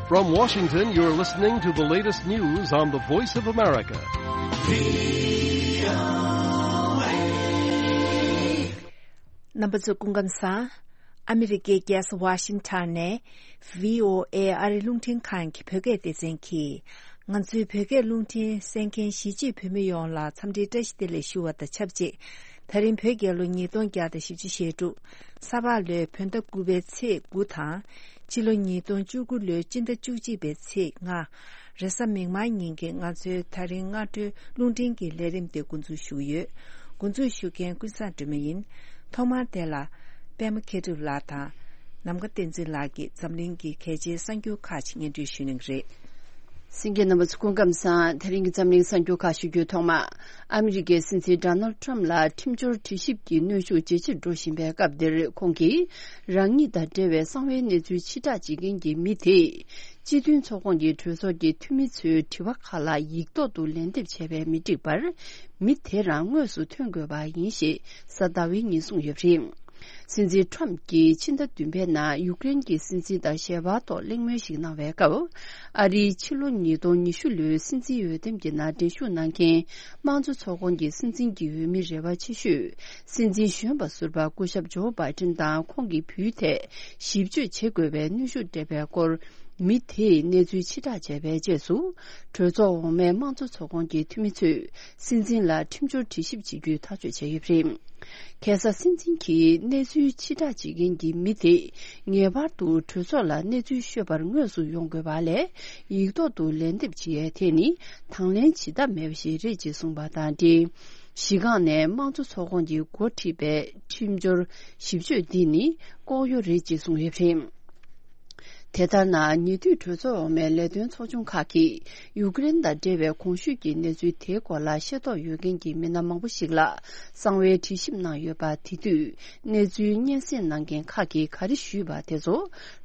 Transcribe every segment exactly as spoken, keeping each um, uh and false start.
From Washington, you're listening to the latest news on the Voice of America. རྣམ་པ་ཚོ་སྐུ་ཁམས་བཟང་། ཨ་མི་རི་ཀའི་རྒྱལ་ས་ཝ་ཤིང་ཊོན་ནས་བྷི་ཨོ་ཨེ་ཨ་རི་རླུང་འཕྲིན་ཁང་གི་བོད་སྐད་སྡེ་ཚན་གྱིས། ང་ཚོའི་བོད་སྐད་རླུང་འཕྲིན་གསན་མཁན་གཞིས་བྱེས་བོད་མི་ཡོངས་ལ་འཚམས་འདྲིའི་བཀྲ་ཤིས་བདེ་ལེགས་ཞུ་བ་དང་ཆབས་ཅིག་ད་རིང་བོད་རྒྱལ་ལོ་ཉིས་སྟོང་བརྒྱ་དང་བཞི་བཅུ་ཞེ་དྲུག་ས་ཕག་ལོའི་བོད་ཟླ་དགུ་པའི་ཚེས་དགུ་དང་། ཕྱི་ལོ་ཉིས་སྟོང་བཅུ་དགུ་ལོའི་སྤྱི་ཟླ་བཅུ་གཅིག་པའི་ཚེས་ལྔ། རེས་གཟའ་མིག་དམར་ཉིན་གྱི་ང་ཚོའི་ད་རིང་སྔ་དྲོའི་རླུང་འཕྲིན་གྱི་ལས་རིམ་དེ་འགོ་འཛུགས་ཞུ་གི་ཡོད། འགོ་འཛུགས་ཞུ་མཁན་ཀུན་བཟང་སྒྲོལ་མ་ཡིན། ཐོག་མར་དེ་ལ་པད་མ་མཁས་གྲུབ་ལགས་དང་། ནམ་མཁའ་བསྟན་འཛིན་ལགས་ཀྱིས་འཛམ་གླིང་གི་གལ་ཆེའི་གསར་འགྱུར་ཁག་ཅིག་སྙན་སྒྲོན་ཞུ་གནང་གི་རེད། གསན་མཁན་རྣམ་པ་ཚོ་སྐུ་ཁམས་བཟང་། དེ་རིང་གི་འཛམ་གླིང་གསར་འགྱུར་ཁག་ཞུ་རྒྱུའི་ཐོག་མ། ཨ་མི་རི་ཀའི་སྲིད་འཛིན་ཌོ་ནལ་ཊམ་ལ་ཁྲིམས་སྦྱོར་དྲི་ཞིབ་ཀྱི་གནོན་ཤུགས་ཇེ་ཆེར་འགྲོ་བཞིན་པའི་སྐབས་འདིར། ཁོང་གིས་རང་ཉིད་དང་འབྲེལ་བའི་གསང་བའི་གནས་ཚུལ་ཕྱིར་བསྒྲགས་བྱེད་མཁན་གྱི་མི་དེས། སྤྱི་མཐུན་ཚོགས་ཁོངས་ཀྱི་གྲོས་ཚོགས་ཀྱི་འཐུས་མི་ཚོའི་དྲི་བ་ཁག་ལ་ཡིག་ཐོག་ཏུ་ལན་འདེབས་བྱས་པས་མི་འགྲིག་པར། མི་དེ་རང་དངོས་སུ་ཐོན་དགོས་པ་ཡིན་ཞེས་གཟའ་ཟླ་བའི་ཉིན་གསུངས་ཡོད་པ་རེད། སྲིད་འཛིན་ཊམ་གྱིས་ཕྱི་ཟླ་བདུན་པའི་ནང་ཡུཀ་རེན་གྱི་སྲིད་འཛིན་དང་ཞལ་པར་ཐོག་གླེང་མོལ་ཞིག་གནང་བའི་སྐབས། ཨ་རིའི་ཕྱི་ལོ་ཉིས་སྟོང་ཉི་ཤུ་ལོའི་སྲིད་འཛིན་འོས་འདེམས་ཀྱི་ནང་འགྲན་ཞུགས་གནང་མཁན་དམངས་གཙོ་ཚོགས་ཁོངས་ཀྱི་སྲིད་འཛིན་གྱི་འོས་མི་རེ་བ་ཆེ་ཤོས། སྲིད་འཛིན་གཞོན་པ་ཟུར་པ་སྐུ་ཞབས་ཇོ་བྷའི་ཏིན་དང་ཁོང་གི་བུའི་ཐད་ཞིབ་དཔྱོད་བྱེད་དགོས་པའི་གནོན་ཤུགས་སྤྲད་པའི་སྐོར། མི་དེས་གནས་ཚུལ་ཕྱིར་བསྒྲགས་བྱས་པའི་རྗེས་སུ། གྲོས་ཚོགས་འོག་མའི་དམངས་གཙོ་ཚོགས་ཁོངས་ཀྱི་འཐུས་མི་ཚོས་སྲིད་འཛིན་ལ་ཁྲིམས་སྦྱོར་དྲི་ཞིབ་བྱེད་རྒྱུའི་ཐག་གཅོད་བྱས་ཡོད་པ་རེད། ཁ་སང་སྲིད་འཛིན་གྱིས་གནས་ཚུལ་ཕྱིར་བསྒྲགས་བྱེད་མཁན་གྱི་མི་དེས་ངེས་པར་དུ་གྲོས་ཚོགས་ལ་གནས་ཚུལ་ཤོད་པར་དངོས་སུ་ཡོང་དགོས་པ་ལས། ཡིག་ཐོག་ཏུ་ལན་འདེབས་བྱེད་ཡས་དེ་ནི་དང་ལེན་བྱེད་ཐབས་མེད་པ་ཞིག་རེད་ཅེས་གསུངས་པ་དང་འབྲེལ། གཞི་སྒང་ནས་དམངས་གཙོ་ཚོགས་ཁོངས་ཀྱིས་འགོ་ཁྲིད་པའི་ཁྲིམས་སྦྱོར་ཞིབ་དཔྱོད་འདི་ནི་ལྐོག་གཡོ་རེད་ཅེས་གསུངས་ཡོད་པ་རེད། དེ་ལྟར་ན། ཉེ་དུས་གྲོས་ཚོགས་འོག་མའི་ལས་དོན་ཚོགས་ཆུང་ཁག་གིས་ཡུཀ་རེན་དང་འབྲེལ་བའི་གོང་ཞུས་ཀྱི་གནས་ཚུལ་དེའི་སྐོར་ལ་ཤེས་རྟོགས་ཡོད་མཁན་གྱི་མི་སྣ་མང་པོ་ཞིག་ལ་གསང་བའི་དྲི་ཞིབ་གནང་ཡོད་པ། དེ་དུས་གནས་ཚུལ་སྙན་སེང་གནང་མཁན་ཁག་གིས་ག་རེ་ཞུས་པ་དེ་ཚོ།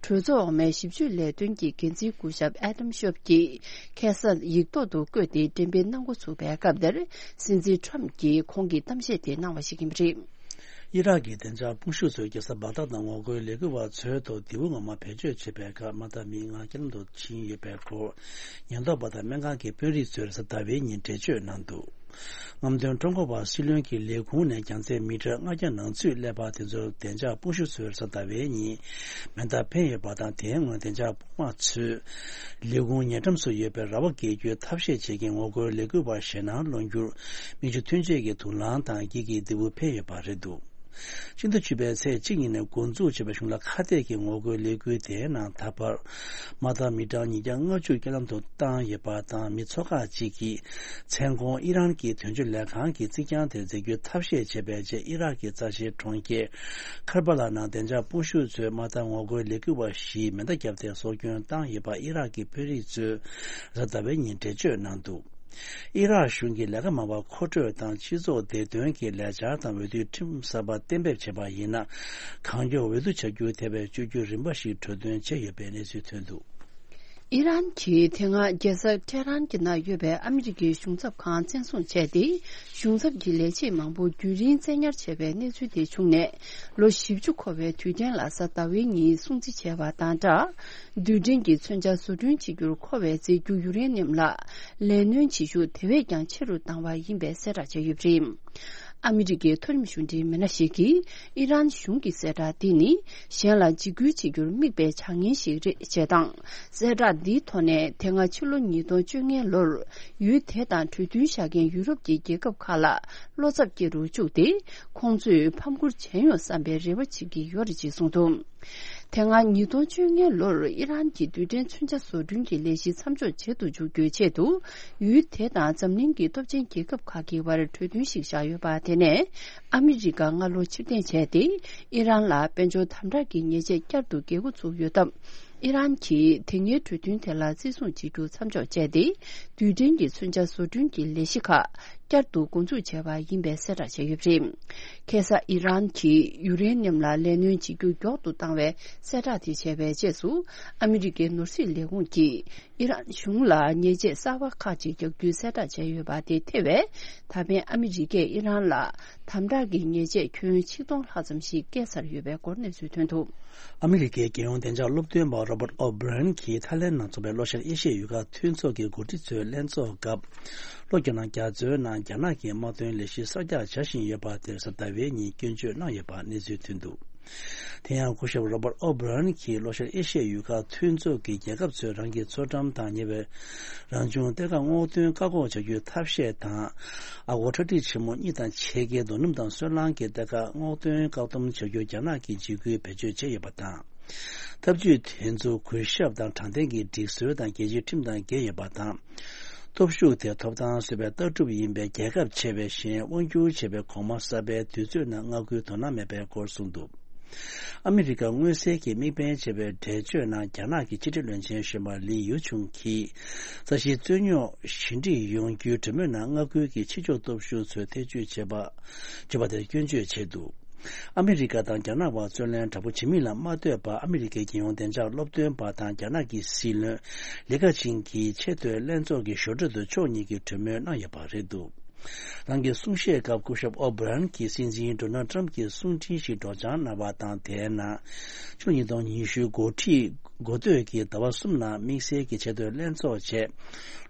གྲོས་ཚོགས་འོག་མའི་ཞིབ་དཔྱོད་ལས་དོན་གྱི་འགན་འཛིན་སྐུ་ཞབས་ཨེ་ཌམ་ཤོབ་ཀྱིས་ཁ་སང་ཡིག་ཐོག་ཏུ་བཀོད་དེ་འགྲེམས་སྤེལ་གནང་འགོ་ཚུགས་པའི་སྐབས་དེར། སྲིད་འཛིན་ཊམ་གྱིས་ཁོང་གི་གཏམ་བཤད་དེ་གནང་བ་ཞིག་ཡིན་པ་རེད། ཨི་རག་གི་བདེ་འཇགས་དཔུང་ཤུགས་ཚོས་རྒྱལ་ས་བག་དྷ་ནང་ངོ་རྒོལ་ལས་འགུལ་བ་ཚོའི་ཐོག་མདེའུ་ངོ་མ་བེད་སྤྱོད་བྱས་པའི་ཁར་དམག་འཐབ་མི་ལྔ་རྐྱེན་ལམ་དུ་ཕྱིན་ཡོད་པའི་སྐོར། ཉེན་རྟོག་པ་དང་སྨན་ཁང་གི་དཔོན་རིགས་ཚོས་རེས་གཟའ་ཟླ་བའི་ཉིན་འགྲེལ་བརྗོད་གནང་འདུག་རྔམ་སྟོན་ཀྲུང་གོ་བ་སྲིད་བློན་གྱི་ལས་ཁུངས་ནས་རྒྱང་ཚད་མི་ཊར་ལྔ་བརྒྱ་ནང་ཚུད་སླེབས་པ་དེ་ཚོར་བདེ་འཇགས་དཔུང་ཤུགས་ཚོས་རེས་གཟའ་ཟླ་བའི་ཉིན་མེ་མདའ་འཕེན་ཡོད་པ་དང་། དེའི་སྔོན་བདེ་འཇགས་དཔུང་དམག་ཚོས་ལས་ཁུངས་ཉེ་འགྲམ་སུ་ཡོད་པའི་ར་བ་བརྒལ་རྒྱུའི་ཐབས་ཤེས་བྱེད་མཁན་ངོ་རྒོལ་ལས་འགུལ་བ་ཞེད་སྣང་སློང་རྒྱུར་མིག་ཆུ་ཐོན་ཆས་ཀྱི་དུག་རླངས་དང་འགྱིག་གི་རྡེའུ་འཕེན་ཡོད་པ་རེད་འདུག་སྤྱི་ཟླ་བཅུ་པའི་ཚེས་གཅིག་ཉིན་ནས་འགོ་འཛུགས་བྱས་པའི་གཞུང་ལ་ཁ་གཏད་ཀྱི་ངོ་རྒོལ་ལས་འགུལ་དེའི་ནང་ད་བར་དམག་འཐབ་མི་གྲངས་ཉིས་བརྒྱ་ལྔ་བཅུ་རྐྱེན་ལམ་དུ་བཏང་ཡོད་པ་དང་། མི་ཚོ་ཁག་ཅིག་གིས་མཚན་གུང་ཨི་རན་གྱི་དོན་གཅོད་ལས་ཁང་གི་རྩིག་གྱང་དེར་འཛེག་རྒྱུའི་ཐབས་ཤེས་བྱས་པའི་རྗེས། ཨི་རག་གི་རྩ་ཆེའི་གྲོང་ཁྱེར་ཁར་བ་ལ་ནང་བདེ་འཇགས་དཔུང་ཤུགས་ཚོས་དམག་འཐབ་ངོ་རྒོལ་ལས་འགུལ་བ་བཞིས་མེ་མདའ་བརྒྱབ་སྟེ་སྲོག་སྐྱོན་བཏང་ཡོད་པ་ཨི་རག་གི་དཔོན་རིགས་ཚོས་གཟའ་ཟླ་བའི་ཉིན་འགྲེལ་བརྗོད་གནང་འདུག་ཨི་རག་གཞུང་གིས་ལས་ཀ་མང་བ་མཁོ་སྤྲོད་དང་། སྤྱི་ཚོགས་བདེ་དོན་གྱི་ལས་འཆར་དང་། འོས་བསྡུའི་ཁྲིམས་གསར་པ་གཏན་འབེབས་བྱས་པ་ཡིན་ན། གང་མགྱོགས་འོས་བསྡུ་བྱ་རྒྱུ་དེ་བས་བཅོས་བསྒྱུར་རིམ་པ་ཞིག་གྲོས་མཐུན་བྱས་ཡོད་པའི་གནས་ཚུལ་ཐོན་འདུག་ཨི་རན་གྱིས་དེ་སྔ་རྒྱལ་ས་ཏེ་ཧ་རན་གྱི་ནང་ཡོད་པའི་ཨ་མི་རི་ཀའི་གཞུང་ཚབ་ཁང་བཙན་བཟུང་བྱས་ཏེ། གཞུང་ཚབ་ཀྱི་ལས་བྱེད་མང་པོ་རྒྱུན་རིང་བཙན་ཉར་བྱས་པའི་གནས་ཚུལ་དེ་བྱུང་ནས། ལོ་བཞི་བཅུ་འཁོར་བའི་དུས་དྲན་ལ་གཟའ་ཟླ་བའི་ཉིན་སྲུང་བརྩི་བྱས་པ་དང་སྦྲགས། རྡུལ་ཕྲན་གྱི་མཚོན་ཆ་བཟོ་སྐྲུན་བྱེད་རྒྱུར་མཁོ་བའི་རྫས་འགྱུར་ཡུ་རེ་ནིམ་ལ་ལས་སྣོན་བྱེད་ཤུགས་དེ་བས་ཀྱང་ཆེ་རུ་བཏང་བ་ཡིན་པའི་གསལ་བསྒྲགས་བྱས་ཡོད་པ་རེད། ཨ་མི་རི་ཀའི་མཐོ་རིམ་གཞུང་འབྲེལ་མི་སྣ་ཞིག་གིས་ཨི་རན་གཞུང་གི་གསལ་བསྒྲགས་འདི་ནི་གཞན་ལ་འཇིགས་སྐུལ་བྱེད་རྒྱུར་དམིགས་པའི་བྱ་ངན་ཞིག་རེད་ཅེས་དང་། གསལ་བསྒྲགས་འདིའི་ཐོག་ནས་དེ་སྔ་ཕྱི་ལོ་ཉིས་སྟོང་བཅོ་ལྔའི་ལོར་ཡུལ་དེ་དང་གྲོས་མཐུན་བཞག་མཁན་ཡུ་རོབ་ཀྱི་རྒྱལ་ཁབ་ཁག་ལ་བློ་འཚབ་སྐྱེ་རུ་བཅུག་སྟེ། ཁོང་ཚོས་ཕམ་ཁུར་བྱས་ཡོང་བསམ་པའི་རེ་བ་བྱེད་ཀྱི་ཡོད་རེད་ཅེས་གསུངས་འདུག་དེ་སྔ་ཉིས་སྟོང་བཅོ་ལྔའི་ལོར་ཨི་རན་གྱི་རྡུལ་ཕྲན་མཚོན་ཆ་བཟོ་སྐྲུན་གྱི་ལས་གཞི་མཚམས་འཇོག་བྱེད་དུ་འཇུག་རྒྱུའི་ཆེད་དུ། ཡུལ་དེ་དང་འཛམ་གླིང་གི་སྟོབས་ཆེན་རྒྱལ་ཁབ་ཁག་གི་བར་གྲོས་མཐུན་ཞིག་བཞག་ཡོད་པ། དེ་ནས་ཨ་མི་རི་ཀ་སྔ་ལོ་ཕྱིར་འཐེན་བྱས་ཏེ། ཨི་རན་ལ་དཔལ་འབྱོར་དམ་དྲག་གི་ཉེས་ཆད་བསྐྱར་དུ་འགེལ་འགོ་ཚུགས་ཡོད་སྟབས། ཨི་རན་གྱིས་དེ་སྔའི་གྲོས་མཐུན་དེ་ལ་བརྩི་སྲུང་བྱེད་རྒྱུ་མཚམས་འཇོག་བྱས་ཏེ། རྡུལ་ཕྲན་གྱི་མཚོན་ཆ་བཟོ་སྐྲུན་གྱི་ལས་གཞི་ཁག་བསྐྱར་དུ་འགོ་འཛུགས་བྱས་པ་ཡིན་པའི་གསལ་བསྒྲགས་བྱས་ཡོད་པ་རེད། ཁ་སང་ཨི་རན་གྱིས་ཡུ་རེ་ནི་ཡམ་ལ་ལས་སྣོན་བྱེད་རྒྱུ་མགྱོགས་སུ་བཏང་བའི་གསལ་བསྒྲགས་དེ་བྱས་པའི་རྗེས་སུ། ཨ་མི་རི་ཀའི་ནོར་སྲིད་ལས་ཁུངས་ཀྱིས་ཨི་རན་གཞུང་ལ་ཉེས་ཆད་གསར་པ་ཁག་ཅིག་རྒྱག་རྒྱུའི་གསལ་བསྒྲགས་བྱས་ཡོད་པ་དེ་ཐེ་བས། ད་ཕན་ཨ་མི་རི་ཀས་ཨི་རན་ལ་དམ་དྲག་གི་ཉེས་ཆད་ཁྱོན་ཆིག་སྟོང་ལྷག་ཙམ་ཞིག་བཀལ་ཚར་ཡོད་པའི་སྐོར་གནས་ཚུལ་ཐོན་འདུག། ཨ་མི་རི་ཀའི་རྒྱལ་ཡོངས་བདེ་འཇགས་སློབ་སྟོན་པ་Robert O'Brien གྱིས་ཐའི་ལེན་ནང་འཚོགས་པའི་ལྷོ་ཤར་ཨེ་ཤི་ཡའི་ཡུལ་ཁག་མཐུན་ཚོགས་ཀྱི་འགོ་ཁྲིད་ཚོའི་ལྷན་ཚོགས་སྐབས། ལྷོ་རྒྱ་ནག་རྒྱ་མཚོའི་ནང་རྒྱ་ནག་གི་དམག་དོན་ལས་གཞི་གསར་རྒྱག་བྱ་བཞིན་ཡོད་པ་དེར་གཟའ་ཟླ་བའི་ཉིན་སྐྱོན་བརྗོད་གནང་ཡོད་པ་གནས་ཚུལ་ཐོན་འདུག། དེ་ཡང་སྐུ་ཞབས་Robert O'Brien གྱིས་ལྷོ་ཤར་ཨེ་ཤི་ཡའི་ཡུལ་ཁག་མཐུན་ཚོགས་ཀྱི་རྒྱལ་ཁབ་ཚོས་རང་གི་མཚོ་འགྲམ་དང་ཉེ་བའི་རང་བྱུང་གཏེར་ཁ་སྔོག་འདོན་བཀག་འགོག་བྱ་རྒྱུའི་ཐབས་ཤེས་དང་། ཨ་སྒོར་ཁྲག་ཁྲིག་ཆེན་མོ་གཉིས་དང་ཕྱེད་ཀའི་རྡོ་སྣུམ་དང་སོལ་རླངས་ཀྱི་གཏེར་ཁ་སྔོག་འདོན་བཀག་སྡོམ་བྱ་རྒྱུར་རྒྱ་ནག་གིས་འཇིགས་སྐུལ་བེད་སྤྱོད་བྱས་ཡོད་པ་དང་། ཐབས་ཇུས་དེ་ཚོ་གུས་ཞབས་དང་དྲང་བདེན་གྱི་སྒྲིག་སྲོལ་དང་རྒྱལ་སྤྱིའི་ཁྲིམས་དང་འགལ་ཡོད་པ་དང་། སྟོབས་ཤུགས་དེ་ཐོབ་ཐང་གསོ་བའི་ལྟ་གྲུབ་ཡིན་པས། རྒྱལ་ཁབ་ཆེ་བའི་ཞིང་དབང་སྒྱུར་བྱེད་པའི་གོང་མ་གསར་པའི་དུས་ཚོད་ནང་མངའ་ཁུལ་དོ་སྣང་མེད་པའི་སྐོར་གསུངས་འདུག། ཨ་མི་རི་ཀ་མངོན་གསལ་གྱིས་དམིགས་འབེན་བྱས་པའི་འགྲེལ་བརྗོད་ནང་རྒྱ་ནག་གི་ཕྱི་འབྲེལ་བློན་ཆེན་གཞོན་པ་ལི་ཡུ་ཆུང་གིས་ས་གཞིའི་རྩོད་རྙོག་ཞི་འགྲིག་ཡོང་རྒྱུའི་གྲོས་མོལ་ནང་མངའ་ཁུལ་གྱི་ཕྱི་ཕྱོགས་སྟོབས་ཤུགས་ཚོས་ཐེ་བྱུས་བྱེད་པ་བྱེད་པ་དེར་སྐྱོན་བརྗོད་བྱས་འདུག། ཨ་མི་རི་ཀ་དང་རྒྱ་ནག་བར་རྩོད་གླེང་དྲག་པོ་བྱེད་མིན་ལ་མ་ལྟོས་པར། ཨ་མི་རི་ཀའི་རྒྱལ་ཡོངས་བདེ་འཇགས་སློབ་སྟོན་པ་དང་རྒྱ་ནག་གི་སྲིད་བློན་ལི་ཁ་ཆིང་གིས་ཆེས་མཐོའི་ལྷན་ཚོགས་ཀྱི་ཞོར་འཕྲོས་སུ་ཕྱོགས་གཉིས་ཀྱིས་གྲོས་མོལ་གནང་ཡོད་པ་རེད་འདུག། རང་གི་གསུང་བཤད་སྐབས་སྐུ་ཞབས་ཨོ་བྷི་རན་གྱིས་སྲིད་འཛིན་ཌོ་ནལ་ཊམ་གྱི་གསུང་འཕྲིན་ཞིག་སྒྲོག་སྦྱང་གནང་བ་དང་། དེའི་ནང་ཕྱི་ལོ་ཉིས་སྟོང་ཉི་ཤུ་འགོ་ཁྲིད་འགོ་སྟོད་ཀྱི་ཟླ་བ་གསུམ་ནང་དམིགས་བསལ་གྱི་ཆེས་མཐོའི་ལྷན་ཚོགས་བྱས།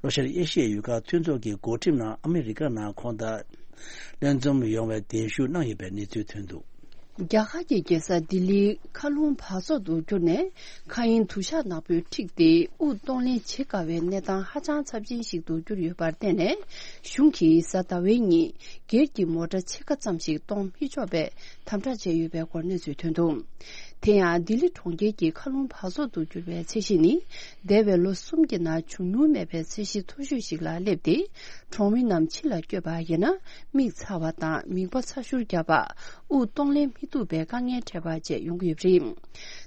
ལྷོ་ཤར་ཨེ་ཤི་ཡའི་ཡུལ་ཁག་མཐུན་ཚོགས་ཀྱི་འགོ་ཁྲིད་ནང་ཨ་མི་རི་ཀ་ནང་ཁོང་དང་ལྷན་འཛོམས་ཡོང་བའི་གདན་ཞུ་གནང་ཡོད་པའི་གནས་ཚུལ་ཐོན་འདུག། རྒྱ་གར་གྱི་རྒྱལ་ས་ལྡི་ལིའི་མཁའ་རླུང་འབག་བཙོག་ཏུ་གྱུར་ནས། མཁའ་དབྱིངས་དུ་ཞག་ནག་པོས་འཁྲིགས་ཏེ། དབུགས་གཏོང་ལེན་བྱེད་དཀའ་བའི་གནས་སྟངས་ཧ་ཅང་ཚབས་ཆེན་ཞིག་ཏུ་གྱུར་ཡོད་པར་བརྟེན་ནས། གཞུང་གིས་གཟའ་ཟླ་བའི་ཉིན་སྒེར་གྱི་མོ་ཊ་ཕྱེད་ཀ་ཙམ་ཞིག་གཏོང་མི་ཆོག་པའི་དམ་དྲག་བྱས་ཡོད་པའི་སྐོར་གནས་ཚུལ་ཐོན་འདུག། དེ་ཡང་ལྡི་ལི་གྲོང་ཁྱེར་གྱི་མཁའ་རླུང་འབག་བཙོག་ཏུ་གྱུར་བའི་ཚད་གཞི་ནི། འདས་པའི་ལོ་གསུམ་གྱི་ནང་བྱུང་མྱོང་མེད་པའི་ཚད་གཞི་མཐོ་ཤོས་ཤིག་ལ་སླེབས་ཏེ། གྲོང་མི་རྣམས་ཕྱི་ལ་བསྐྱོད་པ་ཡིན་ན། མིག་ཚ་བ་དང་མིད་པ་ཚ་ཤུར་རྒྱག་པ། དབུགས་གཏོང་ལེན་མི་ཐུབ་པའི་དཀའ་ངལ་འཕྲད་པ་བཅས་ཡོང་གི་ཡོད་པ་རེད།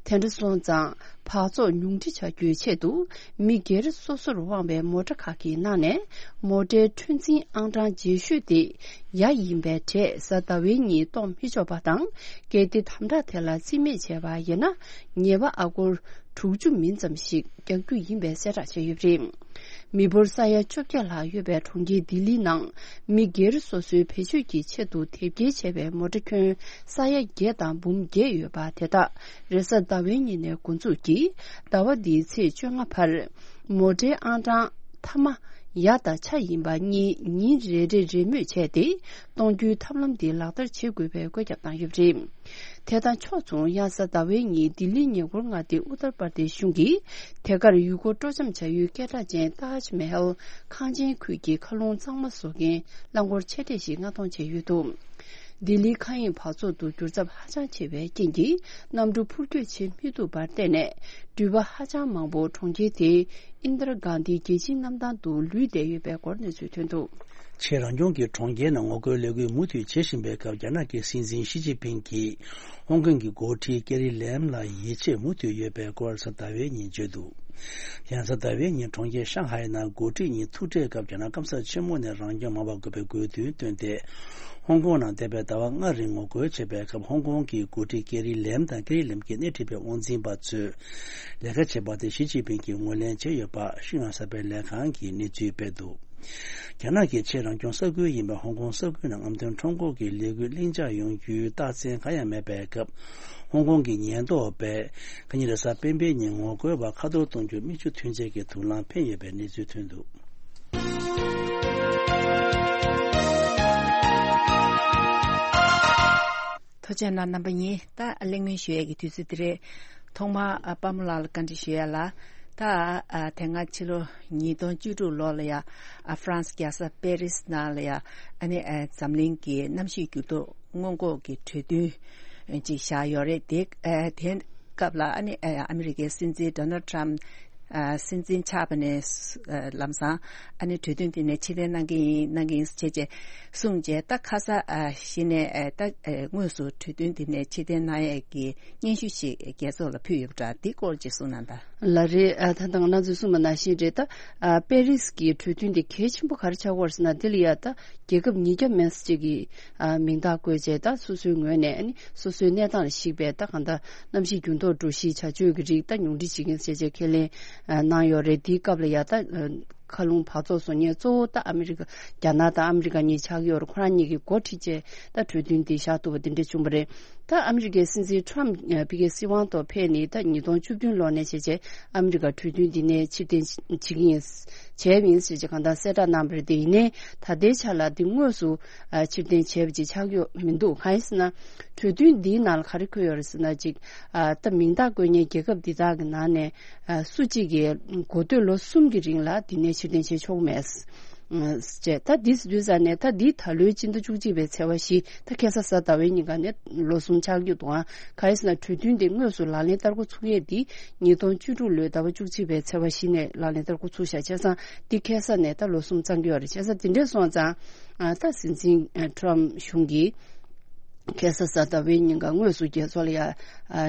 དེ་འདྲ་སོང་ཙང་། འབག་བཙོག་ཉུང་འཕྲི་བྱ་རྒྱུའི་ཆེད་དུ། མི་སྒེར་སོ་སོར་དབང་བའི་མོ་ཊ་ཁག་གི་ནང་ནས། མོ་ཊའི་འཁྲུན་འཛིན་ཨང་གྲངས་རྗེས་ཤོས་དེ། ཡ་ཡིན་པའི་གྲས་གཟའ་ཟླ་བའི་ཉིན་གཏོང་མི་ཆོག་པ་དང་། གལ་ཏེ་དམ་དྲག་དེ་ལ་རྩིས་མེད་བྱས་པ་ཡིན་ན། ཉེས་པ་ཨ་སྒོར་དྲུག་ཅུ་མིན་ཙམ་ཞིག་རྒྱག་རྒྱུ་ཡིན་པའི་གསལ་བསྒྲགས་བྱས་ཡོད་པ་རེད། མི་འབོར་ས་ཡ་བཅོ་བརྒྱད་ལྷག་ཡོད་པའི་གྲོང་ཁྱེར་ལྡི་ལི་ནང་། མི་སྒེར་སོ་སོའི་བེད་སྤྱོད་ཀྱི་ཆེད་དུ་དེབ་སྐྱེལ་བྱས་པའི་མོ་ཊ་ཁྱོན་ས་ཡ་བརྒྱད་དང་འབུམ་བརྒྱད་ཡོད་པ་དེ་དག་རེས་གཟའ་ཟླ་བའི་ཉིན་ནས་འགོ་འཛུགས་ཀྱིས། ཟླ་བ་འདིའི་ཚེས་བཅོ་ལྔ་བར། མོ་ཊའི་ཨང་གྲངས་མཐའ་མ་ཡ་དང་ཆ་ཡིན་པ་གཉིས་ཉིན་རེ་རེ་རེས་མོས་བྱས་ཏེ། གཏོང་རྒྱུའི་ཐབས་ལམ་འདི་ལག་བསྟར་བྱེད་དགོས་པའི་བཀོད་ཁྱབ་བཏང་ཡོད་པ་རེད། དེ་དང་ཕྱོགས་མཚུངས། ཡང་གཟའ་ཟླ་བའི་ཉིན་ལྡི་ལིའི་ཉེ་འཁོར་མངའ་སྡེ་ཨུ་ཏར་པར་དེ་ཤི་གཞུང་གིས། དེ་གར་ཡུལ་སྐོར་སྤྲོ་འཆམ་བྱ་ཡུལ་སྐད་གྲགས་ཅན་ཏཱཇ་མ་ཧལ་ཁང་ཆེན་ཁུལ་གྱི་མཁའ་རླུང་གཙང་མ་བཟོ་མཁན་རླངས་འཁོར་ཆེ་གྲས་ཤིག་མངགས་གཏོང་བྱས་ཡོད་འདུག། ལྡི་ལིའི་མཁའ་དབྱིངས་འབག་བཙོག་ཏུ་འགྱུར་ཚབས་ཧ་ཅང་ཆེ་བའི་རྐྱེན་གྱིས། གནམ་གྲུ་འཕུར་སྐྱོད་བྱེད་མི་ཐུབ་པར་བརྟེན་ནས། འགྲུལ་པ་ཧ་ཅང་མང་པོ་གྲོང་ཁྱེར་དེའི་ཨིན་དར་གྷན་དྷི་རྒྱལ་སྤྱིའི་གནམ་ཐང་དུ་ལུས་བསྡད་ཡོད་པའི་སྐོར་གནས་ཚུལ་ཐོན་འདུག། ཆེས་རང་སྐྱོང་གི་གྲོང་ཁྱེར་ནང་ངོ་རྒོལ་ལས་འགུལ་མུ་མཐུད་བྱེད་བཞིན་པའི་སྐབས། རྒྱ་ནག་གི་སྲིད་འཛིན་ཞི་ཅིན་ཕིང་གིས་ཧོང་ཀོང་གི་འགོ་ཁྲིད་ཀེ་རི་ལེམ་ལ་ཡིད་ཆེས་མུ་མཐུད་ཡོད་པའི་སྐོར་གཟའ་ཟླ་བའི་ཉིན་བརྗོད་འདུག། ཡང་གཟའ་ཟླ་བའི་ཉིན་གྲོང་ཁྱེར་ཤང་ཧའེ་ནང་འགོ་ཁྲིད་གཉིས་ཐུག་འཕྲད་སྐབས། རྒྱ་ནག་སྐམ་ས་ཆེན་མོ་ནས་རང་སྐྱོང་མ་འབག་དགོས་པའི་དགོས་འདུན་བཏོན་ཏེ། ཧོང་ཀོང་ནང་འདས་པའི་ཟླ་བ་ལྔ་རིང་ངོ་རྒོལ་བྱས་པའི་སྐབས། ཧོང་ཀོང་གི་འགོ་ཁྲིད་ཀེ་རི་ལེམ་དང་། ཀེ་རི་ལེམ་གྱི་སྣེ་ཁྲིད་པའི་དབང་འཛིན་པ་ཚོས་ལས་ཀ་བྱས་པ་དེ་ཞི་ཅིན་ཕིང་གིས་ངོས་ལེན་བྱས་ཡོད་པ་ཤིན་ཡང་གསར་སྤེལ་ལས་ཁང་གིས་གནས་ཚུལ་སྤེལ་འདུག། རྒྱ་ནག་གི་ཆེས་རང་སྐྱོང་ས་ཁུལ་ཡིན་པའི་ཧོང་ཀོང་ས་ཁུལ་ནང་རྔམ་སྟོན་ཁྲོམ་སྐོར་གྱི་ལས་འགུལ་ལྷིང་འཇགས་ཡོང་རྒྱུའི་རྟགས་མཚན་གང་ཡང་མེད་པའི་སྐབས། ཧོང་ཀོང་གི་ཉེན་རྟོག་པས་ཁ་ཉིན་རེས་གཟའ་སྤེན་པའི་ཉིན་ངོ་རྒོལ་བ་ཁ་ཐོར་གཏོང་རྒྱུར་མིག་ཆུ་ཐོན་ཆེད་ཀྱི་དུག་རླངས་འཕེན་ཡོད་པའི་གནས་ཚུལ་ཐོན་འདུག། ཐུགས་རྗེ་གནང་རྣམ་པ་གཉིས། ད་གླེང་མོལ་ཞུ་ཡས་ཀྱི་དུས་ཚོད་འདི་རེད། ཐོག་མར་ཨ་པདྨ་ལགས་ལ་བཀའ་འདྲི་ཞུ་ཡས་ལ། ད་ཨ་དེ་སྔ་ཕྱི་ལོ་ཉིས་སྟོང་བཅུ་དྲུག་ལོ་ལ་ཡ་ཨ་ཧྥ་རན་སི་རྒྱལ་ས་པེ་རི་སི་ནང་ལ་ཡ་ཨ་ནི་ཨ་འཛམ་གླིང་གི་གནམ་གཤིས་འགྱུར་ལྡོག་སྔོན་འགོག་གི་གྲོས་མཐུན་ཅིག་བཞག་ཡོད་རེད། དེ་ཨ་དེ་སྐབས་ལ་ཨ་ནི་ཨ་ཨ་མི་རི་ཀའི་སྲིད་འཛིན་ཌོ་ནལ་ཊམ་ཨ་སྲིད་འཛིན་ཆགས་པ་ནས་ཨ་ལམ་སང་ཨ་ནི་གྲོས་མཐུན་དེ་ནས་ཕྱིར་འཐེན་གནང་གི་ཡིན་གནང་གི་ཡིན་ཟེར་བྱས་བྱས་གསུངས་བྱས། ད་ཁ་ས་ཨ་གཞི་ནས་ཨ་ད་ཨ་དངོས་སུ་གྲོས་མཐུན་དེ་ནས་ཕྱིར་འཐེན་གནང་ཡས་ཀྱི་སྙན་ཞུ་ཞིག་རྒྱལ་ཚོགས་ལ་ཕུལ་ཡོད་པ་འདྲ། འདི་སྐོར་ཅིག་གསུངས་གནང་དང་། ལ་རེད། ཨ་ད་ལྟ་ང་རང་ཚོས་གསུངས་པ་ནང་བཞིན་རེད། ད་ཨ་པེ་རིས་ཀྱི་གྲོས་མཐུན་དེ་གལ་ཆེན་པོ་ག་རེ་ཆགས་ཀྱི་ཡོད་རེད་ཟེར་ན། དེ་ལ་ཡ་ད་རྒྱལ་ཁབ་ཉིས་བརྒྱ་མན་ཙམ་ཅིག་གིས་ཨ་མིང་རྟགས་བཀོད་བྱས། ད་སོ་སོའི་ངོས་ནས་ཨ་ནི་སོ་སོའི་གནས་སྟངས་ལ་གཞིགས་པའི་ད་གང་ལྟར་གནམ་གཤིས་འགྱུར་ལྡོག་འགྲོ་གཞིའི་བྱ་སྤྱོད་ཀྱི་རིགས་ད་ཉུང་འཕྲི་བྱེད་མཁན་བྱས་བྱས་ཁས་ལེན་ཨ་གནང་ཡོད་རེད། དེའི་སྐབས་ལ་ཡ་ད་ཨ་མཁའ་རླུང་འབག་བཙོག་བཟོ་མཁན་གཙོ་བོ་ད་ཨ་མི་རི་ཀ་རྒྱ་ནག་དང་ཨ་མི་རི་ཀ་གཉིས་ཆགས་ཀྱི་ཡོད་རེད། ཁོ་རང་གཉིས་ཀྱིས་འགོ་ཁྲིད་བྱས་ད་གྲོས་མཐུན་འདི་བཞག་ཐུབ་པ་དེ་འདྲ་བྱུང་བ་རེད། ད་ཨ་མི་རི་ཀའི་སྲིད་འཛིན་ཊམ་ཕི་ཀའི་སྲིད་དབང་ཐོག་ཕེབས་ནས་ད་ཉིས་སྟོང་བཅུ་བདུན་ལོ་ནས་བྱས་བྱས་ཨ་མི་རི་ཀ་གྲོས་མཐུན་འདི་ནས་ཕྱིར་འཐེན་བྱེད་ཀྱི་ཡིན། བྱས་པ་ཡིན་ཟེར་བྱས་གང་ལྟར་གསལ་བསྒྲགས་གནང་བ་རེད། དེ་ཡིན་ནའི་ད་ལྟའི་ཆ་ལ་འདི་དངོས་སུ་ཨ་ཕྱིར་འཐེན་བྱས་པ་ཅིག་ཆགས་ཡོད་མི་འདུག་གང་ཡིན་ཟེར་ན་གྲོས་མཐུན་འདིའི་ནང་ལ་ག་རེ་འཁོད་ཡོད་རེད་ཟེར་ན། ཅིག་ཨ་ད་མིང་རྟགས་བཀོད་མཁན་རྒྱལ་ཁབ་འདི་དག་གི་ནང་ནས་ཨ་སུ་གཅིག་གིས་འགོ་སྟོད་ལོ་གསུམ་གྱི་རིང་ལ་འདི་ནས་ཕྱིར་འཐེན་བྱེད་ཆོག་མེད། ཅེས། ད་འདི་དུས་ཙམ་ནས་ད་འདི་ད་ལོའི་སྤྱི་ཟླ་བཅུ་གཅིག་པའི་ཚེས་པ་བཞི། ད་ཁ་སང་གཟའ་ཟླ་བའི་ཉིན་ཀ་ནས་ལོ་གསུམ་ཆགས་ཀྱི་འདུག་ཨང་། གང་ཡིན་ཟེར་ན་གྲོས་མཐུན་དེ་དངོས་སུ་ལག་ལེན་བསྟར་འགོ་ཚུགས་ཡས་འདི་ཉིས་སྟོང་བཅུ་དྲུག་ལོའི་ཟླ་བ་བཅུ་གཅིག་པའི་ཚེས་པ་བཞི་ནས་ལག་ལེན་བསྟར་འགོ་ཚུགས་ཤག་བྱས་ཙང་འདི་ཁ་སང་ནས་ད་ལོ་གསུམ་བརྩམས་ཀྱི་ཡོད་རེད། བྱས་ཙང་དེ་འདྲས་སོང་ཙང་ཨ་ད་སྲིད་འཛིན་ཨ་ཊམ་གཞུང་གིས་ཁ་སང་གཟའ་ཟླ་བའི་ཉིན་ཀ་དངོས་སུ་རྒྱལ་ཚོགས་ལ་ཡ་ཨ་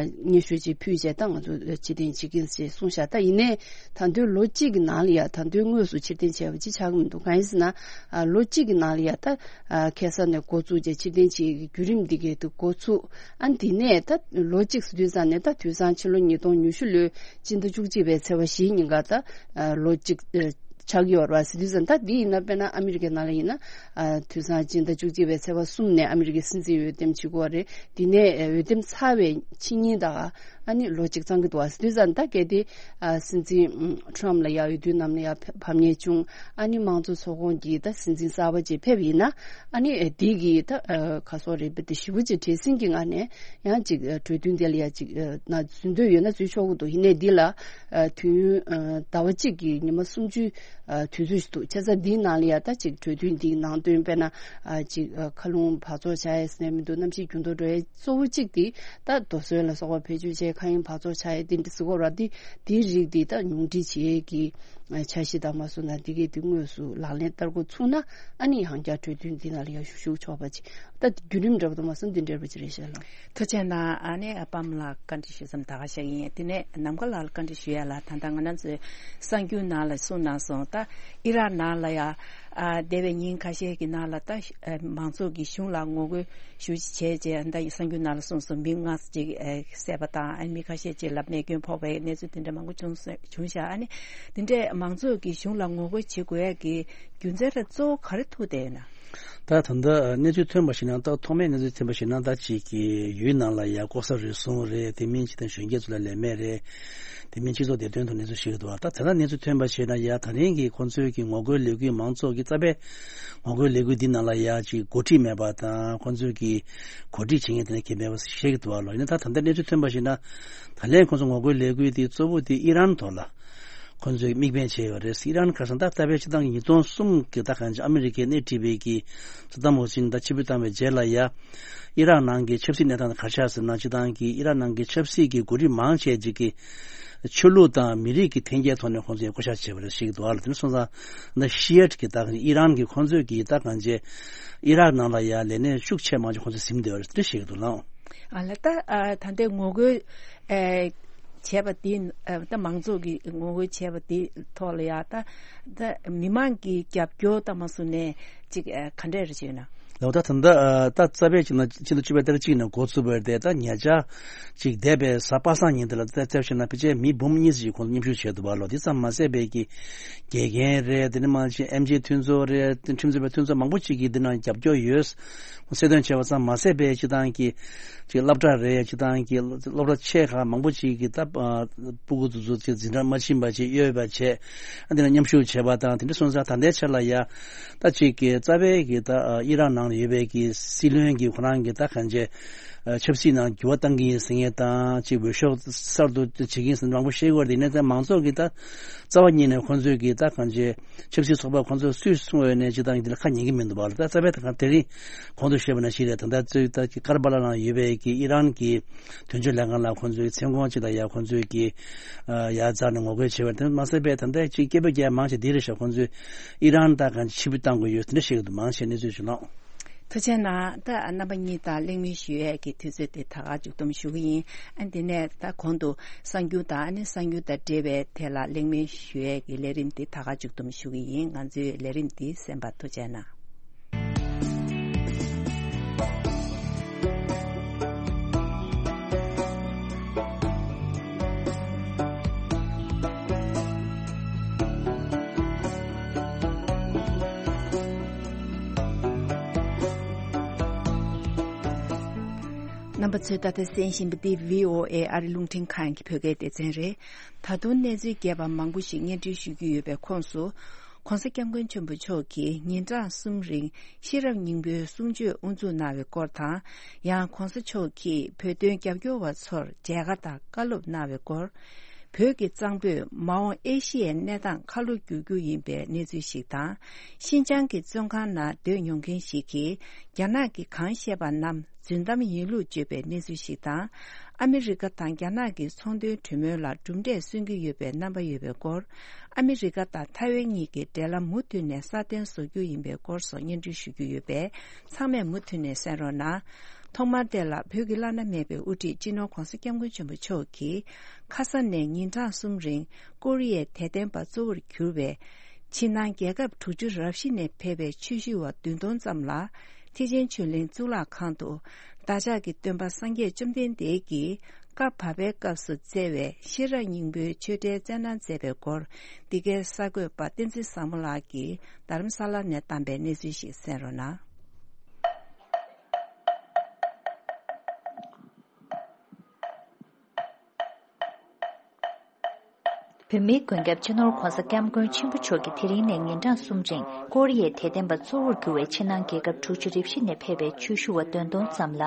སྙན་ཞུ་ཅིག་ཕུལ་བྱས་ད་ང་ཚོ་ཕྱིར་འཐེན་བྱེད་ཀྱི་ཡིན་ཞེས་གསུངས་ཤག་ད་ཡིན་ནའི་ད་དུང་ལོ་གཅིག་གི་ནང་ལ་ཡ་ད་དུང་དངོས་སུ་ཕྱིར་འཐེན་བྱས་པ་ཅིག་ཆགས་ཀྱི་མི་འདུག་གང་ཡིན་ཟེར་ན་ཨ་ལོ་གཅིག་གི་ནང་ལ་ཡ་ད་ཨ་ཁ་སང་ནས་འགོ་བཙུགས་བྱས་ཕྱིར་འཐེན་བྱེད་ཀྱི་བརྒྱུད་རིམ་འདི་གའི་དུ་འགོ་ཚུགས། ཨ་འདི་ནས་ད་ལོ་གཅིག་ཟེར་དུས་ཙང་ནས་ད་དུས་སང་ཕྱི་ལོ་ཉིས་སྟོང་ཉི་ཤུ་ལོའི་སྤྱི་ཟླ་བཅུ་གཅིག་པའི་ཚེས་པ་བཞིའི་ཉིན་ཀ་ད་ཨ་ལོ་གཅིག་ཨ་ཆགས་ཀྱི་ཡོད་རེད་པ་ཟེར་དུས་ཙང་། ད་འདི་ཡིན་ན་དཔེར་ན་ཨ་མི་རི་ཀའི་ནང་ལ་ཡིན་ན་ཨ་དུས་སང་སྤྱི་ཟླ་བཅུ་གཅིག་པའི་ཚེས་པ་གསུམ་ནས་ཨ་མི་རི་ཀའི་སྲིད་འཛིན་འོས་འདེམས་བྱེད་དགོས་རེད། འདི་ནས་ཨ་འོས་འདེམས་ཚར་བའི་ཕྱི་ཉིན་ད་ཨ་ནི་ལོ་གཅིག་གཙང་གི་འདུག་པ་ཟེར་དུས་ཙང་། ད་གལ་ཏེ་ཨ་སྲིད་འཛིན་ཨམ་ཊམ་ལ་ཡ་འོས་བསྡུའི་ནང་ལ་ཡ་ཕ་ཕམ་ཉེས་བྱུང་། ཨ་ནི་དམངས་གཙོ་ཚོགས་ཁོངས་ཀྱི་ད་སྲིད་འཛིན་གསར་པ་ཅིག་ཕེབས་ཡིན་ན་ཨ་ནི་ཨ་འདི་གི་ད་ཨ་ག་སོག་རེད་པ། དེ་ཞེ་པོ་ཅིག་བྲེལ་ཟིང་གི་ངང་ནས་ཡང་ཅིག་ཨ་གྲོས་མཐུན་དེ་ལ་ཡ་ཅིག་ཨ་ན་འཛུལ་འདོད་ཡོད་ན་འཛུལ་ཆོག་གི་འདུག་ཡིན་ནའི་འདི་ལ་ཨ་དུས་ཡུན་ཨ་ཟླ་བ་གཅིག་གི་ཉི་མ་སུམ་ཅུ་ཨ་དུས་ཚོད་ཞིག་འདུག་བྱས་ཙང་འདིའི་ནང་ལ་ཡ་ད་ཅིག་གྲོས་མཐུན་འདིའི་ནང་དོན་དཔེར་ན་ཨ་ཅིག་ཨ་མཁའ་རླུང་འབག་བཙོག་བྱ་ཡས་ཟེར་ནས་མི་འདུག་གནམ་གཤིས་འགྱུར་ལྡོག་འགྲོ་ཡས་གཙོ་བོ་གཅིག་དེ་ད་རྡོ་སོལ་ལ་སོགས་པ་བེད་སྤྱོད་བྱས་མཁའ་དབྱིངས་འབག་བཙོག་བྱ་ཡས་དེ་འདྲ་ཟེར་གོ་ར། དེ་དེའི་རིགས་དེ་ད་ཉུང་འཕྲི་བྱེད་ཡས་ཀྱི་ཨ་འཆར་གཞི་དང་མ་སོང་ན་འདི་གས་དེ་དངོས་སུ་ལག་ལེན་བསྟར་འགོ་ཚུགས་ན་ཨ་ནི་ཡང་བསྐྱར་གྲོས་མཐུན་འདི་ནང་ལ་ཡང་ཞུགས་ཞུགས་ཆོག་པ་ཅིག་ད་བརྒྱུད་རིམ་འདྲ་པོ་དང་མ་སོང་འདི་འདྲ་པོ་ཅིག་རེད་ཤག་ལགས། ཐུགས་རྗེ་གནང་། ཨ་ནི་ཨ་པམ་ལགས་བཀའ་འདྲི་ཞུ་མཚམས་ད་ག་ཤག་ཡིན། དེ་ནས་ནམ་མཁའ་ལགས་ལ་བཀའ་འདྲི་ཞུ་ཡ་ལ། ད་ལྟ་ང་རང་ཚོའི་གསར་འགྱུར་ནང་ལ་གསུངས་གནང་སོང་། ད་ཨི་རག་ནང་ལ་ཡ་ཨ་འདས་པའི་ཉིན་ཁ་ཤས་ཀྱི་ནང་ལ་ད་ཨ་མང་ཚོགས་ཀྱི་གཞུང་ལ་ངོ་རྒོལ་ཞུ་བྱས་རྗེས་ད་གསར་འགྱུར་ནང་ལ་གསུངས་སོང་། མི་ལྔ་ཅིག་ཨ་བསད་པ་དང་ཨ་མི་ཁ་ཤས་ཅིག་ལ་རྨས་སྐྱོན་ཕོག་པའི་གནས་ཚུལ་དེ་འདྲ་མང་པོ་བྱུང་སོང་། བྱུང་ཤག་ཨ་ནི་དེ་འདྲས་མང་ཚོགས་ཀྱི་གཞུང་ལ་ངོ་རྒོལ་བྱེད་དགོས་ཡ་གི་རྒྱུ་མཚན་ར་གཙོ་བོ་ག་རེ་ཐུག་བསྡད་ཡོད་ན། ད་ད་ལྟ་གནས་ཚུལ་ཐོན་པ་ཞིག་ན། ད་ཐོག་མའི་གནས་ཚུལ་ཐོན་པ་ཞིག་ན། ད་ཅིག་གི་ཡུལ་ནང་ལ་ཡ་ལྐོག་ཟ་རུལ་སུངས་རེད། དེ་མིན་ཅིག་དང་གཞོན་སྐྱེས་ཚོ་ལ་ལས་མེད་རེད། དེ་མིན་སྤྱི་ཚོགས་བདེ་དོན་ཐོག་གནས་ཚུལ་ཞིག་འདུག་ད་ད་ལྟ་གནས་ཚུལ་ཐོན་པ་ཞིག་ན་ཡ་ད་རིང་གི་ཁོང་ཚོའི་གི་ངོ་རྒོལ་ལས་འགུལ་མང་ཚོགས་ཀྱི་རྩ་བའི་ངོ་རྒོལ་ལས་འགུལ་འདི་ནང་ལ་ཡ་ཅིག་འགོ་ཁྲིད་མེད་པ་དང་། ཁོང་ཚོའི་གི་གོ་སྒྲིག་བྱེད་མཁན་དེ་འདྲ་གང་མེད་པ་ཞིག་འདུག་ལོ། ཡིན་ན་ད་ད་ལྟ་གནས་ཚུལ་ཐོན་པ་ཞིག་ན་ད་ལན་ཁོང་ཚོ་ངོ་རྒོལ་ལས་འགུལ་དེ་གཙོ་བོ་དེ་ཨི་རན་ཐོག་ལ་ཁོང་ཚོས་དམིགས་འབེན་བྱས་ཡོད་རེད། ཨི་རན་ཁ་སང་ད་ལྟ་བའི་སྤྱི་བཏང་གི་ཉིས་སྟོང་གསུམ་གི་ད་གང་ཅི་ཨ་མི་རི་ཀས་སྣེ་ཁྲིད་པའི་གི་སད་དམ་ཧུ་སིན་ད་ཕྱིར་འབུད་བཏང་བའི་རྗེས་ལ་ཡ་ཨི་རག་ནང་གི་ཆབ་སྲིད་གནས་སྟངས་དེ་ག་རེ་ཆགས་ཟེར་ན། སྤྱི་བཏང་གི་ཨི་རག་ནང་གི་ཆབ་སྲིད་ཀྱི་འགོ་ཁྲིད་མང་ཆེ་ཅིག་གིས་ཆོས་ལུགས་དང་མི་རིགས་ཀྱི་འཐེན་འཁྱེར་ཐོག་ནས་ཁོང་ཚོས་བསྐོ་བཞག་བྱས་པ་རེད་ཞིག་འདུག་ཨ་ལ། དེ་ནས་སོང་ཙང་ད་ཤི་ཡ་ཊི་གི་ད་གང་ཅི་ཨི་རན་གྱི་ཁོང་ཚོས་ཀྱི་ད་གང་ཅི་ཨི་རག་ནང་ལ་ཡ་ལས་གནས་ཤུགས་ཆེ་མང་ཆེ་ཁོང་ཚོས་ཟིན་བསྡད་པ་རེད། དེ་འདྲ་ཞིག་འདུག་ལགས། ཨ་ལ་ད་ཨ་ད་ལྟའི་ངོ་རྒོལ་ཨེ་བྱས་པ་དེ་ཨ་ད་མང་ཚོགས་ཀྱིས་ངོ་རྒོལ་བྱས་པ་དེ་ཐོག་ལ་ཡ་ད་ད་མི་མང་གི་རྒྱབ་སྐྱོར་ད་མ་སུ་ནས་ཅིག་ཨ་ག་འདྲས་རེ་བྱས་ན། ལགས། ད་ད་ལྟ་ཨ་ད་རྩ་བའི་ཅིག་ན་ཕྱི་ཟླ་བཅུ་པའི་ཏ་རིག་གཅིག་ནས་འགོ་ཚུགས་པ་རེད་དེ། ད་ཉེ་ཆར་ཅིག་འདས་པའི་གཟའ་པ་སངས་ཉིན་དེ་ལ་ད་རྩ་བ་བྱས་ན་ཕལ་ཆེར་མི་འབུམ་གཉིས་ཙམ་ཞིག་ཁོང་ཚོ་མཉམ་ཞུགས་བྱས་འདུག་པ་ལོ། དེ་ཙམ་མ་ཟད་པའི་གི་དགེ་རྒན་རེད། དེ་ནས་མ་ཅིག་ཨེམ་ཆི་མཐུན་ཚོགས་རེད། ཁྲིམས་རྩོད་པའི་མཐུན་ཚོགས་མང་པོ་ཅིག་གིས་འདི་ནང་རྒྱབ་སྐྱོར་ཡོད། གསལ་སྟོན་བྱས་པ་ཙམ་མ་ཟད་པའི་སྤྱི་བཏང་གི་ཅིག་སློབ་གྲྭ་རེད། སྤྱི་བཏང་གི་སློབ་གྲྭ་ཆེ་ཁག་མང་པོ་ཅིག་གིས་ད་ཨ་སྤུ་གུ་དེ་ཚོ་ཅིག་འཛིན་གྲྭ་མ་ཕྱིན་པ་ཅིག་གཡོལ་བ་བྱས། ཨ་འདི་ལ་མཉམ་ཞུགས་བྱས་པ་དང་། དེ་འདྲ་སོང་ཙང་ད་ལྟའི་ཆ་ལ་ཡ་ད་ཅིག་གི་རྩ་བའི་གི་ད་ཨ་ཨི་རག་ནང་ལ་ཡོད་པའི་གི་སྲིད་བློན་གྱི་ཁོ་རང་གི་ད་གང་ཅི་ཨ་ཆབ་སྲིད་ནང་འགྱུར་བ་གཏང་གི་ཡིན་ཟེར་མཁན་དང་། ཅིག་འོས་ཤོག་གསར་དུ་བྱེད་ཀྱི་ཡིན་ཟེར་མཁན་མང་པོ་བཤད་ཀྱི་ཡོད་རེད། ཡིན་ནའི་ད་མང་ཚོགས་ཀྱི་ད་རྩ་བ་ཉིད་ནས་ཁོང་ཚོས་ཀྱི་ད་གང་ཅི་ཆབ་སྲིད་ཚོགས་པ་ཁོང་ཚོས་སུས་གསུངས་ཡོད་ནའི་སྤྱི་བཏང་འདི་ལ་ཁ་ཉན་གྱི་མི་འདུག་པ་ལ། ད་རྩ་བའི་ད་གང་དེ་རིང་གོང་དུ་བཤད་པ་ནང་བཞིན་རེད། ད་ལྟ་ཚོས་ད་ཀར་པ་ལ་ནང་ཡོད་པའི་གི་ཨི་རན་གྱི་དོན་གཅོད་ལྷན་ཁང་ལ་ཁོང་ཚོའི་མཚན་གུང་ཅིག་ལ་ཡ་ཁོང་ཚོས་ཀྱི་ཨ་ཡར་འཛེགས་ནས་ངོ་རྒོལ་བྱས་པ་རེད། དེ་མ་ཟད་པའི་ད་ལྟ་ཅིག་སྐད་འབོད་རྒྱག་མང་ཆེ་འདི་རེད་ཤག་ཁོང་ཚོས་ཨི་རན་ད་གང་ཕྱིར་འབུད་བཏང་དགོས་ཡོད་དེ་འདྲ་བཤད་ཀྱི་འདུག་མང་ཆེ་གནས་ཚུལ་ཞིག་ལོངས། ཐུགས་རྗེ་གནང་། ད་རྣམ་པ་གཉིས་དང་གླེང་མོལ་ཞུ་ཡས་ཀྱི་དུས་ཚོད་དེ་ད་ག་མཇུག་བསྡོམས་ཞུ་གི་ཡིན། ཨ་འདི་ནས་ད་གོང་དུ་གསར་འགྱུར་དང་ཨ་ནི་གསར་འགྱུར་དང་འབྲེལ་བའི་ཐད་ལ་གླེང་མོལ་ཞུ་ཡས་ཀྱི་ལས་རིམ་འདི་ད་ག་མཇུག་བསྡོམས་ཞུ་གི་ཡིན། ང་ཚོའི་ལས་རིམ་འདི་གསན་པར་ཐུགས་རྗེ་གནང་། རྣམ་པ་ཚོས་ད་ལྟ་གསན་བཞིན་པ་འདི་བྷི་ཨོ་ཨེ་ཨ་རི་རླུང་འཕྲིན་ཁང་གི་བོད་སྐད་སྡེ་ཚན་རེད། ད་དུང་གནས་ཚུལ་རྒྱས་པ་མང་པོ་ཞིག་སྙན་སྒྲོན་ཞུ་རྒྱུ་ཡོད་པའི་ཁོངས་སུ། ༸གོང་ས་༸སྐྱབས་མགོན་ཆེན་པོ་མཆོག་གིས་ཉིན་གྲངས་གསུམ་རིང་ཤེས་རབ་སྙིང་པོའི་གསུང་ཆོས་དབུ་འཛུགས་གནང་བའི་སྐོར་དང་། ཡང་༸གོང་ས་མཆོག་གིས་བོད་དོན་རྒྱབ་སྐྱོར་བ་ཚོར་མཇལ་ཁ་དང་བཀའ་སློབ་གནང་བའི་སྐོར། བོད་ཀྱི་གཙང་པོས་མ་འོངས་ཨེ་ཤི་ཡའི་གནས་སྟངས་ཁ་ལོ་བསྒྱུར་རྒྱུ་ཡིན་པའི་གནས་ཚུལ་ཞིག་དང་། ཤིན་ཅང་གི་བཙོན་ཁང་ནང་སྡོད་མྱོང་མཁན་ཞིག་གིས་རྒྱ་ནག་གིས་གང་བཤད་པ་རྣམས་རྫུན་གཏམ་ཡིན་ལུགས་བརྗོད་པའི་གནས་ཚུལ་ཞིག་དང་། ཨ་མི་རི་ཀ་དང་རྒྱ་ནག་གི་ཚོང་དོན་གྲོས་མོལ་ལ་གྲུབ་འབྲས་སོན་གྱི་ཡོད་པའི་རྣམ་པ་ཡོད་པའི་སྐོར། ཨ་མི་རི་ཀ་དང་ཐའེ་ཝན་གཉིས་ཀྱི་འབྲེལ་ལམ་མུ་མཐུད་ནས་སྲ་བརྟན་བཟོ་རྒྱུ་ཡིན་པའི་སྐོར་སོགས་སྙན་སྒྲོན་ཞུ་རྒྱུ་ཡོད་པས། ཚང་མས་མུ་མཐུད་ནས་གསན་རོགས་གནང་། ཐོག་མར་དེ་ལ་བོད་ཀྱི་བླ་ན་མེད་པའི་དབུ་ཁྲིད་སྤྱི་ནོར་༸གོང་ས་༸སྐྱབས་མགོན་ཆེན་པོ་མཆོག་གིས་ཁ་ས་ནས་ཉིན་གྲངས་གསུམ་རིང་ཀོ་རི་ཡའི་དད་ལྡན་པ་གཙོ་བོར་གྱུར་བའི་ཕྱི་ནང་རྒྱལ་ཁབ་དྲུག་ཅུ་རབ་བཞི་ནས་ཕེབས་པའི་ཆོས་ཞུ་བ་བདུན་སྟོང་ཙམ་ལ་ཐེག་ཆེན་ཆོས་གླིང་གཙུག་ལག་ཁང་དུ་བདག་ཅག་གི་སྟོན་པ་སངས་རྒྱས་བཅོམ་ལྡན་འདས་ཀྱིས་བཀའ་བབས་པའི་སྐབས་སུ་བསྩལ་བའི་ཤེས་རབ་སྙིང་པོའི་ཆོས་འབྲེལ་སྩལ་གནང་མཛད་པའི་སྐོར། འདི་གའི་གསར་འགོད་པ་བསྟན་འཛིན་བཟང་མོ་ལགས་ཀྱིས་རྡ་རམ་ས་ལ་ནས་བཏང་པའི་གནས་ཚུལ་ཞིག་གསན་རོགས་གནང་། བོད་མིའི་མགོན་སྐྱབས་སྤྱི་ནོར་༸གོང་ས་༸སྐྱབས་མགོན་ཆེན་པོ་མཆོག་གིས་དེ་རིང་ནས་ཉིན་གྲངས་གསུམ་རིང་ཀོ་རི་ཡའི་དད་ལྡན་པ་གཙོ་བོར་གྱུར་བའི་ཕྱི་ནང་རྒྱལ་ཁབ་དྲུག་ཅུ་རེ་བཞི་ནས་ཕེབས་པའི་ཆོས་ཞུ་བ་བདུན་སྟོང་ཙམ་ལ་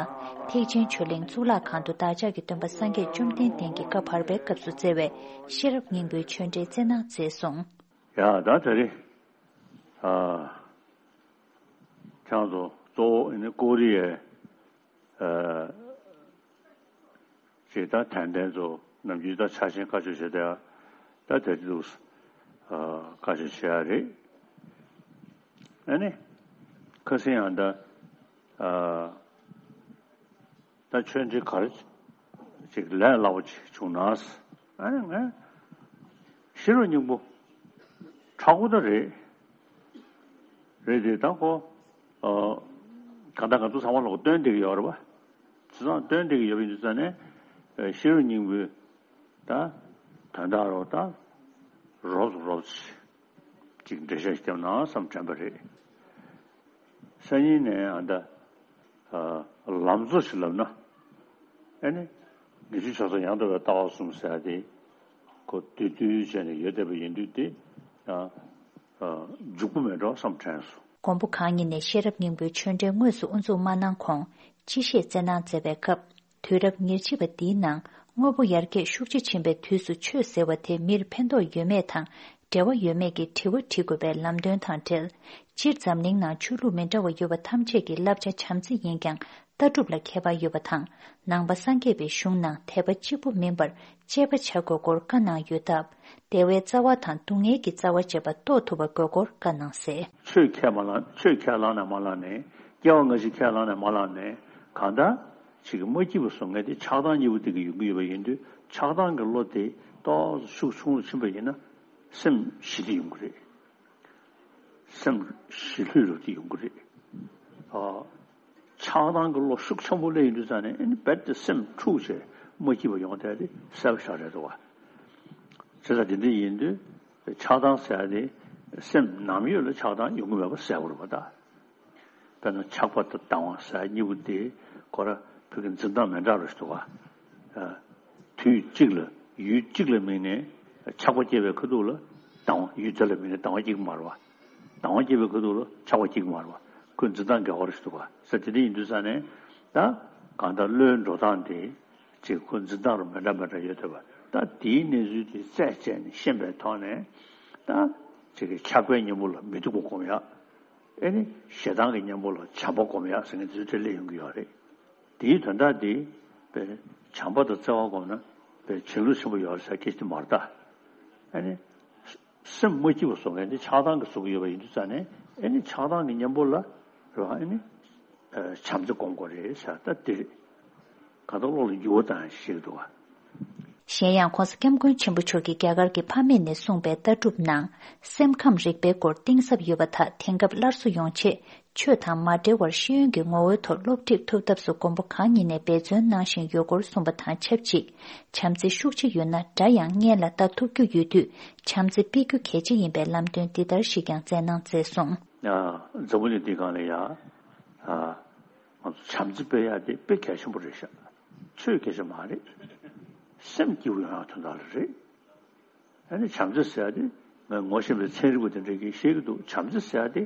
ཐེག་ཆེན་ཆོས་གླིང་གཙུག་ལག་ཁང་དུ་བདག་ཅག་གི་སྟོན་པ་སངས་རྒྱས་བཅོམ་ལྡན་འདས་ཀྱི་བཀའ་བར་པའི་སྐབས་སུ་བསྩལ་བའི་ཤེས་རབ་སྙིང་པོའི་ཆོས་འབྲེལ་སྩལ་གནང་མཛད་སོང་། ཡ་ད་དེ་རིང་ཨ་ཁྱེད་ཚོ་གཙོ་བོ་ཨ་ནི་ཀོ་རི་ཡའི་ཨ་ཅིག་ད་དད་ལྡན་ཚོ་ནམ་རྒྱུན་ད་ཆ་ཤས་བཀའ་ཆོས་བྱེད་བསྡད་ཡ་ད་དེ་འདུག་ཨ་བཀའ་ཆོས་བྱེད་ཡ་རེད། ཨ་ནི་ཁ་སང་ཡང་ད་ཨ་ད་ཆོས་འབྲེལ་ག་རེ་ཅིག་ལས་སླ་པོ་ཅིག་བྱུང་ན། ཨ་ནི་ང་ཤེས་རབ་སྙིང་པོ་མཁྲེགས་པོ་ད་རེད། རེད་དེ་ད་ཁོ་ཨ་གང་ལྟར་ང་ཚོ་ཚང་མ་ལོག་སྟོན་བསྡད་ཀྱི་ཡོད་རེད་པ། དེ་ཚང་སྟོན་བསྡད་ཀྱི་ཡོད་པ་ཡིན་དུས་ཙང་ནས་ཨ་ཤེས་རབ་སྙིང་པོའི་ད་དོན་དག་རོ་ད་རོབ་ཙམ་རོབ་ཙམ་ཅིག་འགྲེལ་བཤད་བརྒྱབ་ན་བསམ་དྲན་པ་རེད། སང་ཉིན་ནས་ཨ་ད་ཨ་ལམ་གཙོ་ཞིག་ལབ་ན། ཨ་ནི་ཉི་ཤུ་ཆོས་ཚོགས་ཡང་དག་པའི་ལྟ་བ་གསུམ་ཟེར་ཡ་དེ་ཁོ་བསྡུས་བསྡུས་བྱས་ནས་ཡོད་བསྡད་པ་ཡིན་དུས་དེ་ཨ་ཨ་འཇུག་པོ་མེད་འགྲོ་བསམ་དྲན་སོང་། མགོན་པོ་གང་ཉིད་ནས་ཤེས་རབ་སྙིང་པོའི་ཆོས་འབྲེལ་དངོས་སུ་དབུ་འཛུགས་མ་གནང་གོང་སྤྱི་བཤད་སྩལ་གནང་མཛད་པའི་སྐབས། དུས་རབས་ཉེར་གཅིག་པ་འདིའི་ནང་དངོས་པོ་ཡར་རྒྱས་ཤུགས་ཆེ་ཕྱིན་པའི་དུས་སུ་ཆོས་ཟེར་བ་དེ་མིར་ཕན་ཐོགས་ཡོད་མེད་དང་འབྲེལ་བ་ཡོད་མེད་ཀྱི་དྲི་བ་དྲི་དགོས་པའི་ལམ་སྟོན་དང་འབྲེལ། སྤྱིར་འཛམ་གླིང་ནང་ཆོས་ལུགས་མི་འདྲ་བ་ཡོད་པ་ཐམས་ཅད་ཀྱི་བསླབ་བྱ་བྱམས་བརྩེ་ཡིན་ཀྱང་ལྟ་གྲུབ་ལ་ཁྱད་པར་ཡོད་པ་དང་། ནང་པ་སངས་རྒྱས་པའི་གཞུང་ནང་དད་པ་གཅིག་པུ་མིན་པར་དཔྱད་པ་བྱ་དགོས་སྐོར་བཀའ་གནང་ཡོད་སྟབས། བདེ་བའི་རྩ་བ་དང་སྡུག་བསྔལ་གྱི་རྩ་བ་བཅད་པ་རྟོགས་ཐུབ་པ་དགོས་སྐོར་བཀའ་གནང་གསལ། ཆོས་ཁས་མ་བླངས། ཆོས་ཁས་བླངས་ནས་མ་བླངས་ནས། སྐྱེ་བ་སྔ་ཕྱི་ཁས་བླངས་ནས་མ་བླངས་ནས། གང་ལྟར་ཅིག་གི་མ་སྐྱིད་པ་བཟོ་མཁན་དེ་ཆགས་སྡང་གཉིས་པོ་དེ་གི་ཡོང་གི་ཡོད་པ་ཡིན་དུས། ཆགས་སྡང་གི་བློ་དེ་ཏོག་ཙམ་ཤུགས་ཆུང་རུ་ཕྱིན་པ་ཡིན་ན་སེམས་ཞི་བདེ་ཡོང་གི་རེད། སེམས་ཞི་ལྷོད་རུ་དེ་ཡོང་གི་རེད། ཨ། ཆགས་སྡང་གི་བློ་ཤུགས་ཆེན་པོ་སླེབས་ཡོང་དུས་ཙང་ནས་ཨ་ནི་རྦད་དེ་སེམས་འཁྲུག་བྱས་མ་སྐྱིད་པ་ཡོང་བསྡད་དེ་གསལ་པོ་ཞེ་དྲག་རེད་འདུག་བ། བྱས་ཙང་དེ་འདྲ་ཡིན་དུས་ཆགས་སྡང་ཟེར་ཡ་དེ་སེམས་ནམ་ཡོད་ལ་ཆགས་སྡང་ཡོང་གི་མེད་པ་གསལ་པོ་རེད་པ་ད། དཔེར་ན་ཆགས་པ་དང་སྡང་བ་ཟེར་ཡ་གཉིས་པོ་དེ་ཁོ་ར་བོད་ཀྱི་འཛིན་སྟངས་མི་འདྲ་རུ་ཞིག་འདུག་བ། ཨ། དུས་གཅིག་ལ་ཡུལ་གཅིག་ལ་དམིགས་ནས་ཆགས་པ་སྐྱེས་པའི་ཁ་ཐུག་ལ་སྡང་བ། ཡུལ་དེ་ལ་དམིགས་ནས་སྡང་བ་སྐྱེ་གི་མ་རེད་བ། སྡང་བ་སྐྱེས་པའི་ཁ་ཐུག་ལ་ཆགས་པ་སྐྱེ་གི་མ་རེད་བ། ཁོའི་འཛིན་སྟངས་འགལ་བ་རེད་འདུག་བ། ཟེར་དེ་འདྲ་ཡིན་དུས་ཙང་ནས་ད་གང་ལྟར་བློའི་འགྲོ་སྟངས་དེ་ཅིག་ཁོ་འཛིན་སྟངས་རུ་མི་འདྲ་མི་འདྲ་ཡོད་བསྡད་པ། ད་དེའི་གནས་ཚུལ་དེ་རྩད་བཅད་ནས་ཤེས་པའི་ཐོག་ནས་ད་ཅིག་གི་ཆགས་པའི་གཉེན་པོ་ལ་མི་སྡུག་པ་སྒོམ་ཡག་ཨེ་ནི་ཞེ་སྡང་གི་གཉེན་པོ་ལ་བྱམས་པ་སྒོམ་ཡག་ཟེར་མཁན་དེ་ཚོ་འཕྲད་སླེབས་ཡོང་གི་ཡོད་རེད། དེའི་དོན་དག་དེ་དཔེ་བྱམས་པ་དང་བརྩེ་བ་སྒོམ་ན་དཔེ་བྱིན་རླབས་ཆེན་པོ་ཡོད་རེད་ཟེར་སྐད་ཆ་དེ་མ་རེད་ད། ཨེ་ནི་སེམས་མ་སྐྱིད་པ་བཟོ་མཁན་དེ་ཆགས་སྡང་གིས་བཟོ་གི་ཡོད་པ་ཡིན་དུས་ཙང་ནས་ཨེ་ནི་ཆགས་སྡང་གི་གཉེན་པོ་ལ་རེད་བ། ཨེ་ནི་ བྱམས་བརྩེ་སྒོམ་དགོས་རེད་ཟེར། ད་དེ་རེད། གང་ལྟར་བློ་ལ་འགྱུར་བ་བཏང་ཡག་ཅིག་འདུག་ག་གཞན་ཡང་༸གོང་ས་༸སྐྱབས་མགོན་ཆེན་པོ་མཆོག་གིས་རྒྱ་གར་གྱི་ཕ་མེས་ནས་གསུངས་པའི་ལྟ་གྲུབ་ནང་སེམས་ཁམས་རིག་པའི་སྐོར་གཏིང་ཟབ་ཡོད་པ་དག་དེང་སྐབས་སླར་གསོ་ཡོང་ཆེད། ཆོས་དང་མ་འབྲེལ་བར་ཤེས་ཡོན་གྱི་ངོ་བོའི་ཐོག་སློབ་ཁྲིད་ཐུབ་ཐབས་སུ་མགོན་པོ་གང་ཉིད་ནས་འབད་བརྩོན་གནང་བཞིན་ཡོད་སྐོར་གསུངས་པ་དང་ཆབས་ཅིག་བྱམས་བརྩེ་ཤུགས་ཆེ་ཡོད་ན་དགྲ་ཡང་སྔོན་ལ་ལྟ་ཐུབ་རྒྱུ་ཡོད་དུས། བྱམས་བརྩེ་སྤེལ་རྒྱུ་གལ་ཆེ་ཡིན་པའི་ལམ་སྟོན་འདི་ལྟར་ཞིག་ཀྱང་སྩལ་གནང་མཛད་སོང་། ཨ། འཛམ་བུ་གླིང་འདིའི་སྒང་ལ་ཡ། ཨ། ང་ཚོ་བྱམས་བརྩེ་སྤེལ་ཡག་དེ་དཔེ་གལ་ཆེན་པོ་རེད་ཤག་ཆོས་སྐད་ཆ་མ་རེད། སེམས་སྐྱིད་པོ་ཡོང་ཡག་དོན་དག་ལ་རེད། ཨ་ནི་བྱམས་བརྩེ་ཟེར་ཡག་དེ་ངས་ངོ་ཤེས་པའི་ཚན་རིག་པ་དེ་འདྲས་ཀྱིས་བཤད་ཀྱི་འདུག་བྱམས་བརྩེ་ཟེར་ཡག་དེ།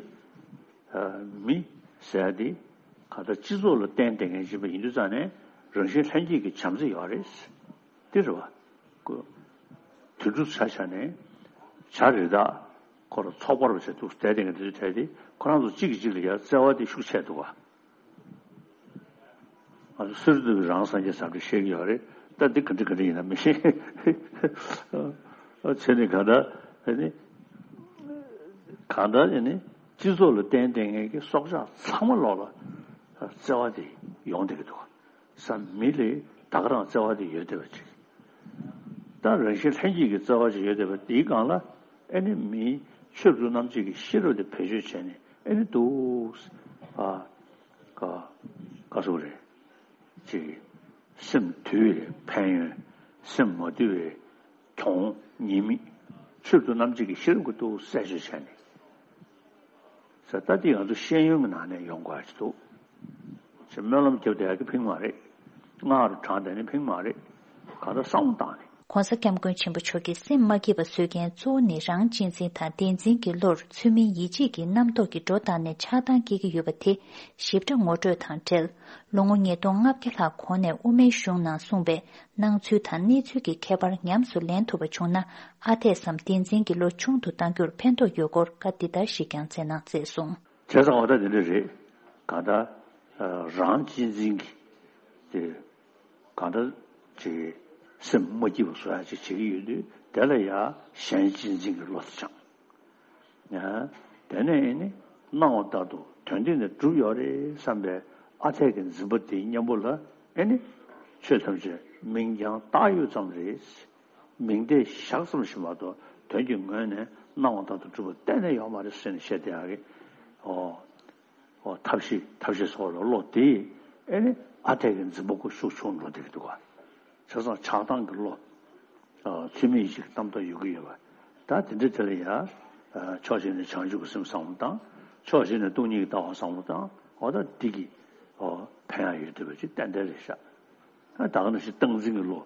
ཨ། མི་ཟེར་ཡག་དེ་གང་ལྟར་སྤྱི་ཚོགས་ལ་བརྟེན་བསྡད་མཁན་ཅིག་ཡིན་པ་ཡིན་དུས་ཙང་ནས་རང་བཞིན་ལྷན་སྐྱེས་ཀྱི་བྱམས་བརྩེ་ཡོད་རེད། དེ་རེད་བ། ཀོ། དུད་འགྲོ་ཆ་བཞག་ནས་བྱ་རི་དྭགས་ཁོ་རང་ཚོགས་པ་རུ་བྱས་འདུག་བསྡད་བསྡད་མཁན་དེ་ཚོའི་གྲས་དེ་ཁོ་རང་ཚོ་གཅིག་གིས་གཅིག་ལ་ཡ་བརྩེ་བ་དེ་ཤུགས་ཆེ་འདུག་བ། ང་ཚོ་སུ་རེད་འདུག་གི་རང་སངས་རྒྱས་བྱམས་བརྩེ་བཤད་ཀྱི་ཡོད་རེད། ད་འདི་ག་འདྲ་ག་འདྲ་ཡིན་ན་མི་ཤེས། བྱས་ནས་གང་ལྟར་ཨ་ནི་གང་ལྟར་ཨ་ནི་སྤྱི་ཚོགས་ལ་བརྟེན་བསྡད་མཁན་གྱི་སྲོག་ཆགས་ཚང་མ་ལོག་ལ་བརྩེ་བ་དེ་ཡོང་བསྡད་ཀྱི་འདུག་བ། སམ། མི་ལ་ད་ག་རང་བརྩེ་བ་དེ་ཡོད་བསྡད་པ་ཅིག་ད་རང་བཞིན་ལྷན་སྐྱེས་ཀྱི་བརྩེ་བ་ཅིག་ཡོད་བསྡད་པ་དེའི་སྒང་ལ་ཨ་ནི་མིའི་ཆོས་སྒྲུབ་རྣམ་འབྱེད་ཀྱི་ཤེས་རབ་དེ་བེད་སྤྱོད་བྱས་ནས་ཨ་ནི་འདུག་ཨ། ཀ་ཀ་སུ་རེད། ཅིག་སེམས་དུལ་བའི་ཕན་ཡོན། སེམས་མ་དུལ་བའི་གྱོང་ཉེས་དམིགས། ཆོས་སྒྲུབ་རྣམ་འབྱེད་ཀྱི་ཤེས་རབ་ཀྱིས་འདུག་གསལ་བརྗོད་བྱས་ནས། ཟེར་ད་འདི་ང་ཚོ་ཤེས་ཡོན་གྱི་ནང་ནས་ཡོང་དགོས་ཡ་ཅིག་འདུག་ཅེས་སྨོན་ལམ་རྒྱབ་བསྡད་ཡ་གི་ཕིང་མ་རེད། སྔགས་རུ་བགྲངས་བསྡད་ནི་ཕིང་མ་རེད། གང་ལྟར་བསམ་བློ་བཏང་ནས། ༸གོང་ས་༸སྐྱབས་མགོན་ཆེན་པོ་མཆོག་གིས་སེམས་མ་སྐྱིད་པ་བཟོ་མཁན་གཙོ་བོ་ནི་རང་གཅེས་འཛིན་དང་བདེན་འཛིན་གྱི་བློར་ཚུལ་མིན་ཡིད་བྱེད་ཀྱི་རྣམ་རྟོག་གི་སྒྲོ་བཏགས་ནས་ཆགས་སྡང་སྐྱེ་གི་ཡོད་པ་དེ་ཞིབ་ཕྲ་ངོ་སྤྲོད་དང་འབྲེལ། ལོ་ངོ་ཉིས་སྟོང་ལྔ་བརྒྱ་ལྷག་གོང་ནས་དབུ་མའི་གཞུང་ནང་གསུངས་པའི་སྣང་ཚུལ་དང་གནས་ཚུལ་གྱི་ཁྱད་པར་ཉམས་སུ་ལེན་ཐུབ་པ་བྱུང་ན་ཨ་འཐས་སམ་བདེན་འཛིན་གྱི་བློ་ཆུང་དུ་གཏང་རྒྱུར་ཕན་ཐོགས་ཡོད་སྐོར་བཀའ་འདི་ལྟར་ཞིག་ཀྱང་སྩལ་གནང་མཛད་སོང་། བྱས་ཙང་འོ་ད་འདི་འདྲ་རེད། གང་ལྟར་རང་གཅེས་འཛིན་གྱི་དེ་གང་ལྟར་ཅིག་སེམས་མ་སྐྱིད་པ་བཟོ་ཡ་ཅིག་བྱེད་ཀྱི་ཡོད་དུས་དེ་ལ་ཡ་གཞན་གཅེས་འཛིན་གྱི་བློ་དེ་སྦྱངས། ཡང་དེ་ནས་ཨེ་ནི་སྣང་བ་ལྟར་དུ་དོན་འདི་ནི་གྲུབ་ཡོད་རེད་བསམ་པའི་ཨ་འཐས་ཀྱི་འཛིན་པ་དེའི་གཉེན་པོ་ལ་ཨེ་ནི་ཆོས་ཐམས་ཅད་མིང་རྐྱང་བཏགས་ཡོད་ཙམ་རེད། མིང་བརྡས་བཞག་ཙམ་ཞིག་མ་གཏོགས་དོན་གྱི་ངོས་ནས་སྣང་བ་ལྟར་དུ་གྲུབ་པ་གཏན་ནས་ཡོད་མ་རེད་ཟེར་ནས་བཤད་བསྡད་ཡག་གི། ཨོ། ཨོ། ཐབས་ཤེས་ཐབས་ཤེས་སོགས་ལ་བློ་དེ་ཨེ་ནི་ཨ་འཐས་ཀྱི་འཛིན་པ་ཁོ་ཤུགས་ཆུང་འགྲོ་བསྡད་ཀྱི་འདུག་ག་བྱས་ཙང་ཆགས་སྡང་གི་བློ། ཨ། ཚུལ་མིན་ཡིད་བྱེད་ཀྱི་རྣམ་རྟོག་ཡོད་ཀྱི་ཡོད་པ། ད་དེ་འདྲ་དེ་ལ་ཡ། ཨ། ཕྱོགས་གཅིག་ནས་བྱང་ཆུབ་ཀྱི་སེམས་བསམ་བློ་བཏང་། ཕྱོགས་གཅིག་ནས་སྟོང་ཉིད་ཀྱི་ལྟ་བ་བསམ་བློ་བཏང་། འོ་ད་འདི་གི་ཨོ། ཕན་ཡག་ཡོད་བསྡད་པ་ཅིག་ཏན་ཏན་རེད་ཤག་ཨ། ད་ག་ནང་བཞིན་སྟངས་འཛིན་གྱི་བློ།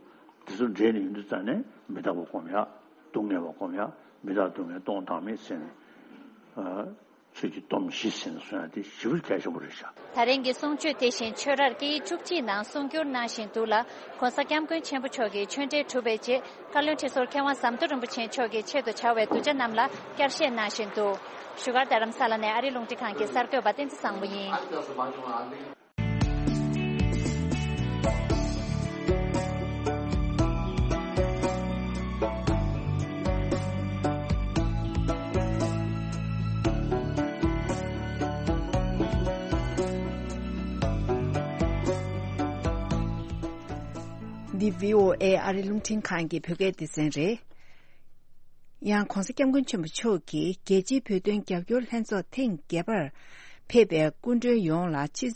དེ་ཚོ་འདྲེས་ནས་ཡོང་དུས་ཙ་ནས་མི་རྟག་པ་སྒོམ་ཡག་སྡུག་བསྔལ་བ་སྒོམ་ཡག་མི་རྟག་སྡུག་བསྔལ་སྟོང་བཏང་མེད་ཟེར་ནས། ཨ། ཆོས་ཀྱི་སྡོམ་བཞི་ཟེར་ནས་གསུང་ཡག་དེ་ཞེ་པོ་གལ་ཆེན་པོ་རེད་ཤག་ད་རིང་གི་གསུང་ཆོས་དེ་བཞིན་ཆོས་རར་སྐད་ཡིག་བཅུ་གཅིག་ནང་གསུང་བསྒྱུར་གནང་བཞིན་འདུག་ལ། ༸གོང་ས་༸སྐྱབས་མགོན་ཆེན་པོ་མཆོག་གི་ཆོས་འབྲེལ་གྲུབ་པའི་རྗེས་བཀའ་བློན་ཁྲི་ཟུར་མཁས་དབང་ཟམ་གདོང་རིན་པོ་ཆེའི་མཆོག་གི་ཆེད་དུ་བྱ་བའི་གདུལ་བྱ་རྣམས་ལ་བསྐྱར་བཤད་གནང་བཞིན་འདུག་བཞུགས་སྒར་རྡ་རམ་ས་ལ་ནས་ཨ་རིའི་རླུང་འཕྲིན་ཁང་གི་གསར་འགོད་པ་བསྟན་འཛིན་བཟང་མོ་ཡིན། འདི་བྷི་ཨོ་ཨེ་ཨ་རིའི་རླུང་འཕྲིན་ཁང་གི་བོད་སྐད་སྡེ་ཚན་རེད། ཡང་༸གོང་ས་༸སྐྱབས་མགོན་ཆེན་པོ་མཆོག་གིས་རྒྱལ་སྤྱིའི་བོད་དོན་རྒྱབ་སྐྱོར་ལྷན་ཚོགས་ཐེངས་བརྒྱད་པར་ཕེབས་པའི་སྐུ་མགྲོན་ཡོངས་ལ་ཕྱི་ཚེས་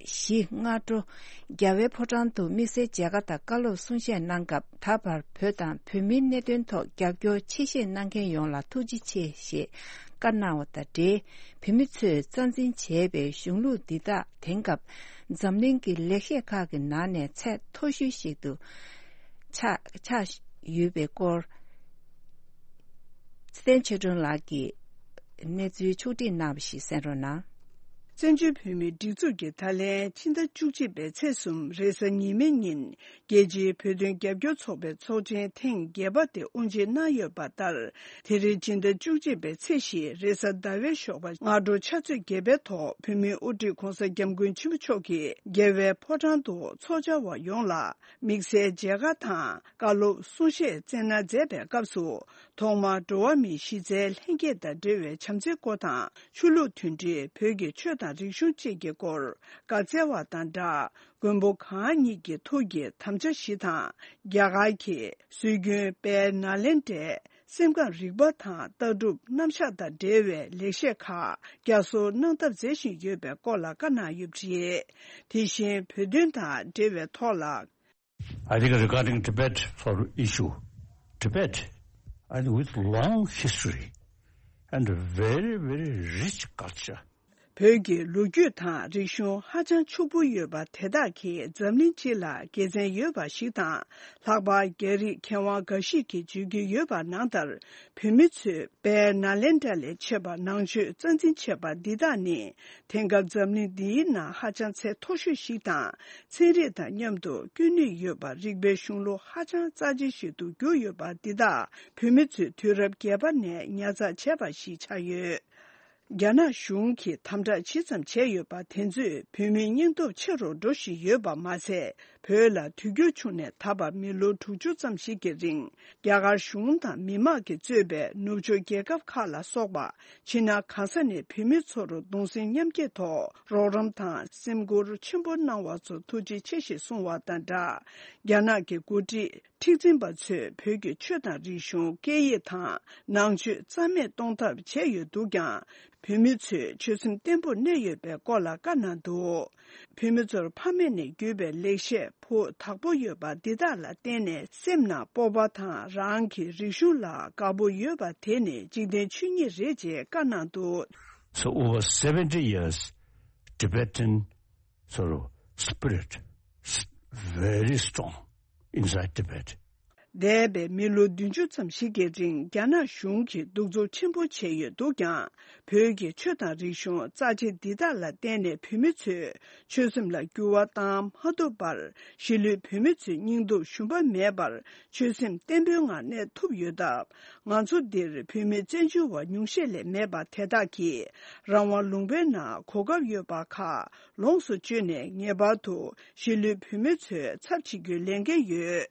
བཞི་སྔ་དྲོ་རྒྱལ་བའི་ཕོ་བྲང་དུ་དམིགས་བསལ་མཇལ་ཁ་དང་བཀའ་སློབ་གསུང་བཤད་གནང་སྐབས། ད་བར་བོད་དང་བོད་མིའི་གནད་དོན་ཐོག་རྒྱབ་སྐྱོར་ཆེ་བཞེས་གནང་མཁན་ཡོངས་ལ་ཐུགས་རྗེ་ཆེ་ཞེས་བཀའ་གནང་བ་དང་འབྲེལ། བོད་མི་ཚོས་རྩ་འཛིན་བྱས་པའི་གཞུང་ལུགས་འདི་དག་དེང་སྐབས་འཛམ་གླིང་གི་ལེགས་བཤད་ཁག་གི་ནང་ནས་ཚད་མཐོ་ཤོས་ཤིག་ཏུ་ཆགས་ཆགས་ཡོད་པའི་སྐོར། ཚེ་བརྟན་ཆོས་སྒྲོན་ལགས་ཀྱིས་གནས་ཚུལ་ཕྱོགས་བསྒྲིགས་གནང་བ་ཞིག་གསན་རོགས་གནང་། བཙན་བྱོལ་བོད་མིའི་སྒྲིག་འཛུགས་ཀྱིས་ད་ལན་ཕྱི་ཟླ་བཅུ་གཅིག་པའི་ཚེས་གསུམ་རེས་གཟའ་ཉི་མའི་ཉིན། རྒྱལ་སྤྱིའི་བོད་དོན་རྒྱབ་སྐྱོར་ཚོགས་པའི་ཚོགས་ཆེན་ཐེངས་བརྒྱད་པ་དེ་དབུ་འབྱེད་གནང་ཡོད་པ་ལྟར། དེ་རིང་ཕྱི་ཟླ་བཅུ་གཅིག་པའི་ཚེས་བཞི་རེས་གཟའ་ཟླ་བའི་ཞོགས་པ་སྔ་དྲོ་ཕྱག་ཚོད་བརྒྱད་པའི་ཐོག་བོད་མིའི་དབུ་ཁྲིད་༸གོང་ས་༸སྐྱབས་མགོན་ཆེན་པོ་མཆོག་གིས་རྒྱལ་བའི་ཕོ་བྲང་དུ་ཚོགས་བཅར་བ་ཡོངས་ལ་དམིགས་བསལ་མཇལ་ཁ་དང་བཀའ་སློབ་གསུང་བཤད་སྩལ་གནང་མཛད་པའི་སྐབས་སུ། ཐོག་མར་འགྲོ་བ་མིའི་གཞི་རྩའི་ལྷན་སྐྱེས་དང་འབྲེལ་བའི་བྱམས་བརྩེའི་སྐོར་དང་། ཆོས་ལུགས་མཐུན་སྒྲིལ། བོད་ཀྱི་ཆོས་དང་ དང་རིག་གཞུང་བཅས་ཀྱི་སྐོར་བཀའ་སྩལ་བ་དང་སྦྲགས། མགོན་པོ་གང་ཉིད་ཀྱི་ཐུགས་ཀྱི་དམ་བཅའ་བཞི་དང་། རྒྱ་གར་གྱི་སྲོལ་རྒྱུན་དཔལ་ནཱ་ལེནྡྲའི་སེམས་ཁམས་རིག་པ་དང་ལྟ་གྲུབ་རྣམ་གཞག་དང་འབྲེལ་བའི་ལེགས་བཤད་ཁག་བསྐྱར་གསོ་གནང་ཐབས་མཛད་བཞིན་ཡོད་པའི་སྐོར་ལ་བཀའ་གནང་ཡོད་པ་རེད། དེ་བཞིན་བོད་དོན་དང་འབྲེལ་བའི་ཐོག་ལ། I think regarding Tibet for issue, Tibet, I think with long history and very, very rich culture. བོད་ཀྱི་ལོ་རྒྱུས་དང་རིག་གཞུང་ཧ་ཅང་ཕྱུག་པོ་ཡོད་པ་དེ་དག་གིས་འཛམ་གླིང་སྤྱི་ལ་དགེ་མཚན་ཡོད་པ་ཞིག་དང་། ལྷག་པར་རྒྱ་རིགས་མཁས་དབང་འགའ་ཞིག་གིས་བརྗོད་ཀྱི་ཡོད་པ་ནང་ལྟར། བོད་མི་ཚོས་དཔལ་ནཱ་ལེནྡྲ་ལས་མཆེད་པ་ནང་ཆོས་རྩ་འཛིན་བྱས་པ་འདི་དག་ནི། དེང་སྐབས་འཛམ་གླིང་འདིའི་ནང་ཧ་ཅང་ཚད་མཐོ་ཤོས་ཤིག་དང་། ཚན་རིག་དང་མཉམ་དུ་སྐྱོན་ནུས་ཡོད་པ་རིག་པའི་གཞུང་ལུགས་ཧ་ཅང་རྩ་ཆེ་ཞིག་ཏུ་གྱུར་ཡོད་པ་འདི་དག་བོད་མི་ཚོས་དུས་རབས་བརྒྱད་པ་ནས་ཉར་ཚགས་བྱས་པ་ཞིག་ཆགས་ཡོད། རྒྱ་ནག་གཞུང་གིས་དམ་དྲག་ཇི་ཙམ་བྱས་ཡོད་པ་དེ་ཚོས་བོད་མིའི་སྙིང་སྟོབས་ཆེ་རུ་འགྲོ་བཞིན་ཡོད་པ་མ་ཟད། བོད་ལ་དུས་འགྱུར་བྱུང་ནས་ད་བར་མི་ལོ་དྲུག་ཅུ་ཙམ་ཞིག་གི་རིང་རྒྱ་གར་གཞུང་དང་མི་དམངས་ཀྱིས་གཙོས་པའི་ནུབ་ཕྱོགས་རྒྱལ་ཁབ་ཁག་ལ་སོགས་པ་ཕྱི་ནང་གང་ས་ནས་བོད་མི་ཚོར་གདུང་སེམས་མཉམ་སྐྱེད་ཐོག་རོགས་རམ་དང་སེམས་ཁུར་ཆེན་པོ་གནང་བ་ཚོར་ཐུགས་རྗེ་ཆེ་ཞེས་གསུངས་བ་དང་སྦྲགས། རྒྱ་ནག་གི་འགོ་ཁྲིད་མཁྲེགས་འཛིན་པ་ཚོས་བོད་ཀྱི་ཆོས་དང་རིག་གཞུང་སྐད་ཡིག་དང་ནང་ཆོས་རྩ་མེད་གཏོང་ཐབས་བྱས་ཡོད་འདུག་ཀྱང་། བོད་མི་ཚོས་ཆོད་སེམས་བརྟན་པོར་གནས་ཡོད་པའི་སྐོར་ལ་བཀའ་གནང་འདུག་བོད་མི་ཚོར་ཕ་མེས་ནས་བརྒྱུད་པའི་ལེགས་བཤད་ཕུགས་དག་པོ་ཡོད་པ་འདི་དག་ལ་བརྟེན་ནས་སེམས་ནང་སྤོབས་པ་དང་རང་གི་རིག་གཞུང་ལ་དགའ་པོ་ཡོད་པ་དེ་ནི་འཇིག་རྟེན་ཆོས་ཉིད་རེད་ཅེས་བཀའ་གནང་འདུག So over seventy years, Tibetan sort of spirit s- very strong inside Tibet. འདས་པའི་མི་ལོ་བདུན་ཅུ་ཙམ་ཞིག་གི་རིང་རྒྱ་ནག་གཞུང་གིས་གདུག་རྩུབ་ཆེན་པོ་བྱས་ཡོད་འདུག་ཀྱང་། བོད་ཀྱི་ཆོས་དང་རིག་གཞུང་རྩ་ཆེ་འདི་དག་ལ་བརྟེན་ནས་བོད་མི་ཚོས་ཆོད་སེམས་ལ་འགྱུར་བ་བཏང་མ་ཐུབ་པར། གཞིས་ལུས་བོད་མི་ཚོས་སྙིང་སྟོབས་ཞུམ་པ་མེད་པར་ཆོད་སེམས་བརྟན་པོའི་ངང་གནས་ཐུབ་ཡོད་སྟབས། ང་ཚོ་འདིར་བོད་མི་བཙན་བྱོལ་བ་ཉུང་ཤས་ལས་མེད་པ་དེ་དག་གིས་རང་དབང་ལུང་པའི་ནང་གོ་སྐབས་ཡོད་པ་ཁག་ལོངས་སུ་སྤྱོད་ནས་ངེས་པར་དུ་གཞིས་ལུས་བོད་མི་ཚོའི་ཚབ་བྱེད་རྒྱུའི་ལས་འགན་ཡོད།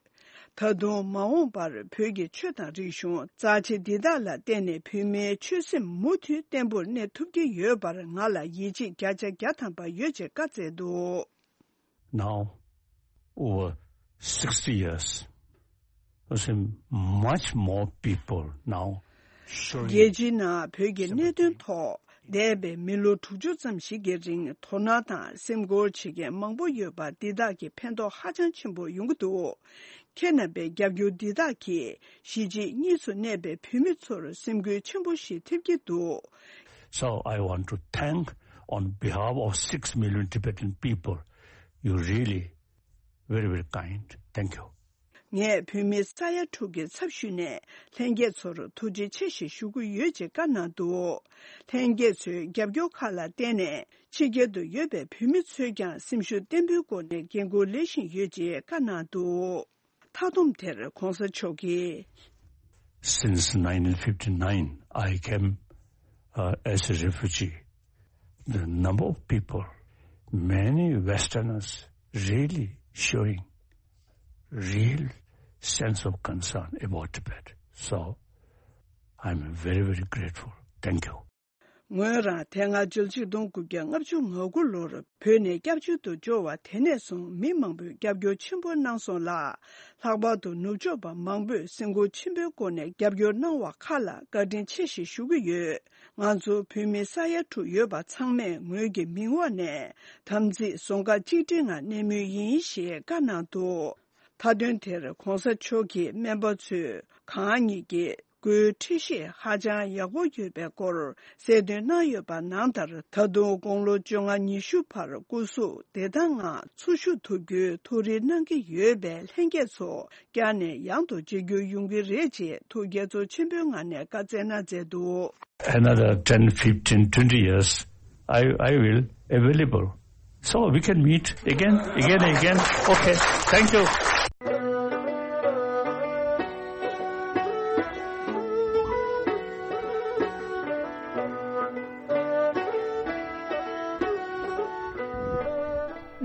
ད་དུང་མ་འོངས་པར་བོད་ཀྱི་ཆོས་དང་རིག་གཞུང་རྩ་ཆེ་འདི་དག་ལ་བརྟེན་ནས་བོད་མིའི་ཆོད་སེམས་མུ་མཐུད་བརྟན་པོར་གནས་ཐུབ་ཀྱི་ཡོད་པར་ང་ལ་ཡིད་ཆེས་བརྒྱ་ཆ་བརྒྱ་ཐམ་པ་ཡོད་ཅེས་བཀའ་སྩལ་འདུག Now, over sixty years, I see much more people now showing རྒྱལ་སྤྱིའི་ནང་བོད་ཀྱི་གནད་དོན་ཐོག་འདས་པའི་མི་ལོ་དྲུག་ཅུ་ཙམ་ཞིག་གི་རིང་དོ་སྣང་དང་སེམས་ཁུར་བྱེད་མཁན་མང་པོ་ཡོད་པ་འདི་དག་གི་ཕན་ཐོགས་ཧ་ཅང་ཆེན་པོ་ཡོང་གི་འདུག་ཁྱེད་རྣམ་པའི་རྒྱབ་སྐྱོར་འདི་དག་གིས་གཞིས་བྱེས་གཉིས་སུ་གནས་པའི་བོད་མི་ཚོར་སེམས་འགུལ་ཆེན་པོ་ཞིག་ཐེབས་ཀྱི་འདུག So I want to thank on behalf of six million Tibetan people. You really very, very kind. Thank you. ངས་བོད་མི་ས་ཡ་དྲུག་གི་ཚབ་ཞུས་ནས་ལྷན་རྒྱས་ཚོར་ཐུགས་རྗེ་ཆེ་ཞེས་ཞུ་གི་ཡོད་ཅེས་བཀའ་གནང་འདུག་ལྷན་རྒྱས་ཚོའི་རྒྱབ་སྐྱོར་ཁག་ལ་བརྟེན་ནས་ཕྱི་རྒྱལ་དུ་ཡོད་པའི་བོད་མི་ཚོས་ཀྱང་སེམས་ཤུགས་བརྟན་པོའི་སྒོ་ནས་འགན་ཁུར་ལེན་བཞིན་ཡོད་ཅེས་བཀའ་གནང་འདུག་མཐའ་སྡོམ་དེར་གོང་ས་མཆོག་གིས། Since nineteen fifty-nine, I came uh, as a refugee. The number of people, many Westerners really showing real sense of concern about Tibet. So I'm very, very grateful. Thank you. ངོས་རང་དེ་སྔ་ཕྱི་ལོ་ཆིག་སྟོང་དགུ་བརྒྱ་ལྔ་བཅུ་ང་དགུ་ལོར་བོད་ནས་སྐྱབས་བཅོལ་དུ་འབྱོར་བ་དེ་ནས་བཟུང་མི་མང་པོས་རྒྱབ་སྐྱོར་ཆེན་པོ་གནང་སོང་ལ། ལྷག་པར་དུ་ནུབ་ཕྱོགས་པ་མང་པོས་སེམས་ཁུར་ཆེན་པོའི་སྒོ་ནས་རྒྱབ་སྐྱོར་གནང་བ་ཁག་ལ་བཀའ་དྲིན་ཆེ་ཞེས་ཞུ་གི་ཡོད། ང་ཚོ་བོད་མི་ས་ཡ་དྲུག་ཡོད་པ་ཚང་མས་ངོས་ཀྱི་མིང་འོག་ནས་དམ་ཚིག་བཟོ་འགའ་གཅིག་སྒྲིལ་ངང་གནས་མུས་ཡིན་ཞེས་བཀའ་གནང་འདུག་མཐའ་དོན་དེར་གོང་ས་མཆོག་གིས་སྨན་པ་ཚོས་གང་ཉིད་ཀྱི་སྒོའི་འཁྲུལ་གཞི་ཧ་ཅང་ཡག་པོ་ཡོད་པའི་སྐོར་གསལ་སྟོན་གནང་ཡོད་པ་ནང་ལྟར། ད་དུང་དགུང་ལོ་བཅོ་ལྔ་ཉི་ཤུ་བར་སྐུ་གཟུགས་བདེ་ཐང་ངང་འཚོ་བཞུགས་ཐུབ་རྒྱུའི་ཐུགས་རེ་གནང་གི་ཡོད་པས་ལྷན་རྒྱས་ཚོ་བསྐྱར་ནས་ཡང་དུ་མཇལ་རྒྱུ་ཡོང་གི་རེད་ཅེས་ཐུགས་དགྱེས་ཚོར་ཆེན་པོའི་ངང་ནས་བཀའ་སྩལ་གནང་མཛད་འདུག Another ten, fifteen, twenty years, I, I will available. So we can meet again, again, again. Okay, thank you.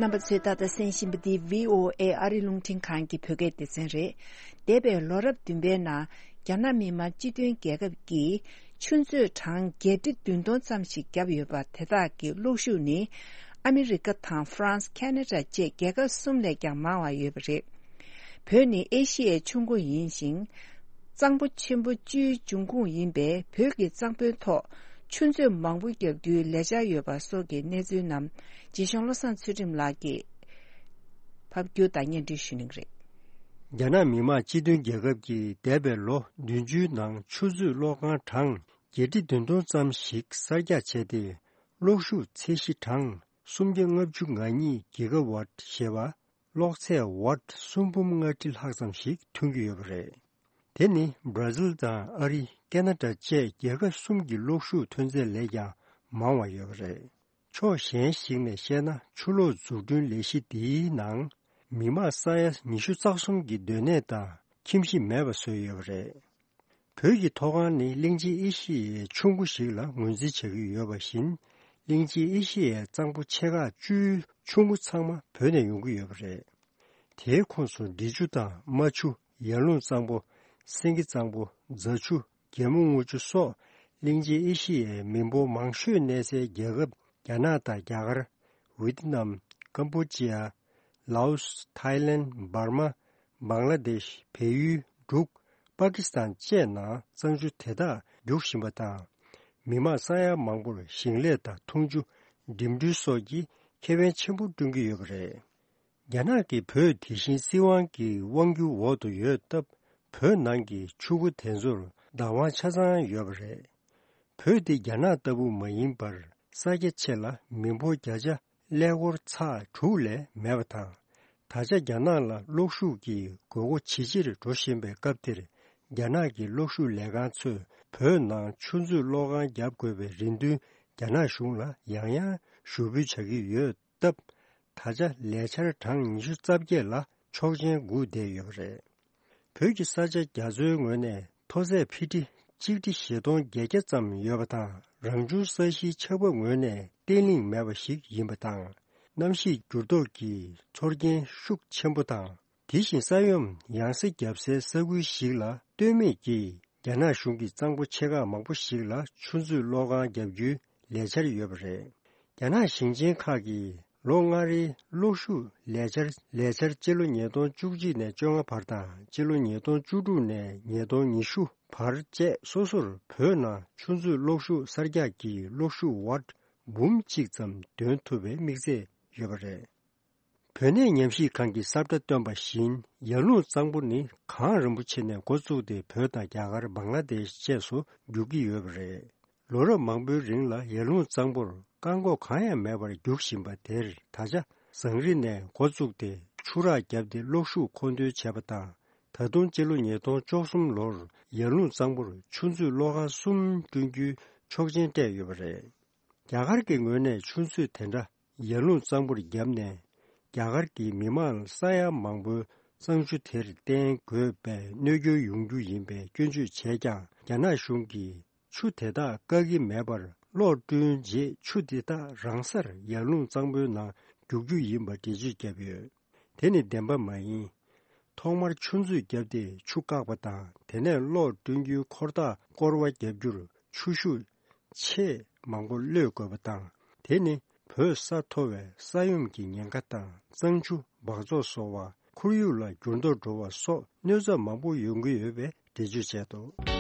རྣམ་པ་ཚོས་ད་ལྟ་གསན་བཞིན་པ་འདི་བྷི་ཨོ་ཨེ་ཨ་རི་རླུང་འཕྲིན་ཁང་གི་བོད་སྐད་སྡེ་ཚན་རེད། འདས་པའི་ལོ་རབས་བདུན་པའི་ནང་རྒྱ་ནག་མི་དམངས་སྤྱི་མཐུན་རྒྱལ་ཁབ་ཀྱིས་ ཆུ་མཛོད་གྲངས་བརྒྱད་ཁྲི་བདུན་སྟོང་ཙམ་ཞིག་བརྒྱབ་ཡོད་པ། དེ་དག་གི་གློག་ཤུགས་ནི་ཨ་མི་རི་ཀ་དང་ཧྥ་རན་སི། ཁེ་ན་ཌ་བཅས་རྒྱལ་ཁབ་གསུམ་ལས་ཀྱང་མང་བ་ཡོད་པ་རེད། བོད་ནི་ཨེ་ཤི་ཡའི་ཆུ་མགོ་ཡིན་ཞིང་། གཙང་པོ་ཆེན་པོ་བཅུའི་འབྱུང་ཁུངས་ཡིན་པས། བོད་ཀྱི་གཙང་པོའི་ཐོག་ཆུ་མཛོད་མང་པོ་བརྒྱབ་རྒྱུའི་ལས་འཆར་ཡོད་པ་སོགས་ཀྱི་གནས་ཚུལ་རྣམས་རྗེ་གཞུང་བློ་བཟང་ཚུལ་ཁྲིམས་ལགས་ཀྱིས་ཕབ་སྒྱུར་དང་སྙན་སྒྲོན་ཞུ་གནང་གི་རེད། རྒྱ་ནག་མི་དམངས་སྤྱི་མཐུན་རྒྱལ་ཁབ་ཀྱིས་འདས་པའི་ལོ་བདུན་ཅུའི་ནང་ཆུ་མཛོད་གློག་ཁང་གྲངས་བརྒྱད་ཁྲི་བདུན་སྟོང་ཙམ་ཞིག་གསར་རྒྱག་བྱས་ཏེ། གློག་ཤུགས་ཚད་གཞི་གྲངས་སུམ་བརྒྱ་ལྔ་བཅུ་ང་གཉིས་གི་ག་ཝཊ་ཞེས་པ། གློག་ཚད་ཝཊ་སུམ་འབུམ་ལྔ་ཁྲི་ལྷག་ཙམ་ཞིག་ཐོན་གྱི་ཡོད་པ་རེད། དེ་ནི་བར་ཛིལ་དང་ཨ་རི། ཁེ་ན་ཌ་བཅས་རྒྱལ་ཁབ་གསུམ་གྱི་གློག་ཤུགས་ཐོན་ཚད་ལས་ཀྱང་མང་བ་ཡོད་པ་རེད། ཕྱོགས་གཞན་ཞིག་ནས་བཤད་ན། ཆུ་གློག་འཛུགས་སྐྲུན་ལས་གཞི་འདིའི་ནང་མི་དམངས་ས་ཡ་ཉི་ཤུ་རྩ་གསུམ་གྱི་སྡོད་གནས་དང་ཁྱིམ་གཞིས་མེད་པ་བཟོས་ཡོད་པ་རེད། བོད་ཀྱི་མཐོ་སྒང་ནི་གླིང་ཆེན་ཨེ་ཤི་ཡའི་ཆུ་མགོ་ཞིག་ལ་ངོས་འཛིན་བྱ་གི་ཡོད་པ་བཞིན། གླིང་ཆེན་ཨེ་ཤི་ཡའི་གཙང་པོ་ཆེ་ཁག་བཅུའི་ཆུ་མགོ་ཚང་མ་བོད་ནས་ཡོང་གི་ཡོད་པ་རེད། དེའི་ཁོངས་སུ་འབྲི་ཆུ་དང་རྨ་ཆུ། ཡར་ཀླུང་གཙང་པོ། སེང་གེ་གཙང་པོ། རྫ་ཆུ། རྒྱལ་མོ་རྔུལ་ཆུ་སོགས་གླིང་ཆེན་ཨེ་ཤི་ཡའི་མི་འབོར་མང་ཤོས་གནས་སའི་རྒྱལ་ཁབ་རྒྱ་ནག་དང་རྒྱ་གར། ཝེ་ཏི་ནམ། ཀམ་པོ་ཅི་ཡ། ལའོ་སི། ཐའི་ལེན། འབར་མ། བང་ལ་དེཤ། བལ་ཡུལ། འབྲུག་པ་ཀི་སི་ཐན་བཅས་ནང་གཙང་ཆུ་དེ་དག་རྒྱུག་བཞིན་པ་དང་། མི་དམངས་ས་ཡ་མང་པོར་ཞིང་ལས་དང་འཐུང་ཆུ། འགྲིམ་འགྲུལ་སོགས་ཀྱི་ཁེ་ཕན་ཆེན་པོ་བསྐྲུན་གྱི་ཡོད་པ་རེད། རྒྱ་ནག་གིས་བོད་དེ་བཞིན་སྲིད་དབང་གི་དབང་སྒྱུར་འོག་ཏུ་ཡོད་སྟབས། བོད་ནང་གི་ཆུ་མགོ་དེ་ཚོར་བདག་དབང་ཆ་ཚང་ཡོད་པ་རེད། བོད་འདི་རྒྱ་ནག་ལྟ་བུ་མ་ཡིན་པར། ས་རྒྱ་ཆེ་ལ་མི་འབོར་བརྒྱ་ཆ་ཀླད་ཀོར་ཚེག་དྲུག་ལས་མེད་པ་དང་། ད་ཆ་རྒྱ་ནག་ལ་གློག་ཤུགས་ཀྱི་དགོས་མཁོ་ཇེ་ཆེར་འགྲོ་བཞིན་པའི་སྐབས་འདིར། རྒྱ་ནག་གི་གློག་ཤུགས་ལས་ཁང་ཚོས་བོད་ནང་ཆུ་མཛོད་གློག་ཁང་བརྒྱབ་དགོས་པའི་རེ་འདུན་རྒྱ་ནག་གཞུང་ལ་ཡང་ཡང་ཞུ་འབུལ་བྱ་གི་ཡོད་སྟབས། ད་ཆ་ལས་འཆར་གྲངས་ཉི་ཤུ་རྩ་བརྒྱད་ལ་ཆོག་མཆན་སྒུག་བསྡད་ཡོད་པ་རེད། བོད་ཀྱི་ས་ཆ་རྒྱ་མཚོའི་ངོས་ནས་མཐོ་ཚད་ཕི་ཊི་གཅིག་ཁྲི་བཞི་སྟོང་བརྒྱད་བརྒྱ་ཙམ་ཡོད་པ་དང་། རང་བྱུང་ས་གཞིའི་ཆགས་བབ་ངོས་ནས་བརྟན་ལྷིང་མེད་པ་ཞིག་ཡིན་པ་དང་། གནམ་གཤིས་འགྱུར་ལྡོག་གི་ཚོར་སྐྱེན་ཤུགས་ཆེན་པོ་དང་། དེ་བཞིན་ས་ཡོམ་ཡང་སེ་བརྒྱབ་སའི་ས་ཁུལ་ཞིག་ལ་ལྟོས་མེད་ཀྱིས་རྒྱ་ནག་གཞུང་གིས་གཙང་པོ་ཆེ་ཁག་མང་པོ་ཞིག་ལ་ཆུ་མཛོད་གློག་ཁང་བརྒྱབ་རྒྱུའི་ལས་འཆར་ཡོད་པ་རེད། རྒྱ་ནག་ཞིང་ཆེན་ཁག་གིས་ལོ་ལྔ་རེའི་གློག་ཤུགས་ལས་འཆར། ལས་འཆར་སྤྱི་ལོ་ཉིས་སྟོང་བཅུ་གཅིག་ནས་བཅོ་ལྔ་བར་དང་། སྤྱི་ལོ་ཉིས་སྟོང་བཅུ་དྲུག་ནས་ཉིས་སྟོང་ཉི་ཤུ་བར་བཅས་སོ་སོར་བོད་ནང་ཆུ་མཛོད་གློག་ཤུགས་གསར་རྒྱག་གི་གློག་ཤུགས་ཝཊ་འབུམ་གཅིག་ཙམ་འདོན་ཐུབ་པའི་དམིགས་ཚད་ཡོད་པ་རེད། བོད་གནས་ཉམས་ཞིབ་ཁང་གིས་གསལ་བསྒྲགས་བཏོན་པ་བཞིན། ཡར་ཀླུང་གཙང་པོ་ནི་གངས་རིན་པོ་ཆེ་ནས་འགོ་བཙུགས་ཏེ། བོད་དང་རྒྱ་གར། བང་ལ་དེཤ་བཅས་སུ་རྒྱུག་གི་ཡོད་པ་རེད། ལོ་རབས་མང་པོའི་རིང་ལ་ཡར་ཀླུང་གཙང་པོར་བཀག་འགོག་གང་ཡང་མེད་པར་རྒྱུག་བཞིན་པ་དེར། ད་ཆ་ཟངས་རི་ནས་འགོ་བཙུགས་ཏེ་ཆུ་རགས་བརྒྱབ་སྟེ་གློག་ཤུགས་མཁོ་འདོན་བྱས་པ་དང་། ད་དུང་སྤྱི་ལོ་ཉིས་སྟོང་བཅུ་གསུམ་ལོར་ཡར་ཀླུང་གཙང་པོར་ཆུ་མཛོད་གློག་ཁང་གསུམ་བསྐྲུན་རྒྱུའི་ཆོག་མཆན་སྤྲད་ཡོད་པ་རེད། རྒྱ་གར་གྱི་ངོས་ནས་ཆུ་མཛོད་དེ་འདྲ་ཡར་ཀླུང་གཙང་པོར་བརྒྱབ་ནས། རྒྱ་གར་གྱི་མི་མང་ས་ཡ་མང་པོའི་གཙང་ཆུ་དེར་བརྟེན་དགོས་པའི་གནོད་སྐྱོན་ཡོང་རྒྱུ་ཡིན་པའི་སྐྱོན་བརྗོད་བྱས་ཀྱང་། རྒྱ་ནག་གཞུང་གིས་ཆུ་དེ་དག་བཀག་གི་མེད་པར། གློག་བསྐྲུན་རྗེས་ཆུ་དེ་དག་རང་སར་ཡར་ཀླུང་གཙང་པོའི་ནང་རྒྱུག་རྒྱུ་ཡིན་པ་འགྲེལ་བརྗོད་བརྒྱབ་ཡོད། དེ་ནི་བདེན་པ་མ་ཡིན། ཐོག་མར་ཆུ་མཛོད་བརྒྱབ་སྟེ་ཆུ་བཀག་པ་དང་། དེ་ནས་གློག་བསྐྲུན་རྒྱུའི་འཁོར་ཐག་སྐོར་བ་བརྒྱབ་རྒྱུར་ཆུ་ཤུགས་ཆེས་མང་པོ་གློད་དགོས་པ་དང་། དེ་ནི་བོད་ས་མཐོ་བའི་ས་ཡོམ་གྱི་ཉེན་ཁ་དང་། གཙང་ཆུ་འབག་བཙོག་བཟོ་བ། ཁོར་ཡུག་ལ་འགྱུར་ལྡོག་འགྲོ་བ་སོགས་གནོད་འཚེ་མང་པོ་ཡོང་གི་ཡོད་པའི་འགྲེལ་བརྗོད་བྱས་འདུག།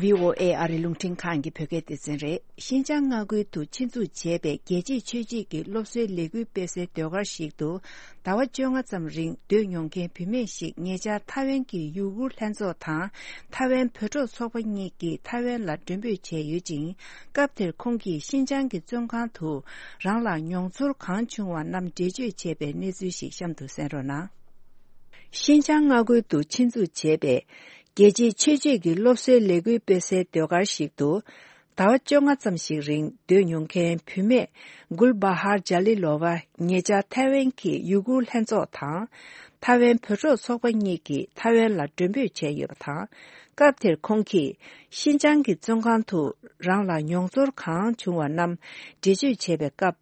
ཝི་ཨོ་ཨེ་ཨ་རི་རླུང་འཕྲིན་ཁང་གི་བོད་སྐད་སྡེ་ཚན་རེད། ཤིན་ཅང་མངའ་ཁུལ་དུ་ཆེད་འཛུགས་བྱས་པའི་རྒྱལ་གཅེས་ཆོས་གཅེས་ཀྱི་སློབ་གསོའི་ལས་འགུལ་སྤེལ་སའི་ཟློས་གར་ཞིག་ཏུ། ཟླ་བ་བཅོ་ལྔ་ཙམ་རིང་སྡོད་མྱོང་མཁན་བུད་མེད་ཞིག་ཉེ་ཆར་ཐའེ་ཝན་གྱི་ཡུ་གུར་ལྷན་ཚོགས་དང་ཐའེ་ཝན་བོད་ཕྲུག་ཚོགས་པ་གཉིས་ཀྱིས་ཐའེ་ཝན་ལ་མགྲོན་འབོད་བྱས་ཡོད་ཅིང་། སྐབས་དེར་ཁོང་གིས་ཤིན་ཅང་གི་བཙོན་ཁང་དུ་རང་ལ་མྱོང་ཚོར་གང་བྱུང་བ་རྣམས་འགྲེལ་བརྗོད་བྱས་པའི་གནས་ཚུལ་ཞིག་གཤམ་དུ་གསན་རོགས་གནང་། ཤིན་ཅང་མངའ་ཁུལ་དུ་ཆེད་འཛུགས་བྱས་པའི་རྒྱལ་གཅེས་ཆོས་གཅེས་ཀྱི་སློབ་གསོའི་ལས་འགུལ་སྤེལ་སའི་ཟློས་གར་ཞིག་ཏུ། ཟླ་བ་བཅོ་ལྔ་ཙམ་ཞིག་རིང་སྡོད་མྱོང་མཁན་བུད་མེད་གུལ་བྷ་ཧར་ཇཱ་ལི་ལོ་ཝ་ཉེ་ཆར་ཐའེ་ཝན་གྱི་ཡུ་གུར་ལྷན་ཚོགས་དང་། ཐའེ་ཝན་བོད་ཕྲུག་ཚོགས་པ་གཉིས་ཀྱིས་ཐའེ་ཝན་ལ་མགྲོན་འབོད་བྱས་ཡོད་པ་དང་། སྐབས་དེར་ཁོང་གིས་ཤིན་ཅང་གི་བཙོན་ཁང་དུ་རང་ལ་མྱོང་ཚོར་གང་བྱུང་བ་རྣམས་འགྲེལ་བརྗོད་བྱས་པའི་སྐབས།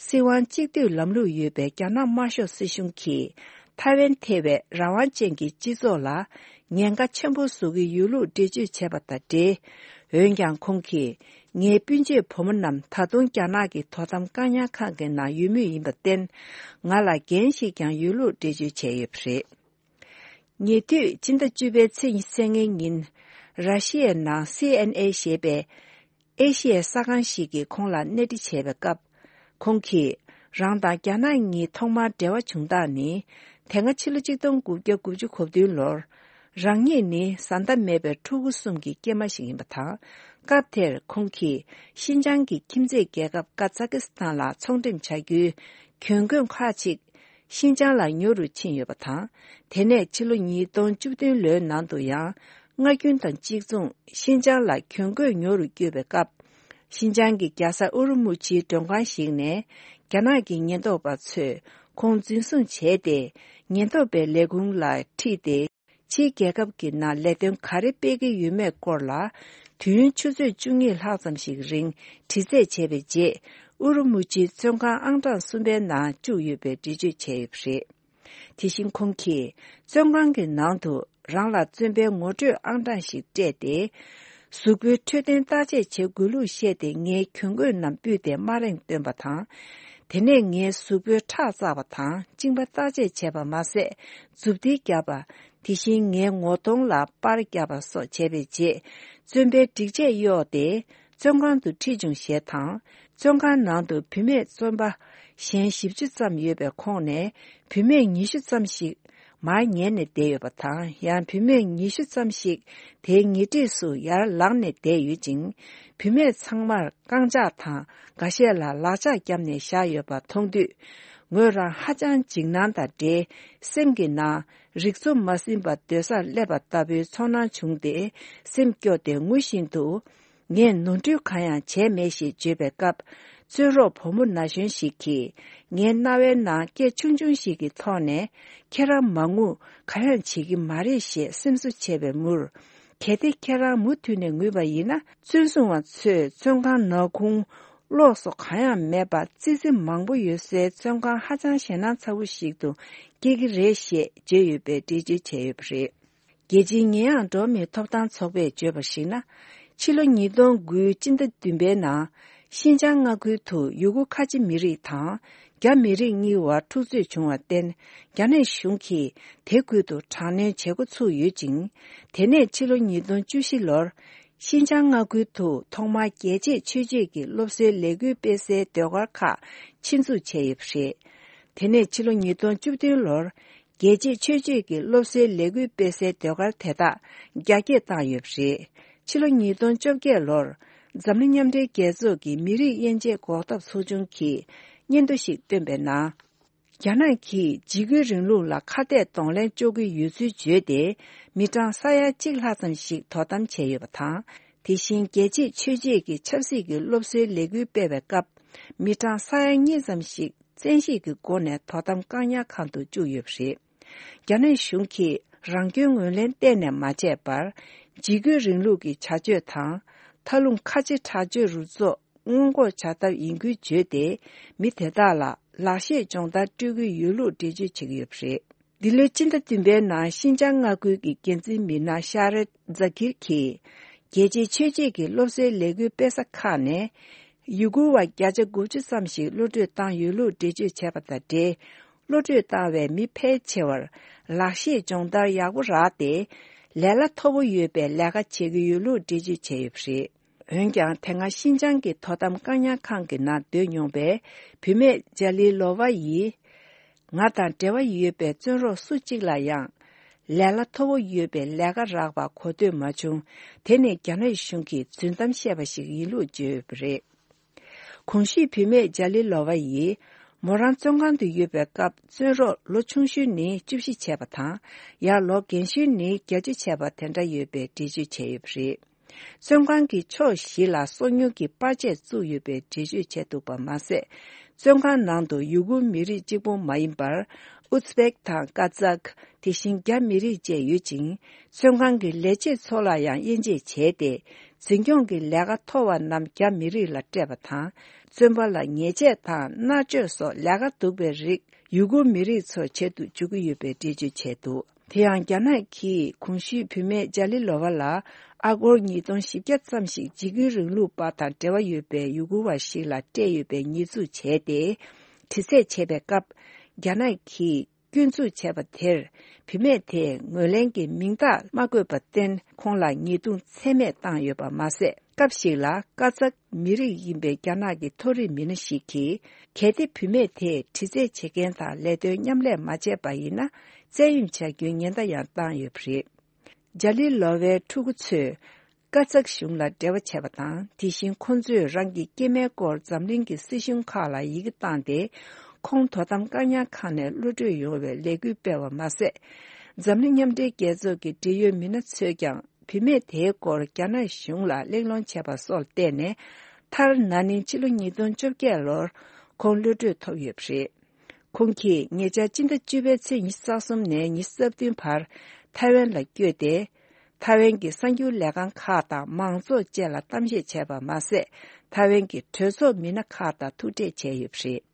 སྲིད་དབང་གཅིག་སྡུད་ལམ་ལུགས་ཡོད་པའི་རྒྱ་ནག་དམར་ཤོག་སྲིད་གཞུང་གིས་ཐའེ་ཝན་ཐེ་བའི་རང་དབང་ཅན་གྱི་སྤྱི་ཚོགས་ལ་ཉེན་ཁ་ཆེན་པོ་བཟོ་གི་ཡོད་ལུགས་འགྲེལ་བརྗོད་བྱས་པ་དང་འབྲེལ། འོན་ཀྱང་ཁོང་གིས་ངའི་སྤུན་མཆེད་བུ་མོ་རྣམས་ད་དུང་རྒྱ་ནག་གི་དོ་དམ་བཀག་ཉར་ཁང་གི་ནང་ཡོད་མུས་ཡིན་པར་བརྟེན། ང་ལ་འགན་ཞིག་ཀྱང་ཡོད་ལུགས་འགྲེལ་བརྗོད་བྱས་ཡོད་པ་རེད། ཉེ་དུས་སྤྱི་ཟླ་བཅུ་པའི་ཚེས་ཉི་ཤུ་རྩ་ལྔའི་ཉིན། ར་ཤི་ཡའི་ནང་སི་ཨེན་ཨེ་ཞེས་པའི་ཨེ་ཤི་ཡའི་གསར་ཁང་ཞིག་གིས་ཁོང་ལ་གནས་འདྲི་བྱས་པའི་སྐབས། ཁོང་གིས་རང་དང་རྒྱ་ནག་གཉིས་ཐོག་མར་འབྲེལ་བ་བྱུང་སྟངས་ནི། དེ་སྔ་ཕྱི་ལོ་ཆིག་སྟོང་དགུ་བརྒྱ་དགུ་བཅུ་གོ་བདུན་ལོར། རང་ཉིད་ནི་བཟའ་ཟླ་མེད་པའི་ཕྲུ་གུ་གསུམ་གྱི་སྐྱེས་མ་ཞིག་ཡིན་པ་དང་། སྐབས་དེར་ཁོང་གིས་ཤིན་ཅང་གི་ཁྱིམ་མཚེས་རྒྱལ་ཁབ་ཀ་ཛ་ཀི་སི་ཐན་ལ་ཚོང་འགྲེམས་བྱ་རྒྱུའི་གྱོང་གུན་ཁག་ཅིག་ཤིན་ཅང་ལ་ཉོ་རུ་ཕྱིན་ཡོད་པ་དང་། དེ་ནས་ཕྱི་ལོ་ཉིས་སྟོང་བཅུ་བདུན་ལོའི་ནང་དུ་ཡང་། སྔ་རྒྱུན་དང་གཅིག་མཚུངས་ཤིན་ཅང་ལ་གྱོང་གུན་ཉོ་རུ་བསྐྱོད་པའི་སྐབས། ཤིན་ཅང་གི་རྒྱལ་ས་ཨུ་རུ་མུ་ཆིའི་མགྲོན་ཁང་ཞིག་ནས། རྒྱ་ནག་གི་ཉེན་རྟོག་པ་ཚོས་ཁོང་འཛིན་བཟུང་བྱས་ཏེ། ཉེན་རྟོག་པའི་ལས་ཁུངས་ལ་ཁྲིད་དེ། ཕྱིའི་རྒྱལ་ཁབ་ཀྱི་ནང་ལས་དོན་ག་རེ་སྤེལ་གྱི་ཡོད་མེད་སྐོར་ལ། དུས་ཡུན་ཆུ་ཚོད་བཅུ་གཉིས་ལྷག་ཙམ་ཞིག་རིང་དྲི་རྩད་བྱས་པའི་རྗེས། ཨུ་རུ་མུ་ཆིའི་བཙོན་ཁང་ཨང་གྲངས་གསུམ་པའི་ནང་བཅུག་ཡོད་པའི་འགྲེལ་བརྗོད་བྱས་ཡོད་པ་རེད། དེ་བཞིན་ཁོང་གིས་བཙོན་ཁང་གི་ནང་དུ་རང་ལ་བཙོན་པའི་ངོ་སྤྲོད་ཨང་གྲངས་ཤིག་སྤྲད་དེ། གཟུགས་པོའི་འཕྲོད་བསྟེན་བརྟག་དཔྱད་བྱེད་དགོས་ལུགས་བཤད་དེ། ངའི་གྱོང་གུད་རྣམས་སྤུས་ཏེ་དམའ་རིང་བཏོན་པ་དང་། དེ་ནས་ངའི་གཟུགས་པོའི་ཁྲག་བཙགས་པ་དང་། གཅིན་པ་བརྟག་དཔྱད་བྱས་པ་མ་ཟད། མཛུབ་ཐེལ་བརྒྱབ་པ། དེ་བཞིན་ངའི་ངོ་གདོང་ལ་པར་བརྒྱབ་པ་སོགས་བྱས་པའི་རྗེས། བཙོན་པའི་སྒྲིག་ཆས་གཡོགས་ཏེ། བཙོན་ཁང་དུ་ཁྲིད་བྱུང་ཞེས་དང་། བཙོན་ཁང་ནང་དུ་བུད་མེད་བཙོན་པ་གཞན་བཞི་བཅུ་ཙམ་ཡོད་པའི་ཁོངས་ནས། བུད་མེད་ཉི་ཤུ་ཙམ་ཞིག་མར་ཉལ་ནས་བསྡད་ཡོད་པ་དང་། ཡང་བུད་མེད་ཉི་ཤུ་ཙམ་ཞིག་དེའི་ཉེ་འཁྲིས་སུ་ཡར་ལངས་ནས་བསྡད་ཡོད་ཅིང་། བུད་མེད་ཚང་མར་རྐང་ལྕགས་དང་། འགའ་ཤས་ལ་ལག་ལྕགས་བརྒྱབ་ནས་བཞག་ཡོད་པ་མཐོང་དུས། ངོས་རང་ཧ་ཅང་འཇིགས་སྣང་དང་འབྲེལ། སེམས་ཀྱི་ནང་རིག་འཚོ་མ་ཟིན་པར་སྡོད་སར་སླེབས་པ་ལྟ་བུའི་ཚོར་སྣང་བྱུང་སྟེ། སེམས་སྐྱོ་སྟེ་ངུ་བཞིན་དུ། ངས་ནོར་འཁྲུལ་གང་ཡང་བྱས་མེད་ཞེས་བརྗོད་པའི་སྐབས། བཙོན་རོགས་བུ་མོ་ན་གཞོན་ཞིག་གིས། ངའི་རྣ་བའི་ནང་སྐད་ཆུང་ཆུང་ཞིག་གི་ཐོག་ནས། ཁྱེད་རང་མ་ངུ། གང་ཡང་བྱེད་ཀྱི་མ་རེད་ཅེས་སེམས་གསོ་བྱས་པའི་མུར། གལ་ཏེ་ཁྱེད་རང་མུ་མཐུད་ནས་ངུས་པ་ཡིན་ན། བཙོན་སྲུང་བ་ཚོས་བཙོན་ཁང་ནག་ཁུང་། གློག་སོགས་གང་ཡང་མེད་པར། ཙི་ཙི་མང་པོ་ཡོད་སའི་བཙོན་ཁང་ཧ་ཅང་ཞེད་སྣང་ཚ་བོ་ཞིག་ཏུ་སྐྱེ་གི་རེད་ཞེས་བརྗོད་ཡོད་པའི་འགྲེལ་བརྗོད་བྱས་ཡོད་པ་རེད། རྒྱལ་སྤྱིའི་ཉེས་ཡངས་འགྲོ་བ་མིའི་ཐོབ་ཐང་ཚོགས་པས་བརྗོད་པར་གཞིགས་ན། ཕྱི་ལོ་ཉིས་སྟོང་དགུའི་སྤྱི་ཟླ་བདུན་པའི་ནང་། ཤིན་ཅང་མངའ་ཁུལ་དུ་ཡུ་གུར་ཁ་ཆེ་མི་རིགས་དང་། རྒྱ་མི་རིགས་གཉིས་བར་འཁྲུག་རྩོད་བྱུང་བར་བརྟེན། རྒྱ་ནག་གཞུང་གིས་དེ་ཁུལ་དུ་དྲག་གནོན་བྱེད་འགོ་ཚུགས་ཡོད་ཅིང་། དེ་ནས་ཕྱི་ལོ་ཉིས་སྟོང་བཅུ་བཞི་ལོར། ཤིན་ཅང་མངའ་ཁུལ་དུ་ཐོག་མར་རྒྱལ་གཅེས་ཆོས་བརྒྱུད་ཀྱི་སློབ་གསོའི་ལས་འགུལ་སྤེལ་སའི་ཟློས་གར་ཁག་ཆེད་འཛུགས་བྱས་ཡོད་པ་རེད། དེ་ནས་ཕྱི་ལོ་ཉིས་སྟོང་བཅུ་བདུན་ལོར། རྒྱལ་གཅེས་ཆོས་བརྒྱུད་ཀྱི་སློབ་གསོའི་ལས་འགུལ་སྤེལ་སའི་ཟློས་གར་དེ་དག་རྒྱ་སྐྱེད་བཏང་ཡོད་པ་རེད། ཕྱི་ལོ་ཉིས་སྟོང་བཅོ་བརྒྱད་ལོར། འཛམ་གླིང་མཉམ་འབྲེལ་རྒྱལ་ཚོགས་ཀྱི་མི་རིགས་དབྱེ་འབྱེད་འགོག་ཐབས་ཚོགས་ཆུང་གིས་སྙན་ཐོ་ཞིག་བཏོན་པའི་ནང་། རྒྱ་ནག་གིས་འཇིགས་སྐུལ་རིང་ལུགས་ལ་ཁ་གཏད་གདོང་ལེན་གཅོག་གི་ཡོད་ཚུལ་བརྗོད་དེ། མི་གྲངས་ས་ཡ་གཅིག་ལྷག་ཙམ་ཞིག་དོ་དམ་བྱས་ཡོད་པ་དང་། དེ་བཞིན་རྒྱལ་གཅེས་ཆོས་བརྒྱུད་ཀྱི་ཆབ་སྲིད་ཀྱི་སློབ་གསོའི་ལས་འགུལ་སྤེལ་བའི་སྐབས། མི་གྲངས་ས་ཡ་གཉིས་ཙམ་ཞིག་བཙན་ཤེད་ཀྱི་སྒོ་ནས་དོ་དམ་བཀག་ཉར་ཁང་དུ་བཅུག་ཡོད་པ་རེད། རྒྱ་ནག་གཞུང་གིས་རང་སྐྱོན་ངོས་ལེན་གཏན་ནས་མ་བྱས་པར། འཇིགས་སྐུལ་རིང་ལུགས་ཀྱི་བྱ་སྤྱོད་དང་། མཐའ་ལྷུང་ཁ་ཆེ་དྲག་སྤྱོད་རུ་ཚོགས་སྔོན་འགོག་བྱ་ཐབས་ཡིན་ཁུལ་བརྗོད་དེ། མི་དེ་དག་ལ་ལག་ཤེས་སྦྱོང་བརྡར་སྤྲོད་ཀྱི་ཡོད་ལུགས་འགྲེལ་བརྗོད་བྱེད་ཀྱི་ཡོད་པ་རེད། འདི་ལོའི་སྤྱི་ཟླ་བདུན་པའི་ནང་ཤིན་ཅང་མངའ་ཁུལ་གྱི་འགན་འཛིན་མི་སྣ་ཤ་རེད་ཛ་ཀིར་གྱིས། རྒྱལ་གཅེས་ཆོས་བརྒྱུད་ཀྱི་སློབ་གསོའི་ལས་འགུལ་སྤེལ་ས་ཁག་ནས། ཡུ་གུར་བ་བརྒྱ་ཆ་དགུ་བཅུ་ཙམ་ཞིག་གློད་གྲོལ་བཏང་ཡོད་ལུགས་འགྲེལ་བརྗོད་བྱས་པ་དང་འབྲེལ། གློད་གྲོལ་བཏང་བའི་མི་ཕལ་ཆེ་བར་ལག་ཤེས་སྦྱོང་བརྡར་ཡག་པོ་རག་སྟེ། ལས་གླ་མཐོ་པོ་ཡོད་པའི་ལས་ཀ་བྱེད་ཀྱི་ཡོད་ལུགས་འགྲེལ་བརྗོད་བྱས་ཡོད་པ་རེད། འོན་ཀྱང་། དེ་སྔ་ཤིན་ཅང་གི་དོ་དམ་བཀག་ཉར་ཁང་གི་ནང་སྡོད་མྱོང་བའི་བུད་མེད་ཇཱ་ལི་ལོ་ཝ་ཡིས། ང་དང་འབྲེལ་བ་ཡོད་པའི་བཙོན་རོགས་སུ་གཅིག་ལ་ཡང་། ལས་གླ་མཐོ་པོ་ཡོད་པའི་ལས་ཀ་རག་པ་གོ་ཐོས་མ་བྱུང་། དེ་ནི་རྒྱ་ནག་གཞུང་གིས་རྫུན་གཏམ་བཤད་པ་ཞིག་ཡིན་ལུགས་བརྗོད་ཡོད་པ་རེད། གོང་ཞུས་བུད་མེད་ཇཱ་ལི་ལོ་ཝ་ཡིས། མོ་རང་བཙོན་ཁང་དུ་ཡོད་པའི་སྐབས། བཙོན་རོགས་ལོ་ཆུང་ཤོས་ནི་བཅུ་བཞི་བྱས་པ་དང་། ཡང་ལོ་རྒན་ཤོས་ནི་བརྒྱད་ཅུ་བྱས་པ་དེ་འདྲ་ཡོད་པའི་འགྲེལ་བརྗོད་བྱས་ཡོད་པ་རེད། བཙོན་ཁང་གི་ཕྱོགས་བཞི་ལ་སོ་ཉུལ་གྱི་པར་ཆས་བཙུགས་ཡོད་པའི་འགྲེལ་བརྗོད་བྱས་འདུག་པ་མ་ཟད། བཙོན་ཁང་ནང་དུ་ཡུ་གུར་མི་རིགས་གཅིག་པུ་མ་ཡིན་པར། ཨུ་ཛི་བེག་དང་ཀ་ཛག་དེ་བཞིན་རྒྱ་མི་རིགས་བཅས་ཡོད་ཅིང་། བཙོན་ཁང་གི་ལས་བྱེད་ཚོ་ལ་ཡང་དབྱེ་འབྱེད་བྱས་ཏེ། འཛིན་སྐྱོང་གི་ལས་ཀ་མཐོ་བ་རྣམས་རྒྱ་མི་རིགས་ལ་སྤྲད་པ་དང་། བཙོན་པ་ལ་ཉེས་ཆད་དང་མནར་གཅོད་སོགས་ལས་ཀ་སྡུག་པའི་རིགས་ཡུ་གུར་མི་རིགས་ཚོར་བྱེད་དུ་འཇུག་གི་ཡོད་པའི་འགྲེལ་བརྗོད་བྱས་འདུག་དེ་ཡང་རྒྱ་ནག་གིས་གོང་ཞུས་བུད་མེད་ཇ་ལི་ལོ་བ་ལ་ཨ་སྒོར་ཉིས་སྟོང་བཞི་བརྒྱ་ཙམ་ཞིག་འཇིགས་སྐུལ་རིང་ལུགས་པ་དང་འབྲེལ་བ་ཡོད་པའི་ཡུ་གུར་བ་ཞིག་ལ་སྤྲད་ཡོད་པའི་ཉེས་འཛུགས་བྱས་ཏེ། དྲི་རྩད་བྱས་པའི་སྐབས། རྒྱ་ནག་གིས་སྐྱོན་འཛུགས་བྱས་པ་དེར། བུད་མེད་དེས་ངོས་ལེན་གྱི་མིང་རྟགས་མ་བཀོད་པར་བརྟེན། ཁོང་ལ་ཉེས་རྡུང་ཚད་མེད་བཏང་ཡོད་པ་མ་ཟད། སྐབས་ཤིག་ལ་ཀ་ཛག་མི་རིགས་ཡིན་པའི་རྒྱ་ནག་གི་མཐོ་རིམ་མི་སྣ་ཞིག་གིས། གལ་ཏེ་བུད་མེད་དེས་དྲི་རྩད་བྱེད་མཁན་དང་ལས་དོན་མཉམ་ལས་མ་བྱས་པ་ཡིན་ན། བཙན་གཡེམ་བྱ་རྒྱུའི་ཉེན་བརྡ་ཡང་བཏང་ཡོད་པ་རེད། ཇ་ལི་ལོ་ཝའི་ཕྲུ་གུ་ཚོས་ཀ་ཛག་གཞུང་ལ་འབྲེལ་བ་བྱས་པ་དང་། དེ་བཞིན་ཁོང་ཚོས་རང་གི་སྐྱེས་མའི་སྐོར་འཛམ་གླིང་གི་སྲིད་གཞུང་ཁག་ལ་ཡི་གེ་བཏང་སྟེ། ཁོང་དོ་དམ་བཀག་ཉར་ཁང་ནས་གློད་གྲོལ་ཡོང་བའི་ལས་འགུལ་སྤེལ་བ་མ་ཟད། འཛམ་གླིང་མཉམ་འབྲེལ་རྒྱལ་ཚོགས་ཀྱི་འབྲེལ་ཡོད་མི་སྣ་ཚོས་ཀྱང་བུད་མེད་དེའི་སྐོར་རྒྱ་ནག་གཞུང་ལ་གླེང་སློང་བྱས་པ་སོགས་བལྟས་ནས། མཐར་ན་ནིང་ཕྱི་ལོ་ཉིས་སྟོང་བཅོ་བརྒྱད་ལོར་ཁོང་གློད་གྲོལ་ཐོབ་ཡོད་པ་རེད། ཁོང་གིས་ཉེ་ཆར་སྤྱི་ཟླ་བཅུ་པའི་ཚེས་ཉི་ཤུ་རྩ་གསུམ་ནས་ཉི་ཤུ་རྩ་བདུན་བར་ཐའེ་ཝན་ལ་བསྐྱོད་དེ། ཐའེ་ཝན་གྱི་གསར་འགྱུར་ལས་ཁང་ཁག་དང་མང་ཚོགས་བཅས་ལ་གཏམ་བཤད་བྱས་པ་མ་ཟད། ཐའེ་ཝན་གྱི་གྲོས་ཚོགས་མི་སྣ་ཁག་དང་ཐུག་འཕྲད་བྱས་ཡོད་པ་རེད།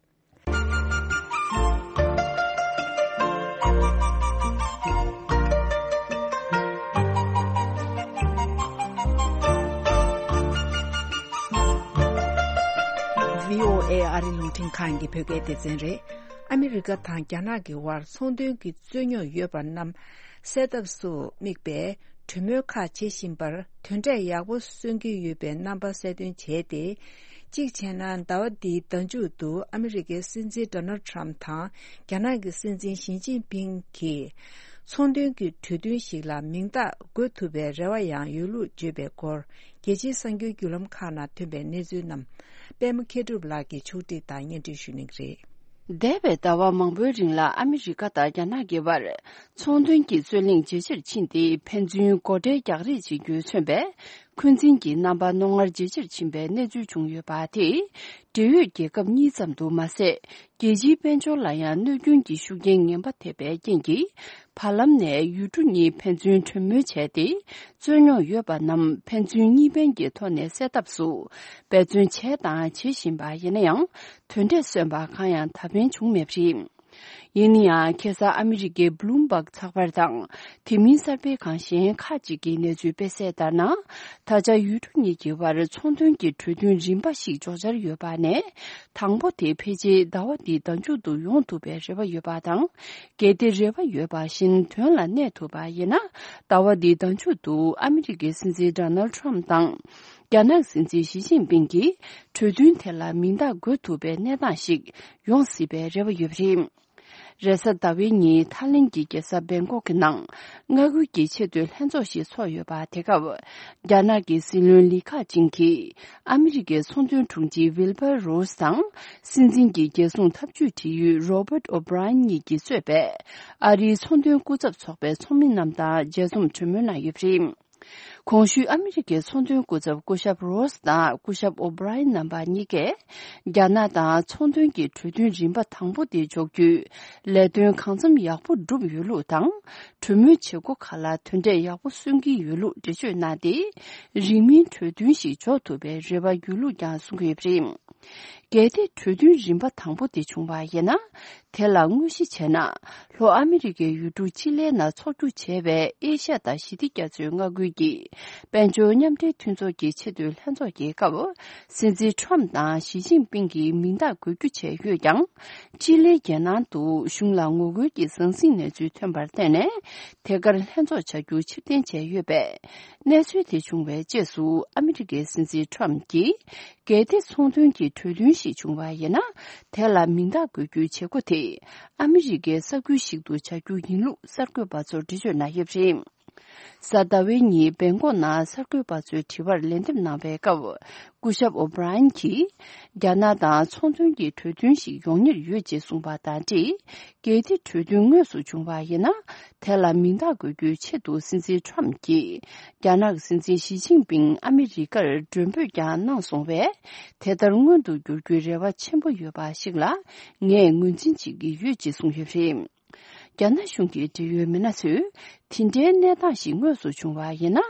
བྷི་ཨོ་ཨེ་ཨ་རི་རླུང་འཕྲིན་ཁང་གི་བོད་སྐད་སྡེ་ཚན་རེད། ཨ་མི་རི་ཀ་དང་རྒྱ་ནག་གི་དབར་ཚོང་དོན་གྱི་རྩོད་རྙོག་ཡོད་པ་རྣམས་སེལ་ཐབས་སུ་དམིགས་པའི་གྲོས་མོལ་ཁག་བྱེད་བཞིན་པར། དོན་འབྲས་ཡག་པོ་སོན་གྱི་ཡོད་པའི་རྣམ་པ་གསལ་སྟོན་བྱས་ཏེ། གཅིག་བྱས་ན། ཟླ་བ་འདིའི་ཟླ་མཇུག་ཏུ་ཨ་མི་རི་ཀའི་སྲིད་འཛིན་ཌོ་ནལ་ཌི་ཊརམ་དང་རྒྱ་ནག་གི་སྲིད་འཛིན་ཞི་ཅིན་ཕིང་གིས་ཚོང་དོན་གྱི་གྲོས་མཐུན་ཞིག་ལ་མིང་རྟགས་འགོད་ཐུབ་པའི་རེ་བ་ཡང་ཡོད་ལུགས་བརྗོད་པའི་སྐོར། རྒྱལ་སྤྱིའི་གསར་འགྱུར་བརྒྱུད་ལམ་ཁག་ནང་ཐོན་པའི་གནས་ཚུལ་རྣམས། པད་མ་མཁས་གྲུབ་ལགས་ཀྱིས་ཕྱོགས་སྒྲིག་དང་སྙན་སྒྲོན་ཞུ་གནང་གི་རེད། འདས་པའི་ཟླ་བ་མང་པོའི་རིང་ལ་ཨ་མི་རི་ཀ་དང་རྒྱ་ནག་གི་དབར་ཚོང་དོན་གྱི་རྩོད་གླེང་ཇེ་ཆེར་ཕྱིན་ཏེ། ཕན་ཚུན་སྒོ་ཁྲལ་རྒྱག་རེས་བྱེད་རྒྱུས་མཚོན་པའི་འཁོན་འཛིན་གྱི་རྣམ་པ་རྣོ་ངར་ཇེ་ཆེར་ཕྱིན་པའི་གནས་ཚུལ་བྱུང་ཡོད་པ་དེས། འབྲེལ་ཡོད་རྒྱལ་ཁབ་གཉིས་ཙམ་དུ་མ་ཟད། རྒྱལ་སྤྱིའི་དཔལ་འབྱོར་ལ་ཡང་གནོད་སྐྱོན་གྱི་ཤུགས་རྐྱེན་ངན་པ་ཐེབས་པའི་རྐྱེན་གྱིས། བར་ལམ་ནས་ཡུལ་གྲུ་གཉིས་ཕན་ཚུན་གྲོས་མོལ་བྱས་ཏེ། རྩོད་རྙོག་ཡོད་པ་རྣམས་ཕན་ཚུན་གཉིས་ཕན་གྱི་ཐོག་ནས་སེལ་ཐབས་སུ་འབད་བརྩོན་བྱས་དང་བྱེད་བཞིན་པ་ཡིན་ན་ཡང་། དོན་འབྲས་སོན་པ་གང་ཡང་ད་ཕན་བྱུང་མེད་པ་རེད། ཡིན་ན་ཡང་། ཁ་སང་ཨ་མི་རི་ཀའི་བྷི་ལུམ་བྷག་ཚགས་པར་དང་། དེ་མིན་གསར་སྤེལ་ཁང་གཞན་ཁག་ཅིག་གིས་གནས་ཚུལ་སྤེལ་གསལ་ལྟར་ན། ད་ཆ་ཡུལ་གྲུ་གཉིས་ཀྱི་དབར་ཚོང་དོན་གྱི་གྲོས་མཐུན་རིམ་པ་ཞིག་འཇོག་འཆར་ཡོད་པ་ནས། དང་པོ་དེ་ཕལ་ཆེར་ཟླ་བ་འདིའི་ཟླ་མཇུག་ཏུ་ཡོང་ཐུབ་པའི་རེ་བ་ཡོད་པ་དང་། གལ་ཏེ་རེ་བ་ཡོད་པ་བཞིན་དོན་ལ་གནས་ཐུབ་པ་ཡིན་ན། ཟླ་བ་འདིའི་ཟླ་མཇུག་ཏུ་ཨ་མི་རི་ཀའི་སྲིད་འཛིན་ཌོ་ནལ་ཌི་ཊརམ་དང་། རྒྱ་ནག་སྲིད་འཛིན་ཞི་ཅིན་ཕིང་གིས་གྲོས་མཐུན་དེ་ལ་མིང་རྟགས་འགོད་ཐུབ་པའི་གནས་སྟངས་ཤིག་ཡོང་སྲིད་པའི་རེ་བ་ཡོད་པ་རེད། རེས་གཟའ་ཟླ་བའི་ཉིན་ཐའི་ལེན་གྱི་རྒྱལ་ས་བེང་ཀོག་གི་ནང་མངའ་ཁུལ་གྱི་ཆེས་མཐོའི་ལྷན་ཚོགས་ཤིག་ཚོགས་ཡོད་པ། དེ་སྐབས་རྒྱ་ནག་གི་སྲིད་བློན་ལི་ཁ་ཆིང་གིས་ཨ་མི་རི་ཀའི་ཚོང་དོན་དྲུང་ཆེ་ཝིལ་བར་རོས་དང་། སྲིད་འཛིན་གྱི་རྒྱལ་སྲུང་འཐབ་ཇུས་དྲི་ཡུལ་རོ་བརྟ་ཨོ་བྷི་རའེན་གཉིས་ཀྱིས་གཙོས་པའི་ཨ་རིའི་ཚོང་དོན་སྐུ་ཚབ་ཚོགས་པའི་ཚོགས་མི་རྣམས་དང་མཇལ་འཛོམས་གྲོས་མོལ་གནང་ཡོད་པ་རེད། གོང་ཞུས་ཨ་མི་རི་ཀའི་ཚོང་དོན་སྐུ་ཚབ་སྐུ་ཞབས་རོས་དང་སྐུ་ཞབས་ཨོ་བྷི་རའེན་རྣམ་པ་གཉིས་ཀས། རྒྱ་ནག་དང་ཚོང་དོན་གྱི་གྲོས་མཐུན་རིམ་པ་དང་པོ་དེ་འཇོག་རྒྱུའི་ལས་དོན་གང་འཚམ་ཡག་པོ་བསྒྲུབས་ཡོད་ལུགས་དང་། གྲོས་མོལ་བྱེད་སྒོ་ཁག་ལ་དོན་འབྲས་ཡག་པོ་སོན་གྱི་ཡོད་ལུགས་འགྲེལ་བརྗོད་གནང་སྟེ། རིང་མིན་གྲོས་མཐུན་ཞིག་འཇོག་ཐུབ་པའི་རེ་བ་ཡོད་ལུགས་ཀྱང་གསུང་གི་ཡོད་པ་རེད། གལ་ཏེ་གྲོས་མཐུན་རིམ་པ་དང་པོ་དེ་བྱུང་བ་ཡིན་ན། དེ་ལ་དངོས་གཞི་བྱས་ན། ལྷོ་ཨ་མི་རི་ཀའི་ཡུལ་གྲུ་ཅི་ལའི་ནང་འཚོགས་རྒྱུ་བྱས་པའི་ཨེ་ཤ་ཡ་དང་ཞི་བདེ་རྒྱ་མཚོའི་མངའ་ཁུལ་གྱི་དཔལ་འབྱོར་མཉམ་འབྲེལ་མཐུན་ཚོགས་ཀྱི་ཆེས་མཐོའི་ལྷན་ཚོགས་ཀྱི་སྐབས། སྲིད་འཛིན་ཁྲོམ་དང་ཞི་ཅིན་ཕིང་གིས་མིང་རྟགས་འགོད་རྒྱུ་བྱས་ཡོད་ཀྱང་། ཅི་ལའི་རྒྱལ་ནང་དུ་གཞུང་ལ་ངོ་རྒོལ་གྱི་ཟང་ཟིང་གནས་ཚུལ་ཐོན་པར་བརྟེན་ནས། དེ་གར་ལྷན་ཚོགས་བྱ་རྒྱུ་ཕྱིར་འཐེན་བྱས་ཡོད་པས། གནས་ཚུལ་དེ་བྱུང་བའི་རྗེས་སུ་ཨ་མི་རི་ཀའི་སྲིད་འཛིན་ཁྲོམ་གྱིས། གལ་ཏེ་ཚོང་དོན་གྱི་གྲོས་མཐུན་ཞིག་བྱུང་བ་ཡིན་ན། དེ་ལ་མིང་རྟགས་འགོད་རྒྱུའི་བྱེད་སྒོ་དེ་ཨ་མི་རི་ཀའི་ས་ཁུལ་ཞིག་ཏུ་བྱ་རྒྱུ་ཡིན་ལུགས་གསར་འགོད་པ་ཚོར་འགྲེལ་བརྗོད་གནང་ཡོད་པ་རེད། གཟའ་ཟླ་བའི་ཉིན་སྦེང་ཀོག་ནང་གསར་འགོད་པ་ཚོའི་དྲི་བར་ལན་འདེབས་གནང་བའི་སྐབས། སྐུ་ཞབས་ཨོ་བྷི་ར་ཡན་གྱིས། རྒྱ་ནག་དང་ཚོང་དོན་གྱི་གྲོས་མཐུན་ཞིག་ཡོང་ཉེར་ཡོད་ཅེས་གསུངས་པ་དང་འབྲེལ། གལ་ཏེ་གྲོས་མཐུན་དངོས་སུ་བྱུང་བ་ཡིན་ན། དེ་ལ་མིང་རྟགས་འགོད་རྒྱུའི་ཆེད་དུ་སྲིད་འཛིན་ཁྲོམ་གྱིས། རྒྱ་ནག་གི་སྲིད་འཛིན་ཞི་ཅིན་ཕིང་ཨ་མི་རི་ཀར་མགྲོན་འབོད་ཀྱང་གནང་སོང་བས། དེ་ལྟར་མངོན་དུ་འགྱུར་རྒྱུའི་རེ་བ་ཆེན་པོ་ཡོད་པ་ཞིག་ལ། ངས་ངོས་འཛིན་བྱེད་ཀྱི་ཡོད་ཅེས་གསུངས་ཡོད་པ་རེད། རྒྱ་ནག་གཞུང་གི་འབྲེལ་ཡོད་མི་སྣ་ཚོས། དེ་འདྲའི་གནས་སྟངས་ཤིག་དངོས་སུ་བྱུང་བ་ཡིན་ན།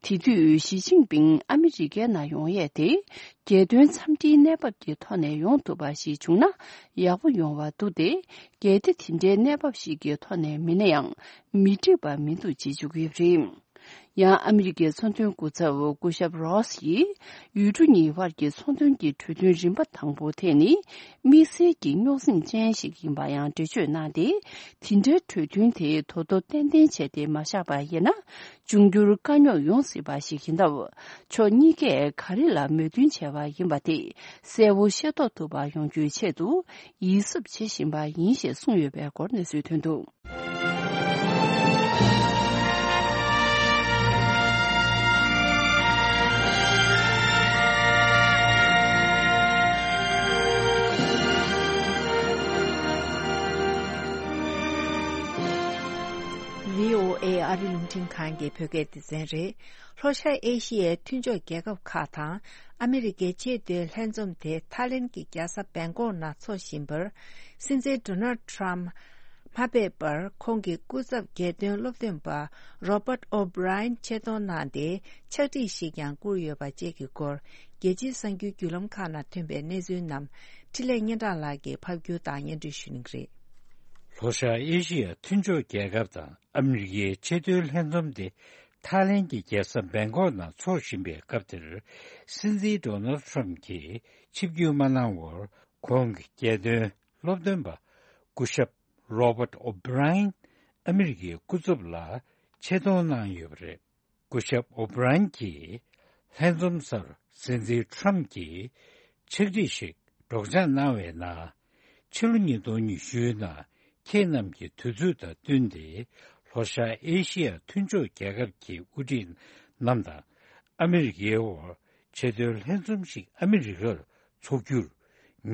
དེ་དུས་ཞི་ཅིན་ཕིང་ཨ་མི་རི་ཀའི་ནང་ཡོང་ཡས་དེ། རྒྱལ་དོན་འཚམས་འདྲིའི་གནས་བབ་ཀྱི་ཐོག་ནས་ཡོང་ཐུབ་པ་ཞིག་བྱུང་ན་ཡག་པོ་ཡོང་བ་འདུག་སྟེ། གལ་ཏེ་དེ་འདྲའི་གནས་བབ་ཞིག་གི་ཐོག་ནས་མིན་ན་ཡང་མི་འགྲིག་པ་མི་འདུག་ཅེས་བརྗོད་ཀྱི་ཡོད་པ་རེད། ཡང་ཨ་མི་རི་ཀའི་ཚོང་དོན་སྐུ་ཚབ་སྐུ་ཞབས་རོས་ཡིས་ཡུལ་གྲུ་གཉིས་དབར་གྱི་ཚོང་དོན་གྱི་གྲོས་མཐུན་རིམ་པ་དང་པོ་དེ་ནི་དམིགས་བསལ་གྱི་རྙོག་ཟིང་ཅན་ཞིག་ཡིན་པ་ཡང་འགྲེལ་བརྗོད་གནང་སྟེ། དེ་འདྲའི་གྲོས་མཐུན་དེ་དོ་དོ་ཏན་ཏན་བྱས་ཏེ་མ་བཞག་པ་ཡིན་ན། འབྱུང་འགྱུར་དཀའ་རྙོག་ཡོང་སྲིད་པ་ཞིག་ཡིན་སྟབས། ཕྱོགས་གཉིས་ཀས་ག་རེ་ལ་མོས་མཐུན་བྱས་པ་ཡིན་པ་དེ་གསལ་བོ་ཤེས་རྟོགས་ཐུབ་པ་ཡོང་རྒྱུའི་ཆེད་དུ་ཡིད་གཟབ་བྱེད་བཞིན་པ་ཡིན་ཞེས་གསུངས་ཡོད་པའི་སྐོར་གནས་ཚུལ་ཐོན་འདུག། བྷི་ཨོ་ཨེ་ཨ་རི་རླུང་འཕྲིན་ཁང་གི་བོད་སྐད་སྡེ་ཚན་རེད། ལྷོ་ཤར་ཨེ་ཤི་ཡའི་མཐུན་ཕྱོགས་རྒྱལ་ཁབ་ཁག་དང་ཨ་མི་རི་ཀའི་ཆེས་མཐོའི་ལྷན་འཛོམས་དེ་ཐའི་ལེན་གྱི་རྒྱལ་ས་བེང་ཀོག་ནང་འཚོགས་བཞིན་པར། སྲིད་འཛིན་ཌོ་ནལ་ཊམ་མ་ཕེབས་པར་ཁོང་གི་སྐུ་ཚབ་རྒྱལ་དོན་སློབ་སྟོན་པ་རོ་བརྟ་ཨོ་བྷི་ར་ཡན་ཆེད་གཏོང་གནང་སྟེ་ཕྱག་བྲིས་ཤིག་ཀྱང་བསྐུར་ཡོད་པ་བཅས་ཀྱི་སྐོར། རྒྱལ་སྤྱིའི་གསར་འགྱུར་བརྒྱུད་ལམ་ཁག་ནང་ཐོན་པའི་གནས་ཚུལ་རྣམས་འཕྲིན་ལས་སྙན་གྲགས་ལགས་ཀྱིས་ཕབ་སྒྱུར་དང་སྙན་སྒྲོན་ཞུ་གནང་གི་རེད། ལྷོ་ཤར་ཨེ་ཤི་ཡ་མཐུན་ཕྱོགས་རྒྱལ་ཁབ་དང་ཨ་མི་རི་ཀའི་ཆེས་མཐོའི་ལྷན་འཛོམས་དེ་ཐའི་ལེན་གྱི་རྒྱལ་ས་བེང་ཀོག་ནང་འཚོགས་བཞིན་པའི་སྐབས་དེར། སྲིད་འཛིན་ཌོ་ནལ་ཊམ་གྱིས་ཆིབས་བསྒྱུར་མ་གནང་བར། ཁོང་གི་རྒྱལ་དོན་སློབ་སྟོན་པ་སྐུ་ཞབས་རོ་བརྟ་ཨོ་བྷི་ར་ཡན་ཨ་མི་རི་ཀའི་སྐུ་ཚབ་ལ་ཆེད་གཏོང་གནང་ཡོད་པ་རེད། སྐུ་ཞབས་ཨོ་བྷི་ར་ཡན་གྱིས་ལྷན་འཛོམས་སར་སྲིད་འཛིན་ཊམ་གྱིས་ཕྱག་བྲིས་ཤིག་སྒྲོག་སྦྱང་གནང་བའི་ནང་། ཕྱི་ལོ་ཉིས་སྟོང་ཉི་ཤུའི་ནང་ཁྱེད་རྣམས་ཀྱི་དུས་ཚོད་དང་བསྟུན་ཏེ་ལྷོ་ཤར་ཨེ་ཤི་ཡ་མཐུན་ཕྱོགས་རྒྱལ་ཁབ་ཀྱི་དབུ་ཁྲིད་རྣམས་དང་ཨ་མི་རི་ཀའི་དབར་ཆེས་མཐོའི་ལྷན་འཛོམས་ཤིག་ཨ་མི་རི་ཀར་འཚོགས་རྒྱུར་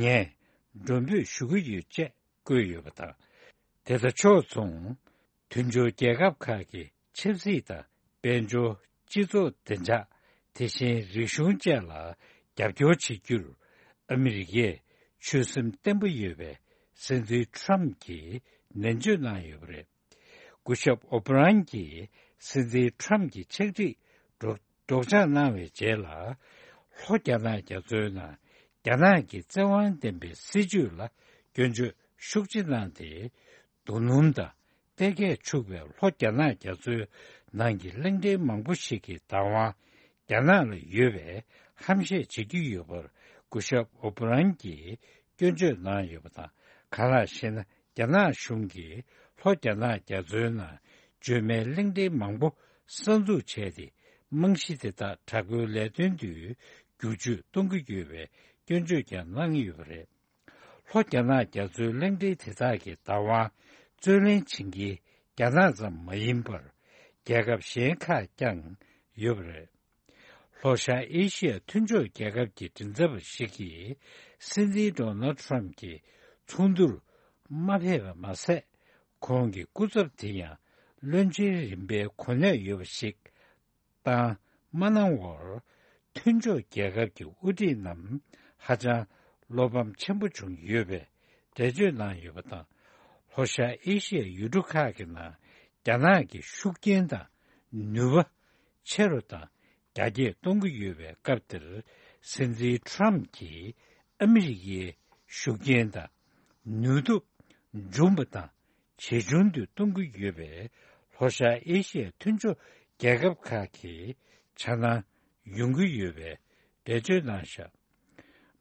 ངས་མགྲོན་འབོད་ཞུ་གི་ཡོད་ཅེས་བཀོད་ཡོད་པ་དང་། དེ་དང་ཕྱོགས་མཚུངས། མཐུན་ཕྱོགས་རྒྱལ་ཁབ་ཁག་གི་ཆབ་སྲིད་དང་དཔལ་འབྱོར། སྤྱི་ཚོགས་བདེ་འཇགས། དེ་བཞིན་རིག་གཞུང་བཅས་ལ་རྒྱབ་སྐྱོར་བྱེད་རྒྱུར་ཨ་མི་རི་ཀས་ཆོད་སེམས་བརྟན་པོ་ཡོད་པའི་སྲིད་འཛིན་ཊམ་གྱིས་ནན་བརྗོད་གནང་ཡོད་པ་རེད། སྐུ་ཞབས་ཨོ་བྷི་རན་གྱིས་སྲིད་འཛིན་ཊམ་གྱི་ཕྱག་བྲིས་སྒྲོག་སྒྲོག་སྦྱང་གནང་བའི་རྗེས་ལ། ལྷོ་རྒྱ་ནག་རྒྱ་མཚོའི་ནང་རྒྱ་ནག་གི་བཙན་དབང་ལྡན་པའི་སྲིད་བྱུས་ལ་སྐྱོན་བརྗོད་ཤུགས་ཆེ་གནང་སྟེ། རྡོ་སྣུམ་དང་གཏེར་ཁས་འཕྱུག་པའི་ལྷོ་རྒྱ་ནག་རྒྱ་མཚོའི་ནང་གི་གླིང་ཕྲན་མང་པོ་ཞིག་གི་བདག་དབང་རྒྱ་ནག་ལ་ཡོད་པའི་ཧམ་བཤད་བྱེད་ཀྱི་ཡོད་པར་སྐུ་ཞབས་ཨོ་བྷི་རན་གྱིས་སྐྱོན་བརྗོད་གནང་ཡོད་པ་དང་། གང་ལགས་ཤེ་ན། རྒྱ་ནག་གཞུང་གིས་ལྷོ་རྒྱ་ནག་རྒྱ་མཚོའི་ནང་བརྗོད་མེད་གླིང་ཕྲན་མང་པོ་གསར་འཛུགས་བྱས་ཏེ། རྨང་གཞི་དེ་དག་དྲག་པོའི་ལས་དོན་དུ་བསྒྱུར་བཅོས་གཏོང་གི་ཡོད་པའི་སྐྱོན་བརྗོད་ཀྱང་གནང་ཡོད་པ་རེད། ལྷོ་རྒྱ་ནག་རྒྱ་མཚོའི་གླིང་ཕྲན་དེ་དག་གི་བདག་དབང་རྩོད་ལེན་བྱེད་མཁན་རྒྱ་ནག་ཙམ་མ་ཡིན་པར། རྒྱལ་ཁབ་གཞན་ཁག་ཀྱང་ཡོད་པ་རེད། ལྷོ་ཤར་ཨེ་ཤི་ཡ་མཐུན་ཕྱོགས་རྒྱལ་ཁབ་ཀྱི་མགྲིན་ཚབ་པ་ཞིག་གིས་སྲིད་འཛིན་ཌོ་ནལ་ཊམ་གྱི་ཚོགས་འདུར་མ་ཕེབས་པ་མ་ཟད། ཁོང་གི་སྐུ་ཚབ་དེ་ཡང་བློན་ཆེན་རིམ་པའི་གོ་གནས་ཡོད་པ་ཞིག་བཏང་མ་གནང་བར། མཐུན་ཕྱོགས་རྒྱལ་ཁབ་ཀྱི་དབུ་ཁྲིད་རྣམས་ཧ་ཅང་བློ་ཕམ་ཆེན་པོ་བྱུང་ཡོད་པའི་འགྲེལ་བརྗོད་གནང་ཡོད་པ་དང་། ལྷོ་ཤར་ཨེ་ཤི་ཡའི་ཡུལ་གྲུ་ཁག་གི་ནང་རྒྱ་ནག་གི་ཤུགས་རྐྱེན་དང་ནུས་པ་ཆེ་རུ་དང་རྒྱ་སྐྱེད་གཏོང་གི་ཡོད་པའི་སྐབས་འདིར། སྲིད་འཛིན་ཊམ་གྱིས་ཨ་མི་རི་ཀའི་ཤུགས་རྐྱེན་དང་ནུས་སྟོབས་འབྱུང་བ་དང་ཇེ་ཆུང་དུ་གཏོང་གི་ཡོད་པས། ལྷོ་ཤར་ཨེ་ཤི་ཡའི་མཐུན་ཕྱོགས་རྒྱལ་ཁབ་ཁག་གི་འཆར་སྣང་ཡོང་གི་ཡོད་པའི་འགྲེལ་བརྗོད་གནང་བཞག།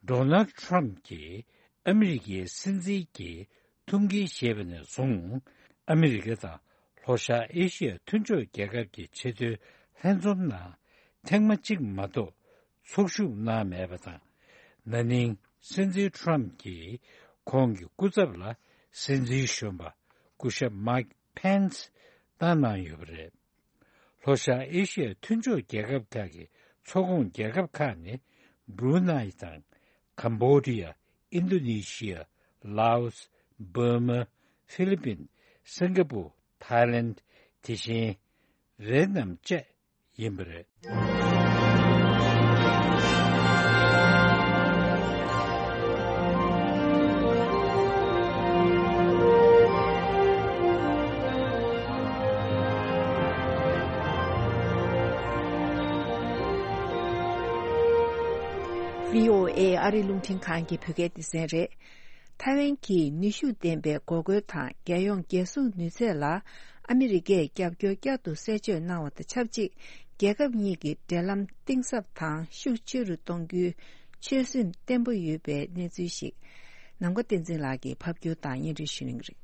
ཌོ་ནལ་ཊམ་གྱིས་ཨ་མི་རི་ཀའི་སྲིད་འཛིན་གྱི་ཐུགས་འགན་བཞེས་པ་ནས་བཟུང་། ཨ་མི་རི་ཀ་དང་ལྷོ་ཤར་ཨེ་ཤི་ཡ་མཐུན་ཕྱོགས་རྒྱལ་ཁབ་ཀྱི་ཆེས་མཐོའི་ལྷན་འཛོམས་ནང་ཐེངས་མ་གཅིག་མ་གཏོགས་ཚོགས་ཞུགས་གནང་མེད་པ་དང་། ན་ནིང་སྲིད་འཛིན་ཊམ་གྱིས་ཁོང་གི་སྐུ་ཚབ་ལ་སྲིད་འཛིན་གཞོན་པ་སྐུ་ཞབས་མའིག་ཕེན་སི་བཏང་གནང་ཡོད་པ་རེད། ལྷོ་ཤར་ཨེ་ཤི་ཡའི་མཐུན་ཕྱོགས་རྒྱལ་ཁབ་ཁག་གི་ཚོགས་ཁོངས་རྒྱལ་ཁབ་ཁག་ནི་སྦྲུ་ནའི་དང་། ཀམ་བྷོ་ཌི་ཡ། ཨིན་རྡོ་ནེ་ཤི་ཡ། ལའོ་སི། འབར་མ། ཧྥི་ལི་པིན། སིང་ག་པུར། ཐའི་ལེན། དེ་བཞིན་ཝེ་ཏི་ནམ་བཅས་ཡིན་པ་རེད། བྷི་ཨོ་ཨེ་ཨ་རི་རླུང་འཕྲིན་ཁང་གི་བོད་སྐད་སྡེ་ཚན་རེད། ཐའེ་ཝན་གྱིས་ནུས་ཤུགས་ལྡན་པའི་འགོག་རྒོལ་དང་རྒྱལ་ཡོངས་རྒྱལ་སྲུང་ནུས་ཚད་ལ་ཨ་མི་རི་ཀས་རྒྱབ་སྐྱོར་བསྐྱར་དུ་གསལ་བརྗོད་གནང་བ་དང་ཆབས་ཅིག་རྒྱལ་ཁབ་གཉིས་ཀྱི་འབྲེལ་ལམ་གཏིང་ཟབ་དང་ཤུགས་ཆེ་རུ་གཏོང་རྒྱུའི་ཆོད་སེམས་བརྟན་པོ་ཡོད་པའི་གནས་ཚུལ་ཞིག་ནམ་མཁའ་བསྟན་འཛིན་ལགས་ཀྱིས་ཕབ་སྒྱུར་དང་སྙན་སྒྲོན་ཞུ་གནང་གི་རེད།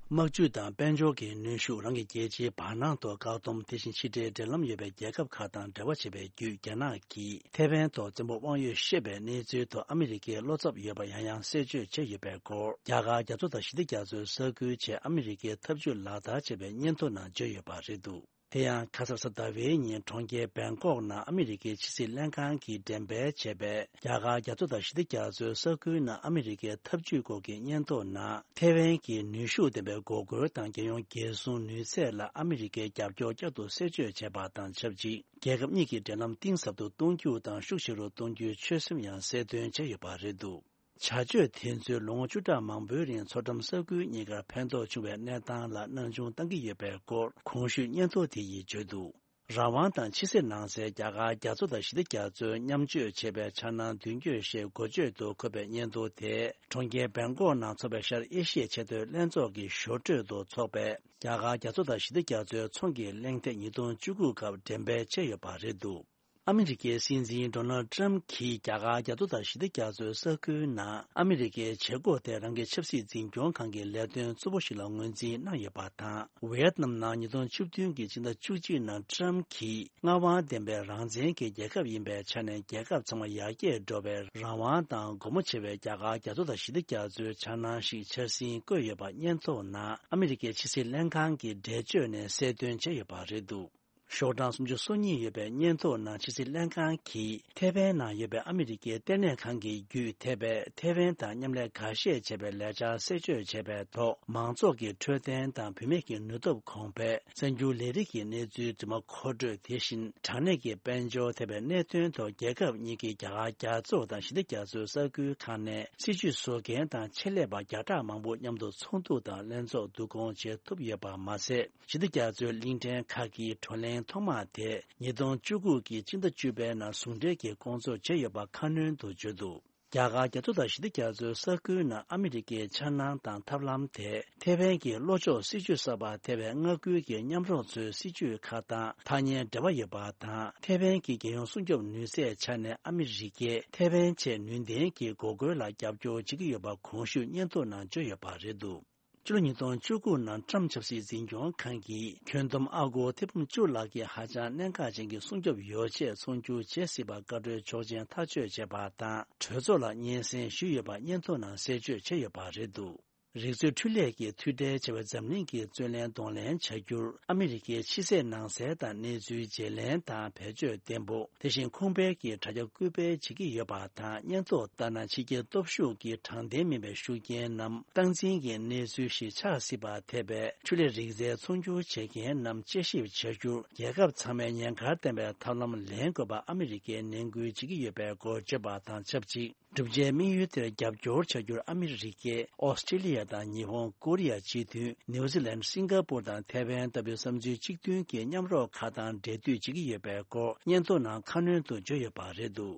དམག་ཇུས་དང་དཔལ་འབྱོར་གྱི་ནུས་ཤུགས། རང་གི་རྒྱལ་སྤྱིའི་བར་སྣང་ཐོག་བཀག་སྡོམ། དེ་བཞིན་ཕྱི་འབྲེལ་འབྲེལ་ལམ་ཡོད་པའི་རྒྱལ་ཁབ་ཁག་དང་འབྲེལ་བ་བྱེད་པའི་བརྒྱུད། རྒྱ་ནག་གིས་ཐེ་ཝན་ཐོག་བཙན་པོ་དབང་ཡོད་བཤད་པའི་གནས་ཚུལ་ཐོག་ཨ་མི་རི་ཀའི་བློ་འཚབ་ཡོད་པ་ཡང་ཡང་གསལ་བརྗོད་བྱས་ཡོད་པའི་སྐོར། རྒྱ་གར་རྒྱ་མཚོ་དང་ཞི་བདེ་རྒྱ་མཚོའི་ས་ཁུལ་ཆེད་ཨ་མི་རི་ཀའི་ཐབས་ཇུས་ལག་བསྟར་བྱས་པའི་སྙན་ཐོ་ནང་བརྗོད་ཡོད་པ་རེད་འདུག་དེ་ཡང་ཁ་སང་གཟའ་ཟླ་བའི་ཉིན་གྲོང་ཁྱེར་བེང་ཀོག་ནང་ཨ་མི་རི་ཀའི་ཕྱི་སྲིད་ལྷན་ཁང་གིས་འགྲེམས་སྤེལ་བྱས་པའི་རྒྱ་གར་རྒྱ་མཚོ་དང་ཞི་བདེ་རྒྱ་མཚོའི་ས་ཁུལ་ནང་ཨ་མི་རི་ཀའི་ཐབས་ཇུས་སྐོར་གྱི་སྙན་ཐོ་ནང་། ཐེ་ཝན་གྱི་ནུས་ཤུགས་ལྡན་པའི་འགོག་རྒོལ་དང་རྒྱལ་ཡོངས་རྒྱལ་སྲུང་ནུས་ཚད་ལ་ཨ་མི་རི་ཀའི་རྒྱབ་སྐྱོར་བསྐྱར་དུ་གསལ་བརྗོད་བྱས་པ་དང་ཆབས་ཅིག་རྒྱལ་ཁབ་གཉིས་ཀྱི་འབྲེལ་ལམ་གཏིང་ཟབ་ཏུ་གཏོང་རྒྱུ་དང་ཤུགས་ཆེ་རུ་གཏོང་རྒྱུའི་ཆོད་སེམས་ཡང་གསལ་སྟོན་བྱས་ཡོད་པ་རེད་འདུག་བྱ་སྤྱོད་དེ་ཚོས་ལོ་ངོ་བཅུ་ཕྲག་མང་པོའི་རིང་མཚོ་འགྲམ་ས་ཁུལ་གཉིས་ཀར་ཕན་ཐོགས་བྱུང་བའི་གནས་སྟངས་ལ་སྣང་ཆུང་བཏང་གི་ཡོད་པའི་སྐོར་གོང་ཞུས་སྙན་ཐོ་དེ་ཡིས་བརྗོད་འདུག་རང་དབང་དང་ཕྱི་སྲིད་ནང་གསལ་རྒྱ་གར་རྒྱ་མཚོ་དང་ཞི་བདེ་རྒྱ་མཚོའི་མཉམ་སྤྱོད་བྱེད་པའི་འཆར་སྣང་མདུན་སྐྱོད་ཞེས་འགོ་བརྗོད་དུ་འཁོད་པའི་སྙན་ཐོ་དེ། གྲོང་ཁྱེར་བེང་ཀོག་ནང་འཚོགས་པའི་ཤར་ཨེ་ཤི་ཡའི་ཆེས་མཐོའི་ལྷན་ཚོགས་ཀྱི་ཞོར་འཕྲོས་སུ་འཚོགས་པའི་རྒྱ་གར་རྒྱ་མཚོ་དང་ཞི་བདེ་རྒྱ་མཚོའི་ཚོང་གི་གླེང་སྟེགས་ཉིས་སྟོང་བཅུ་དགུ་སྐབས་འགྲེམས་སྤེལ་བྱས་ཡོད་པ་རེད་འདུག་ཨ་མི་རི་ཀའི་སྲིད་འཛིན་ཌོ་ནལ་ཊམ་གྱིས་རྒྱ་གར་རྒྱ་མཚོ་དང་ཞི་བདེ་རྒྱ་མཚོའི་ས་ཁུལ་ནང་ཨ་མི་རི་ཀའི་བྱེད་སྒོ་དེ་རང་གི་ཆབ་སྲིད་འཛིན་སྐྱོང་ཁང་གི་ལས་དོན་གཙོ་བོ་ཞིག་ལ་ངོས་འཛིན་གནང་ཡོད་པ་དང་། ཝེ་ཏི་ནམ་ནང་ཉིས་སྟོང་བཅུ་བདུན་གྱི་ཕྱི་ཟླ་བཅུ་གཅིག་ནང་ཊམ་གྱིས་མངའ་དབང་ལྡན་པའི་རང་བཙན་གྱི་རྒྱལ་ཁབ་ཡིན་པའི་ཆ་ནས་རྒྱལ་ཁབ་ཚང་མ་ཡར་རྒྱས་འགྲོ་བའི་རང་དབང་དང་སྒོ་མོ་ཕྱེ་བའི་རྒྱ་གར་རྒྱ་མཚོ་དང་ཞི་བདེ་རྒྱ་མཚོའི་འཆར་སྣང་ཞིག་འཆར་ཟིན་བཀོད་ཡོད་པ་སྙན་ཐོ་ནང་ཨ་མི་རི་ཀའི་ཕྱི་སྲིད་ལྷན་ཁང་གི་འགྲེལ་བརྗོད་ནས་གསལ་སྟོན་བྱས་ཡོད་པ་རེད་འདུག་ཤོག་གྲངས་སུམ་ཅུ་སོ་གཉིས་ཡོད་པའི་སྙན་ཐོ་ནང་ཕྱི་སྲིད་ལྷན་ཁང་གིས་ཐེ་ཝན་ནང་ཡོད་པའི་ཨ་མི་རི་ཀའི་ལྟེ་གནས་ཁང་གི་བརྒྱུད་ཐེ་པས་ཐེ་ཝན་དང་མཉམ་ལས་འགའ་ཤས་བྱས་པའི་ལས་འཆར་གསལ་བརྗོད་བྱས་པའི་ཐོག་མང་ཚོགས་ཀྱི་འཕྲོད་བསྟེན་དང་བུད་མེད་ཀྱི་ནུས་སྟོབས་གོང་འཕེལ། གསར་འགྱུར་ལས་རིགས་ཀྱི་གནས་ཚུལ་རྫུན་མ་མཁོ་སྤྲོད། དེ་བཞིན་དྲང་གནས་ཀྱི་དཔལ་འབྱོར་ཐེ་པའི་གནད་དོན་ཐོག་རྒྱལ་ཁབ་གཉིས་ཀྱིས་རྒྱ་གར་རྒྱ་མཚོ་དང་ཞི་བདེ་རྒྱ་མཚོའི་ས་ཁུལ་ཁག་ནས་སྲིད་ཇུས་བཟོ་མཁན་དང་ཆེད་ལས་པ་བརྒྱ་ཕྲག་མང་པོ་མཉམ་དུ་ཚོགས་འདུ་དང་ལྷན་ཚོགས་བསྡུ་སྐོང་བྱེད་ཐུབ་ཡོད་པ་མ་ཟད། ཞི་བདེ་རྒྱ་མཚོའི་གླིང་ཕྲན་ཁག་གི་བགྲོ་གླེང་ཐོག་མ་དེ་ཉིས་སྟོང་བཅུ་དགུ་གི་སྤྱི་ཟླ་བཅུ་པའི་ནང་ཟུང་འབྲེལ་གྱིས་སྐོང་ཚོགས་བྱས་ཡོད་པ་ཁ་སྣོན་དུ་བརྗོད་འདུག་རྒྱ་གར་རྒྱ་མཚོ་དང་ཞི་བདེ་རྒྱ་མཚོའི་ས་ཁུལ་ནང་ཨ་མི་རི་ཀའི་འཆར་སྣང་དང་ཐབས་ལམ་དེ་ཐེ་ཝན་གྱི་ལྷོ་ཕྱོགས་སྲིད་ཇུས་གསར་པ་ཐེ་ཝན་མངའ་ཁུལ་གྱི་མཉམ་རོགས་ཚོའི་སྲིད་ཇུས་ཁག་དང་ཐག་ཉེ་འབྲེལ་བ་ཡོད་པ་དང་། ཐེ་ཝན་གྱི་རྒྱལ་ཡོངས་སྲུང་སྐྱོབ་ནུས་ཚད་ཆ་ནས་ཨ་མི་རི་ཀས་ཐེ་ཝན་ཆེས་ནུས་ལྡན་གྱི་འགོག་རྒོལ་ལ་རྒྱབ་སྐྱོར་བྱེད་ཀྱི་ཡོད་པ་གོང་ཞུས་སྙན་ཐོ་ནང་བརྗོད་ཡོད་པ་རེད་འདུག་ཕྱི་ལོ་ཉིས་སྟོང་བཅུ་དགུ་ནང་ཊམ་ཆབ་སྲིད་འཛིན་སྐྱོང་ཁང་གིས་ཁྱོན་བསྡོམས་ཨ་སྒོར་ཐེར་འབུམ་བཅུ་ལྷག་གི་ཧ་ཅང་གནད་འགག་ཅན་གྱི་སྲུང་སྐྱོབ་ཡོ་ཆས་ཚོང་སྒྱུར་བྱེད་སྲིད་པར་བཀའ་འཁྲོལ་ཆོག་མཆན་ཐག་གཅོད་བྱས་པ་དང་། གྲོས་ཚོགས་ལ་སྙན་སེང་ཞུས་ཡོད་པ་སྙན་ཐོ་ནང་གསལ་བརྗོད་བྱས་ཡོད་པ་རེད་འདུག་རིག་རྩལ་འཕྲུལ་ལས་ཀྱི་མཐུད་འབྲེལ་བྱ་བའི་འཛམ་གླིང་གི་རྩོད་ལེན་གདོང་ལེན་བྱ་རྒྱུར་ཨ་མི་རི་ཀའི་ཕྱི་སྲིད་ནང་སྲིད་དང་གནས་ཚུལ་བརྗེ་ལེན་དང་བེད་སྤྱོད་བརྟན་པོ། དེ་བཞིན་ཁུངས་སྤེལ་གྱི་དྲ་རྒྱ་སྐུལ་སྤེལ་བྱེད་ཀྱི་ཡོད་པ་དང་། སྙན་ཐོ་ལྟར་ན། ཕྱི་རྒྱལ་སྟོབས་ཤུགས་ཀྱི་དྲང་བདེན་མིན་པའི་ཤུགས་རྐྱེན་ནམ་སྟངས་འཛིན་གྱི་གནས་ཚུལ་ཞིག་ཆགས་སྲིད་པར་ཐེ་པའི་འཕྲུལ་ལས་རིག་རྩལ་ཚོང་སྒྱུར་བྱེད་མཁན་རྣམས་དཔྱད་ཞིབ་བྱ་རྒྱུར་རྒྱལ་ཁབ་ཚང་མས་ཉེན་ཁར་ལྟ་བའི་ཐབས་ལམ་ལེན་དགོས་པ་ཨ་མི་རི་ཀས་ནན་སྐུལ་བྱེད་ཀྱི་ཡོད་པའི་སྐོར་བརྗོད་པ་དང་ཆབས་ཅིག་གྲུབ་ཆའི་དམིགས་ཡུལ་དེར་རྒྱབ་སྐྱོར་བྱ་རྒྱུར་ཨ་མི་རི་ཀས་ཨོ་སི་ཀྲི་ལི་ཡ་དང་ཉི་ཧོང་། ཀོ་རི་ཡ་སྤྱི་མཐུན། ནིའུ་ཛི་ལན། སིང་ག་པུར་དང་ཐའེ་ཝན་ལྟ་བུའི་བསམ་ཚུལ་གཅིག་མཐུན་གྱི་མཉམ་རོགས་ཁག་དང་འབྲེལ་མཐུད་བྱེད་ཀྱི་ཡོད་པའི་སྐོར་སྙན་ཐོ་ནང་ཁ་སྣོན་དུ་བརྗོད་ཡོད་པ་རེད་འདུག་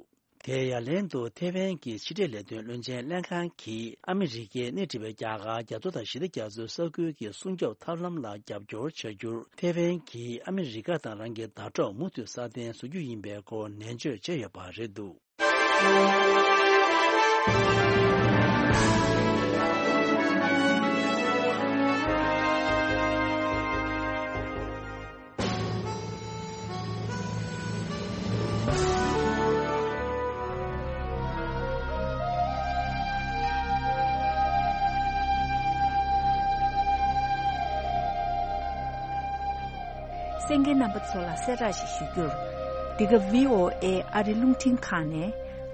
དེའི་ཡ་ལན་དུ་ཐའེ་ཝན་གྱི་ཕྱི་འབྲེལ་ལས་དོན་བློན་ཆེན་ལྷན་ཁང་གིས་ཨ་མི་རི་ཀས་སྣེ་ཁྲིད་པའི་རྒྱ་གར་རྒྱ་མཚོ་དང་ཞི་བདེ་རྒྱ་མཚོའི་ས་ཁུལ་གྱི་སྲུང་སྐྱོབ་ཐབས་ལམ་ལ་རྒྱབ་སྐྱོར་བྱ་རྒྱུར་ཐའེ་ཝན་གྱིས་ཨ་མི་རི་ཀ་དང་རང་གི་ཟླ་གྲོགས་མུ་མཐུད་སྲ་བརྟན་བཟོ་རྒྱུ་ཡིན་པའི་སྐོར་ནན་བརྗོད་བྱས་ཡོད་པ་རེད་འདུག་གསན་མཁན་རྣམ་པ་ཚོ་ལ་གསལ་བསྒྲགས་ཤིག་ཞུ་རྒྱུར། འདི་ག་V O A ཨ་རི་རླུང་འཕྲིན་ཁང་ནས།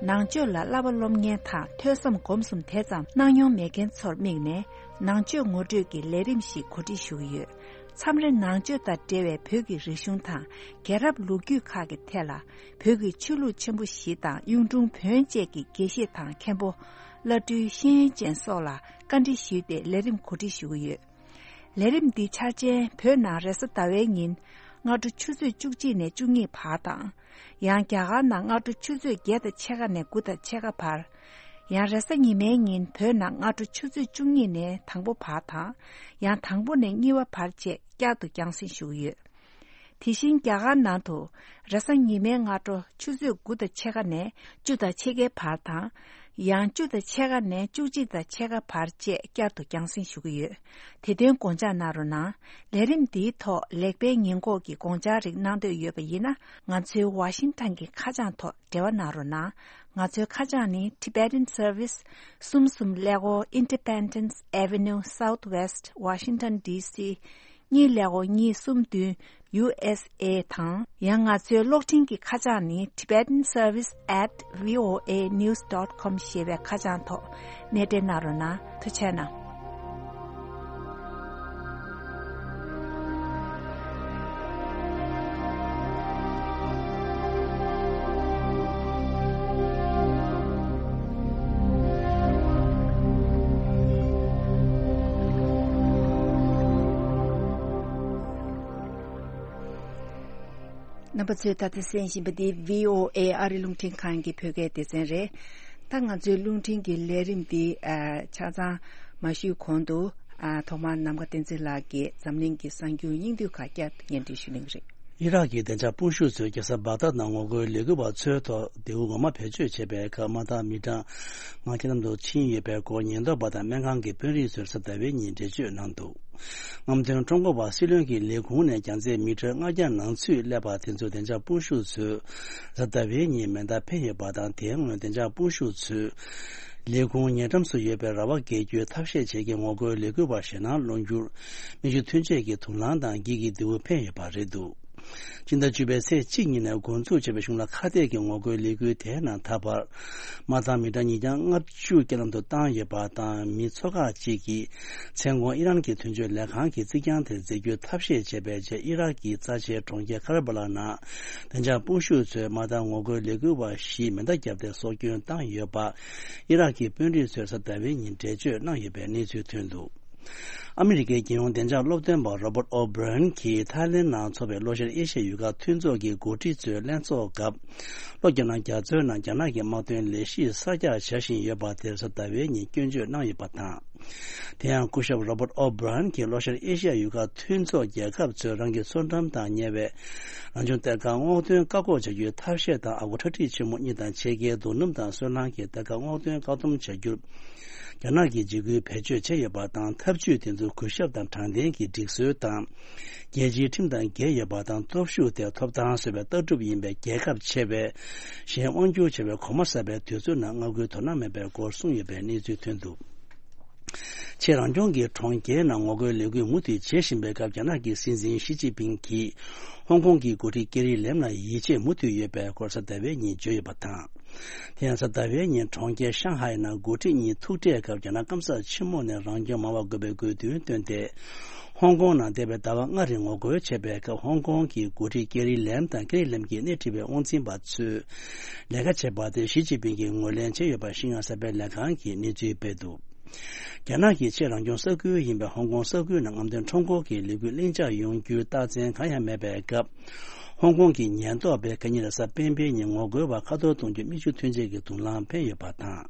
ནང་ཆོས་ལ་བསླབ་པ་སློབ་མཁན་དང་ཐོས་བསམ་སྒོམ་གསུམ་དེ་ཙམ་གནང་མྱོང་མེད་མཁན་ཚོར་དམིགས་ནས། ནང་ཆོས་ངོ་སྤྲོད་ཀྱི་ལས་རིམ་ཞིག་གོ་སྒྲིག་ཞུ་གི་ཡོད། མཚམས་རེ་ནང་ཆོས་དང་འབྲེལ་བའི་བོད་ཀྱི་རིག་གཞུང་དང་རྒྱལ་རབས་ལོ་རྒྱུས་ཁག་གི་ཐད་ལ། བོད་ཀྱི་ཆོས་ལུགས་ཆེན་པོ་བཞི་དང་གཡུང་དྲུང་བོན་བཅས་ཀྱི་དགེ་བཤེས་དང་མཁན་པོ། བླ་སྤྲུལ་ཤེས་ཡོན་ཅན་སོགས་ལ་བཀའ་འདྲི་ཞུས་ཏེ་ལས་རིམ་གོ་སྒྲིག་ཞུ་གི་ཡོད། ལས་རིམ་འདི་འཆར་ཅན་བོད་ནང་རེས་གཟའ་ཟླ་བའི་ཉིན་སྔ་དྲོ་ཆུ་ཚོད་བཅུ་གཅིག་ནས་བཅུ་གཉིས་བར་དང་། ཡང་རྒྱ་གར་ནང་སྔ་དྲོ་ཆུ་ཚོད་བརྒྱད་དང་ཕྱེད་ཀ་ནས་དགུ་དང་ཕྱེད་ཀ་བར། ཡང་རེས་གཟའ་ཉི་མའི་ཉིན་བོད་ནང་སྔ་དྲོ་ཆུ་ཚོད་བཅུ་གཉིས་ནས་དང་པོ་བར་དང་། ཡང་དང་པོ་ནས་གཉིས་པ་བར་བཅས་བསྐྱར་དུ་རྒྱང་སྲིང་ཞུ་གི་ཡོད། དེ་བཞིན་རྒྱ་གར་ནང་དུ་རེས་གཟའ་ཉི་མའི་སྔ་དྲོ་ཆུ་ཚོད་དགུ་དང་ཕྱེད་ཀ་ནས་བཅུ་དང་ཕྱེད་ཀའི་བར་དང་། ཡང་བཅུ་དང་ཕྱེད་ཀ་ནས་བཅུ་གཅིག་དང་ཕྱེད་ཀ་བར་བཅས་བསྐྱར་དུ་རྒྱང་སྲིང་ཞུ་གི་ཡོད། དེ་དོན་དགོངས་འཇགས་གནང་རོགས་གནང་། ལས་རིམ་འདིའི་ཐོག་ལེགས་སྤེལ་ཉེས་འགོག་གི་དགོངས་འཆར་རིགས་གནང་འདོད་ཡོད་པ་ཡིན་ན། ང་ཚོའི་ཝ་ཤིང་ཊོན་གྱི་ཁ་བྱང་ཐོག་འབྲེལ་བ་གནང་རོགས་གནང་། ང་ཚོའི་ཁ་བྱང་ནི། Tibetan Service། གསུམ་གསུམ་ཀླད་ཀོར། Independence Avenue Southwest, Washington D C གཉིས་ཀླད་ཀོར་གཉིས་གསུམ་བདུན། U S A དང་། ཡང་ང་ཚོའི་གློག་འཕྲིན་གྱི་ཁ་བྱང་ནི། Tibetan Service at V O A news dot com ཞེས་པའི་ཁ་བྱང་ཐོག་གནས་འབྲེལ་གནང་རོགས་གནང་། ཐུགས་རྗེ་གནང་། རྣམ་པ་ཚོས་ད་ལྟ་གསན་བཞིན་པ་འདི་V O A ཨ་རི་རླུང་འཕྲིན་ཁང་གི་བོད་སྐད་སྡེ་ཚན་རེད། ད་ང་ཚོའི་རླུང་འཕྲིན་གྱི་ལས་རིམ་འདི་ཨ་ཆ་ཚང་མ་ཞུས་གོང་དུ། ཨ་ཐོག་མར་ནམ་མཁའ་བསྟན་འཛིན་ལགས་ཀྱིས་འཛམ་གླིང་གི་གསར་འགྱུར་སྙིང་བསྡུས་ཁག་བསྐྱར་དུ་སྙན་སྒྲོན་ཞུ་གླེང་རེད། ཨི་རག་གི་བདེ་འཇགས་དཔུང་ཤུགས་ཚོས་རྒྱལ་ས་བག་དྷ་ནང་ངོ་རྒོལ་ལས་འགུལ་བ་ཚོའི་ཐོག་མདེའུ་འོ་མ་བེད་སྤྱོད་བྱས་པའི་སྐབས་དམག་སྡེ་མི་གྲངས་ལྔ་རྐྱེན་འདས་སུ་ཕྱིན་ཡོད་པའི་སྐོར་ཉེན་རྟོག་པ་དང་སྨན་ཁང་གི་དཔོན་རིགས་ཚོར་གཟའ་ཟླ་བའི་ཉིན་འགྲེལ་བརྗོད་གནང་འདུག་རྔམ་སྟོན་ཁྲོམ་སྐོར་བ་སྲིད་བློན་གྱི་ལས་ཁུངས་ནས་རྒྱང་ཚད་མི་ཊར་ལྔ་བརྒྱ་ནང་ཚུད་སླེབས་པ་དེ་ཚོ་བདེ་འཇགས་དཔུང་ཤུགས་ཚོས་གཟའ་ཟླ་བའི་ཉིན་མེ་མདའ་འཕེན་ཡོད་པ་དང་། དེའི་སྔོན་བདེ་འཇགས་དཔུང་ཤུགས་ཚོས་ལས་ཁུངས་ཉེ་འགྲམ་སུ་ཡོད་པའི་ར་བ་བརྒལ་རྒྱུའི་ཐབས་ཤེས་བྱེད་མཁན་ངོ་རྒོལ་ལས་འགུལ་བ་ཞེད་སྣང་སློང་རྒྱུར་མིག་ཆུ་ཐོན་ཆས་ཀྱི་དུག་རླངས་དང་འགྱིག་གི་མདེའུ་འཕེན་ཡོད་པ་རེད་འདུག་སྤྱི་ཟླ་བཅུ་པའི་ཚེས་གཅིག་ཉིན་ནས་འགོ་འཛུགས་བྱས་པའི་གཞུང་ལ་ཁ་གཏད་ཀྱི་ངོ་རྒོལ་ལས་འགུལ་དེའི་ནང་ད་བར་དམག་སྡེ་མི་གྲངས་ཉིས་བརྒྱ་ལྔ་བཅུ་རྐྱེན་ལམ་དུ་བཏང་ཡོད་པ་དང་། མི་ཚོ་ཁག་ཅིག་གིས་མཚན་གུང་ཨི་རན་གྱི་དོན་གཅོད་ལས་ཁང་གི་རྩིག་གྱང་དེར་འཛེག་རྒྱུའི་ཐབས་ཤེས་བྱས་པའི་རྗེས། ཨི་རག་གི་རྩ་ཆེའི་གྲོང་ཁྱེར་ཁ་ར་བ་ལ་ནང་བདེ་འཇགས་དཔུང་ཤུགས་ཚོས་དམག་སྡེ་ངོ་རྒོལ་ལས་འགུལ་བ་བཞིས་མེ་མདའ་བརྒྱབ་སྟེ་སྲོག་སྐྱོན་བཏང་ཡོད་པ་ཨི་རག་གི་དཔོན་རིགས་ཚོས་གཟའ་ཟླ་བའི་ཉིན་འགྲེལ་བརྗོད་གནང་ཡོད་པའི་གནས་ཚུལ་ཐོན་འདུག་ཨ་མི་རི་ཀའི་རྒྱལ་ཡོངས་བདེ་འཇགས་སློབ་སྟོན་པ་Robert O'Brien གྱིས་ཐའི་ལེན་ནང་འཚོགས་པའི་ལྷོ་ཤར་ཨེ་ཤ་ཡའི་ཡུལ་ཁག་མཐུན་ཚོགས་ཀྱི་འགོ་ཁྲིད་ཚོའི་ལྷན་ཚོགས་སྐབས། ལྷོ་རྒྱ་ནག་རྒྱ་མཚོའི་ནང་རྒྱ་ནག་གི་དམག་དོན་ལས་གཞི་གསར་རྒྱག་བྱ་བཞིན་ཡོད་པ་དེར་གཟའ་ཟླ་བའི་ཉིན་སྐྱོན་བརྗོད་གནང་ཡོད་པ་དང་། དེ་ཡང་སྐུ་ཞབས་Robert O'Brien གྱིས་ལྷོ་ཤར་ཨེ་ཤ་ཡའི་ཡུལ་ཁག་མཐུན་ཚོགས་རྒྱལ་ཁབ་ཚོས་རང་གི་མཚོ་འགྲམ་དང་ཉེ་བའི་རང་བྱུང་གཏེར་ཁ་སྔོག་འདོན་བཀག་འགོག་བྱ་རྒྱུའི་ཐབས་ཤེས་དང་། ཨ་སྒོར་ཁྲག་ཁྲིག་ཆེན་མོ་གཉིས་དང་ཕྱེད་ཀའི་རྡོ་སྣུམ་དང་སོལ་རླངས་ཀྱི་གཏེར་ཁ་སྔོག་འདོན་བཀག་སྡོམ་བྱ་རྒྱུར་རྒྱ་ནག་གིས་འཇིགས་སྐུལ་བེད་སྤྱོད་བྱས་ཡོད་པ་དང་། ཐབས་ཇུས་དེ་ཚོ་གུས་ཞབས་དང་དྲང་བདེན་གྱི་སྒྲིག་སྲོལ་དང་རྒྱལ་སྤྱིའི་ཁྲིམས་དང་འགལ་ཡོད་པ་དང་། སྟོབས་ཤུགས་དེ་ཐོབ་ཐང་བཟོ་བའི་ལྟ་གྲུབ་ཡིན་པས། རྒྱལ་ཁབ་ཆེ་བས་གཞན་དབང་བསྒྱུར་བྱ་བའི་གོམ་པ་གསར་པའི་དུས་ཚོད་ནང་མངའ་ཁུལ་དོ་སྣང་མེད་པའི་སྐོར་གསུངས་ཡོད་པའི་གནས་ཚུལ་ཐོན་འདུག་ཆེས་རང་སྐྱོང་གི་གྲོང་ཁྱེར་ནང་ངོ་རྒོལ་ལས་འགུལ་མུ་མཐུད་བྱེད་བཞིན་པའི་སྐབས། རྒྱ་ནག་གི་སྲིད་འཛིན་ཞི་ཅིན་ཕིང་གིས་ཧོང་ཀོང་གི་འགོ་ཁྲིད་ཀེ་རི་ལེམ་ལ་ཡིད་ཆེས་མུ་མཐུད་ཡོད་པའི་སྐོར་གཟའ་ཟླ་བའི་ཉིན་བརྗོད་ཡོད་པ་དང་། དེ་ཡང་གཟའ་ཟླ་བའི་ཉིན་གྲོང་ཁྱེར་ཤང་ཧའེ་ནང་འགོ་ཁྲིད་གཉིས་ཐུག་འཕྲད་སྐབས། རྒྱ་ནག་སྐམ་ས་ཆེན་མོ་ནས་རང་སྐྱོང་མང་བ་དགོས་པའི་དགོས་འདུན་བཏོན་ཏེ། ཧོང་ཀོང་ནང་འདས་པའི་ཟླ་བ་ལྔ་རིང་ངོ་རྒོལ་བྱས་པའི་སྐབས། ཧོང་ཀོང་གི་འགོ་ཁྲིད་ཀེ་རི་ལེམ་དང་། ཀེ་རི་ལེམ་གྱིས་སྣེ་ཁྲིད་པའི་དབང་འཛིན་པ་ཚོས་ལས་ཀ་བྱས་པ་དེ་ཞི་ཅིན་ཕིང་གིས་ངོས་ལེན་བྱས་ཡོད་པ་ཤིན་ཡང་གསར་སྤེལ་ལས་ཁང་གིས་གནས་ཚུལ་སྤེལ་འདུག་རྒྱ་ནག་གི་ཆེས་རང་སྐྱོང་ས་ཁུལ་ཡིན་པའི་ཧོང་ཀོང་ས་ཁུལ་ནང་རྔམ་སྟོན་ཁྲོམ་སྐོར་གྱི་ལས་འགུལ་ལྷིང་འཇགས་ཡོང་རྒྱུའི་རྟགས་མཚན་གང་ཡང་མེད་པའི་སྐབས། ཧོང་ཀོང་གི་ཉེན་རྟོག་པས་ཁ་ཉིན་རེས་གཟའ་སྤེན་པའི་ཉིན་ངོ་རྒོལ་བ་ཁ་འཐོར་གཏོང་རྒྱུ་མིག་ཆུ་ཐོན་ཆས་ཀྱི་དུག་རླངས་འཕེན་ཡོད་པ་དང་།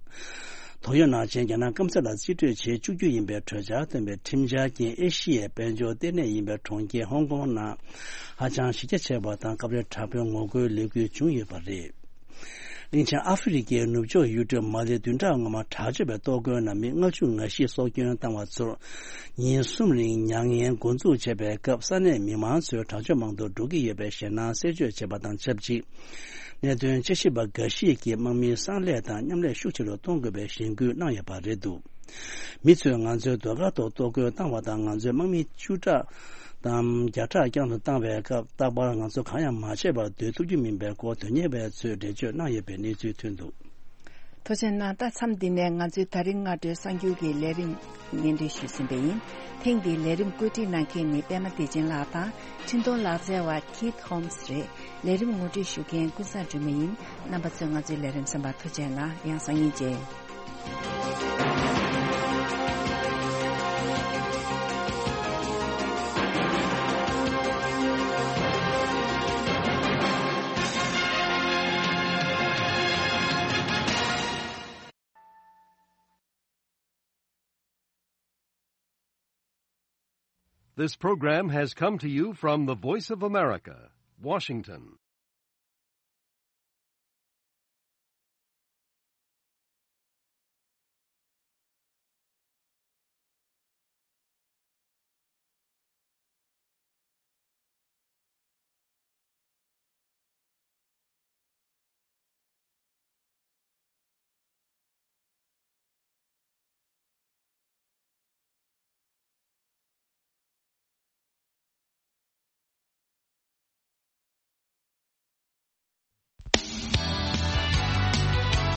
དོགས་ཡོད་ནང་བཞིན་རྒྱ་ནག་སྐམ་ས་ལ་རྩིས་སྤྲོད་བྱེད་བཅུག་རྒྱུ་ཡིན་པའི་གྲོས་འཆར་བཏོན་པའི་ཁྲིམས་འཆར་རྐྱེན་ཨེ་ཤི་ཡའི་དཔལ་འབྱོར་ལྟེ་གནས་ཡིན་པའི་གྲོང་ཁྱེར་ཧོང་ཀོང་ནང་ཧ་ཅང་གཞི་རྒྱ་ཆེ་བ་དང་སྐབས་རེ་དྲག་པོའི་ངོ་རྒོལ་ལས་འགུལ་བྱུང་ཡོད་པ་རེད། གླིང་ཆེན་ཨ་ཧྥེ་རི་ཁའི་ནུབ་ཕྱོགས་ཡུལ་གྲུ་མ་ལི་བདུན་ཕྲག་སྔོན་མ་དྲག་སྤྱོད་པའི་གཏོར་རྒོལ་ནང་མི་ལྔ་བཅུ་ང་བཞི་སྲོག་སྐྱོན་བཏང་བ་ཚོར་ཉིན་གསུམ་རིང་མྱ་ངན་འགོ་འཛུགས་བྱས་པའི་སྐབས། ས་གནས་མི་མང་ཚོས་དྲག་སྤྱོད་དམག་དོན་འགྲོ་གི་ཡོད་པའི་ཞེད་སྣང་གསལ་བརྗོད་བྱས་པ་དང་ཆབས་ཅིག་གནད་དོན་དཔྱད་ཞིབ་པ་འགའ་ཞིག་གིས་དམག་མིའི་གསང་ལས་དང་མཉམ་ལས་ཤུགས་ཆེ་རུ་གཏོང་དགོས་པའི་གཞེན་སྐུལ་གནང་ཡོད་པ་རེད་འདུག་མི་ཚོས་ང་ཚོའི་ཟློས་གར་ཐོག་གཏོར་རྒོལ་བཏང་བ་དང་། ང་ཚོའི་དམག་མི་བཅུ་ཕྲག་དང་བརྒྱ་ཕྲག་བསྐྱར་དུ་བཏང་བའི་སྐབས། རྟག་པར་ང་ཚོ་གང་ཡང་མ་བྱས་པར་སྡོད་ཐུབ་ཀྱི་མིན་པའི་སྐོར་དོན་གཉེར་བའི་ཚོས་འགྲེལ་བརྗོད་གནང་ཡོད་པའི་གནས་ཚུལ་ཐོན་འདུག། ཐུགས་རྗེ་གནང་། ད་མཚམས་འདི་ནས་ང་ཚོའི་ད་རིང་སྔ་དྲོའི་གསར་འགྱུར་གྱི་ལས་རིམ་སྙན་སྒྲོན་ཞུས་ཟིན་པ་ཡིན། ཐེངས་འདིའི་ལས་རིམ་བཀོད་སྒྲིག་གནང་མཁན་ནི་པད་མ་བདེ་ཆེན་ལགས་དང་། འཕྲིན་གཏོང་ལག་རྩལ་བ་Keith Holmes་རེད། ལས་རིམ་ངོ་སྤྲོད་ཞུ་མཁན་ཀུན་བཟང་སྒྲོལ་མ་ཡིན། རྣམ་པ་ཚོས་ང་ཚོའི་ལས་རིམ་གསན་པར་ཐུགས་རྗེ་གནང་། ཡང་སང་ཉིན་མཇལ། This program has come to you from the Voice of America, Washington.